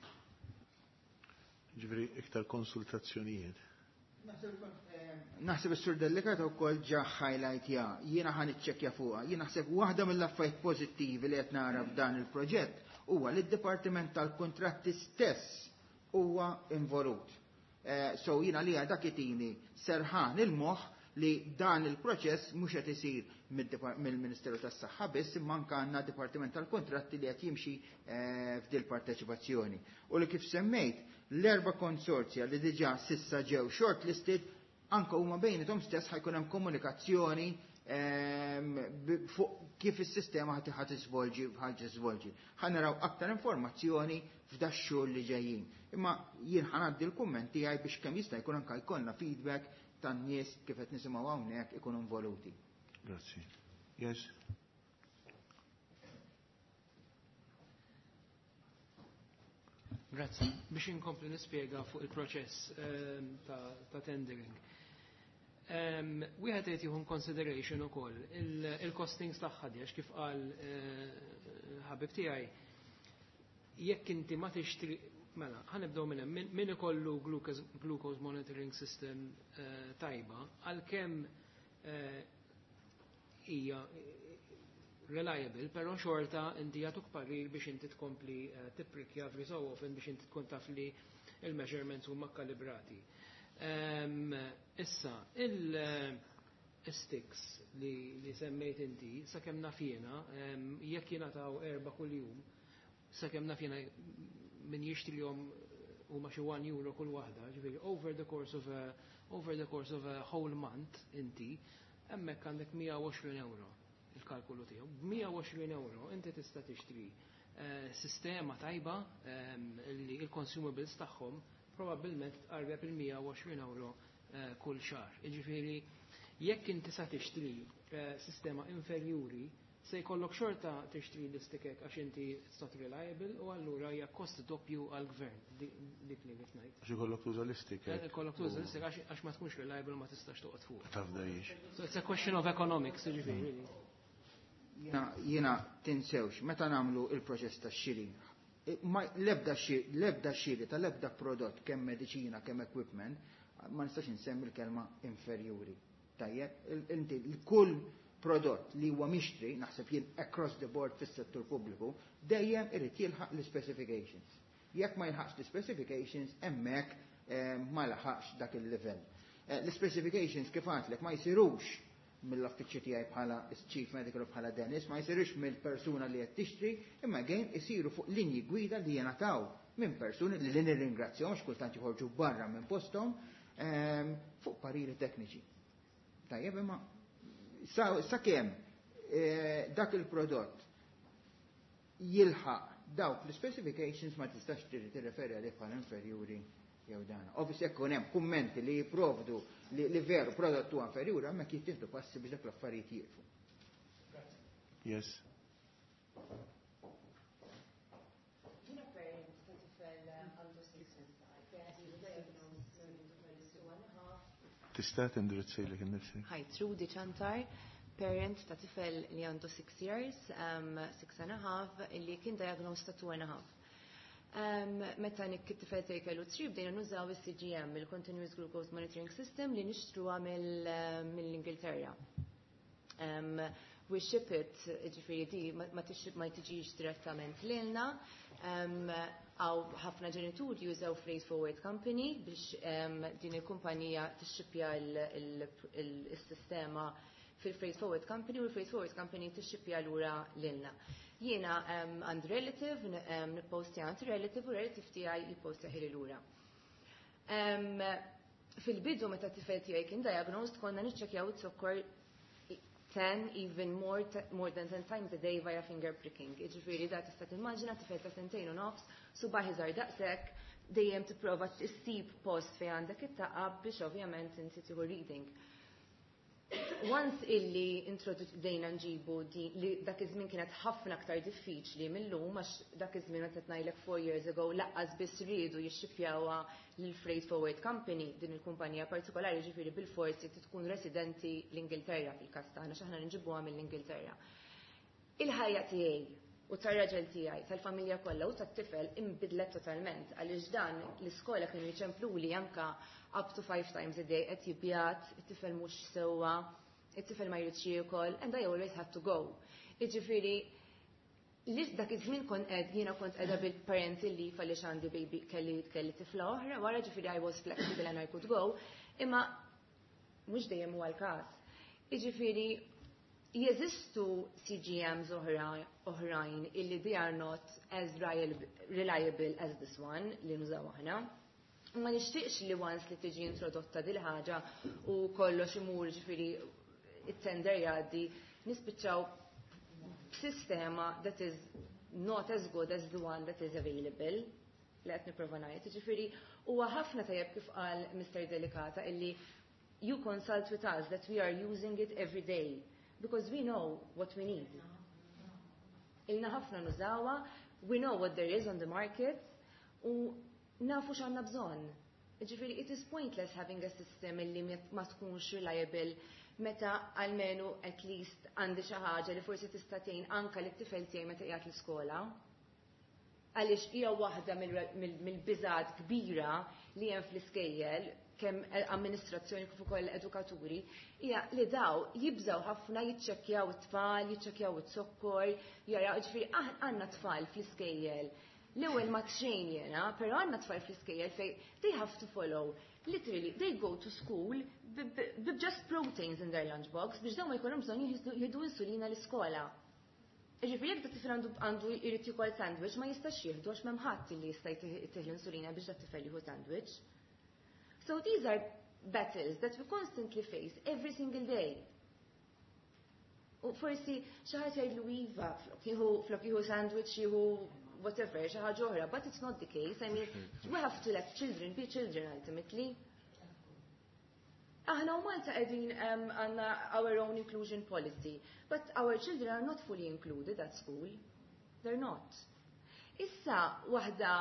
Ġifieri iktar konsultazzjonijiet. Naħseb is-Sur Delicato wkoll ġa highlight ja, jiena ħa niċċekkja fuqha. Jien naħseb waħda mill-affarijiet pożittivi li qed nara f'dan il-proġett huwa li d-Dipartiment tal-Kuntratti stess huwa involut. So jiena li dak itini serħan il-moħħ li dan il-proċess mhux qed isir mill-Ministeru tas-Saħħa biss, imma anke għandna Dipartiment tal-Kuntratti li qed jimxi f'dil parteċipazzjoni. U li kif semmejt, l-erba' konsorzja li diġà sissa ġew shortlisted Anke huma bejniethom stess ħa jkun hemm komunikazzjoni ehm, fuq kif is-sistema ħa tiżvolġi ħa tiżvolġi. Ħa naraw aktar informazzjoni f'da x-xhur li ġejjin. Imma jien ħa ngħaddi l-kumment tiegħi biex kemm jista' jkun anke jkollna feedback tan-nies kif qed nisimgħu hawnhekk ikunu involuti. Grazzi. Yes. Grazzi. Biex inkompli nispjega fuq il-proċess ehm, ta', ta tendering. Um, Wieħed qed jieħu consideration ukoll il-costings tagħha għax kif qal eh, ħabib tiegħi jekk inti ma tixtri mela ħa nibdew minn hemm min ikollu glucose, glucose monitoring system uh, tajba għalkemm eh, hija reliable, però xorta inti jagħtuk parir biex inti tkompli uh, tipprikja every so often biex inti tkun taf li il-measurements huma kalibrati. Um, issa, il-sticks li, li semmejt inti, sakemm naf jiena, um, jekk jingħataw erba' kuljum, sakemm naf jiena min jixtrihom huma xi one euro kull waħda, ġifieri over the course of a, over the course of a whole month inti, hemmhekk għandek mija u għoxrin euro il-kalkulu tiegħu. B'mija u għoxrin euro inti tista' tixtri eh, sistema tajba um, li il-consumables tagħhom probabbilment tqarreb il-mija u għoxrin euro eh, kull xahar. Jiġifieri jekk inti sa tixtri eh, sistema inferjuri, se jkollok xorta tixtri l-istikek għax inti it's not reliable u allura hija kost doppju għall-gvern, dik li qed ngħid. Għax ikollok tuża l-istikek. Ikollok tuża l-istikek għax għax ma tkunx reliable, ma tistax toqgħod fuq. Taf dajiex. So it's a question of economics, jiġifieri. Jiena jiena tinsewx, meta nagħmlu il-proċess tax-xiri, ma l-ebda xiri, l-ebda xiri tal-ebda prodott, kemm mediċina, kemm equipment, ma nistax insemmi l-kelma inferjuri. Tajjeb, inti l-kull prodott li huwa mixtri, naħseb jien across the board fis-settur pubbliku, dejjem irid jilħaq l-specifications. Jekk ma jilħaqx l-specifications, hemmhekk eh, ma laħaqx dak il-livell. Eh, L-specifications kif għedtlek ma jsirux mill-affiċċju tiegħi bħala Chief Medical bħala Dennis, ma jsirux mill-persuna li qed tixtri, imma again isiru fuq linji gwida li jingħataw minn persuni li nirringrazzjahom għax kultant joħorġu barra minn posthom ehm, fuq pariri tekniċi. Tajjeb, imma sakemm eh, dak il-prodott jilħaq dawk l-specifications ma tistax tirreferi għalih bħala inferjuri jew dan. Obviously jekk hemm kummenti li jipprovdu li, li veru prodott huwa inferjuri, hemmhekk jittieħdu passi biex dak l-affarijiet jieqfu. Yes. Jiena parent ta' tifel għandu six and a half. Tista' tindirizzilek innifsek. Hi, Trudy Chantar, parent ta' tifel li għandu six years, um, six and a half, illi kien diagnosed ta' two and a half. Um, meta Nick it-tifel tiegħi kellu three, bdejna nużaw il-C G M, il-Continuous Glucose Monitoring System, li nixtruha mill-Ingilterra. Um, we ship it, ġifieri di, ma ma tiġix direttament lilna. Um, Għaw ħafna ġenituri jużaw Freight Forward Company biex um, din il-kumpanija tixxipja il-sistema fil-Freight Forward Company u l-Freight Forward Company tixxipja lura lilna. Jiena um, għand relative, um, nippostja għand relative u relative tiegħi jippostja ħili lura. Um, Fil-bidu meta tifel tiegħi kien diagnosed konna niċċekjaw it-sokkor ten, even more, more than ten times a day via finger pricking. Ġifieri da tista' timmaġina tifel ta' sentejn u nofs, subgħajh iżgħar daqshekk, dejjem tipprova issib post fejn għandek it-taqab biex ovvjament inti tieħu reading. Once illi introdujna nġibu di, li dak iż-żmien kienet ħafna aktar diffiċli mill-lum, għax dak iż-żmien qed ngħidlek four years ago lanqas biss riedu jixxipjawha lil Freight Forward Company, din il-kumpanija partikolari, ġifieri bil-forsi tkun residenti l-Ingilterra fil-każ tagħna x'aħna nġibuha mill-Ingilterra. Il-ħajja tiegħi u tar-raġel tiegħi, tal-familja kollha u tat-tifel imbidlet totalment għaliex dan l-iskola kienu jċempluli anka up to five times a day, qed jibjat, it-tifel mhux sewwa, it-tifel ma jridx jiekol, and I always had to go. Jiġifieri li dak iż-żmien kont qed jiena kont qiegħda bil-parental leave għaliex għandi baby, kelli kelli tifla oħra wara, ġifieri I was flexible and I could go, imma mhux dejjem huwa l-każ. Jiġifieri jeżistu C G Ms oħra oħrajn illi they are not as reliable as this one li nużaw aħna. Ma nixtieqx li once li tiġi introdotta dil ħaġa u kollox imur, ġifieri it-tender jgħaddi, nispiċċaw b'sistema that is not as good as the one that is available, li qed nipprova ngħid. Ġifieri huwa ħafna tajjeb kif qal Mister Delicata illi you consult with us that we are using it every day because we know what we need. Ilna ħafna nużawha, we know what there is on the market u nafu x'għandna bżonn. Ġifieri it is pointless having a system illi ma tkunx reliable meta almenu at least għandi xi ħaġa li forsi tista' tgħin anke lit-tifel tiegħi meta qiegħed l-iskola. Għaliex hija waħda mill-biżat kbira li hemm fl-iskejjel, kemm amministrazzjoni kif ukoll edukaturi, hija li daw jibżaw ħafna jiċċekkjaw it-tfal, jiċċekkjaw it-sokkor, jaraw, ġifieri għandna tfal fl-iskejjel. L-ewwel ma txejn jiena, però għandna tfal fl-iskejjel fej they have to follow. Literally, they go to school with just proteins in their lunchbox biex dawn ma jkollhom bżonn jieħdu insulina l-iskola. Ġifieri jekk tifel għandu għandu jrid jikol sandwich, ma jistax jieħdu għax m'hemm ħadd li jista' jtih l-insulina biex dat tifel jieħu sandwich. So these are battles that we constantly face every single day. U forsi xi ħadd jgħidlu iva, flok jieħu flok jieħu sandwich jieħu whatever, xi ħaġa oħra, but it's not the case. I mean, we have to let children be children ultimately. Aħna u Malta qegħdin għandna our own inclusion policy, but our children are not fully included at school. They're not. Issa waħda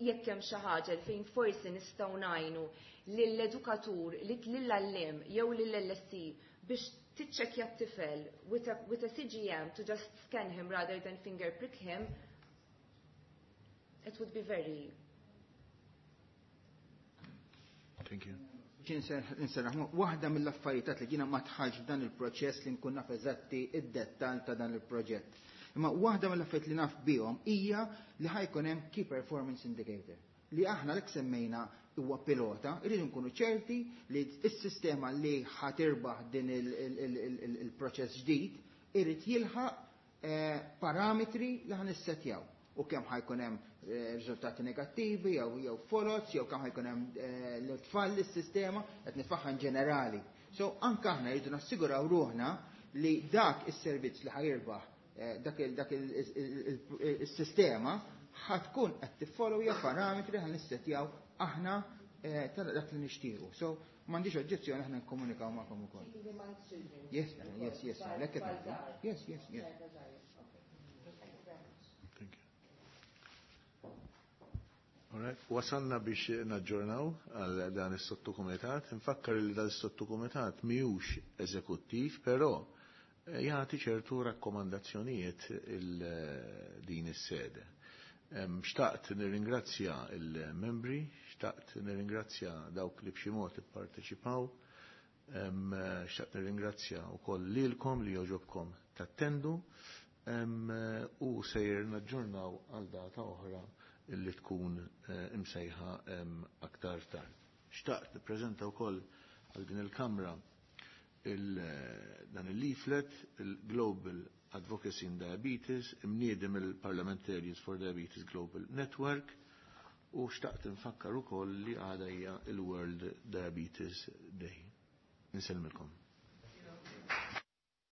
jekk hemm xi ħaġa fejn forsi nistgħu ngħinu lill-edukatur, lill-għalliem jew lill-L S E biex tiċċekkja t-tifel with a, with a C G M to just scan him rather than finger prick him, it would be very. Thank you. Nserraħ, waħda mill-affarijiet li jiena ma dħaltx f'dan il-proċess li nkun naf eżatti id-dettal ta' dan il-proġett. Imma waħda mill-affarijiet li naf bihom hija li ħa jkun hemm Key Performance Indicator. Li aħna l semmejna huwa pilota, irridu nkunu ċerti li s-sistema li ħa tirbaħ din il-proċess ġdid irid jilħaq eh, parametri li ħa nissetjaw u kemm ħa jkun hemm eh, riżultati negattivi jew jew folots jew kemm ħa jkun hemm eh, l-tfal is-sistema qed nitfaħħa ġenerali. So anke aħna rridu nassiguraw ruħna li dak is-servizz li ħa jirbaħ eh, dak dak is-sistema ħa tkun qed tiffollowja parametri ħa nissetjaw aħna ta' dak li nixtiequ. So m'għandix oġġezzjoni aħna nkomunikaw magħkom ukoll. Yes, yes, yes, yes, yes, yes. Thank you. Wasalna biex naġġornaw għal dan is-sottokumitat. Nfakkar li dan is-sottokumitat mhijiex eżekuttiv, però eh, jagħti ċertu rakkomandazzjonijiet il din is-sede. Xtaqt nirringrazzja il-membri, xtaqt nirringrazzja dawk li b'xi mod ipparteċipaw, xtaqt nirringrazzja wkoll lilkom li jogħġobkom tattendu u sejjer naġġornaw għal data oħra li tkun eh, imsejħa aktar tard. Xtaqt nippreżenta wkoll għal din il-Kamra il eh, dan il-leaflet, il-Global Advocacy in Diabetes, imniedi mill-Parliamentarians for Diabetes Global Network, u xtaqt nfakkar ukoll li għada hija il-World Diabetes Day. Insellmilkom.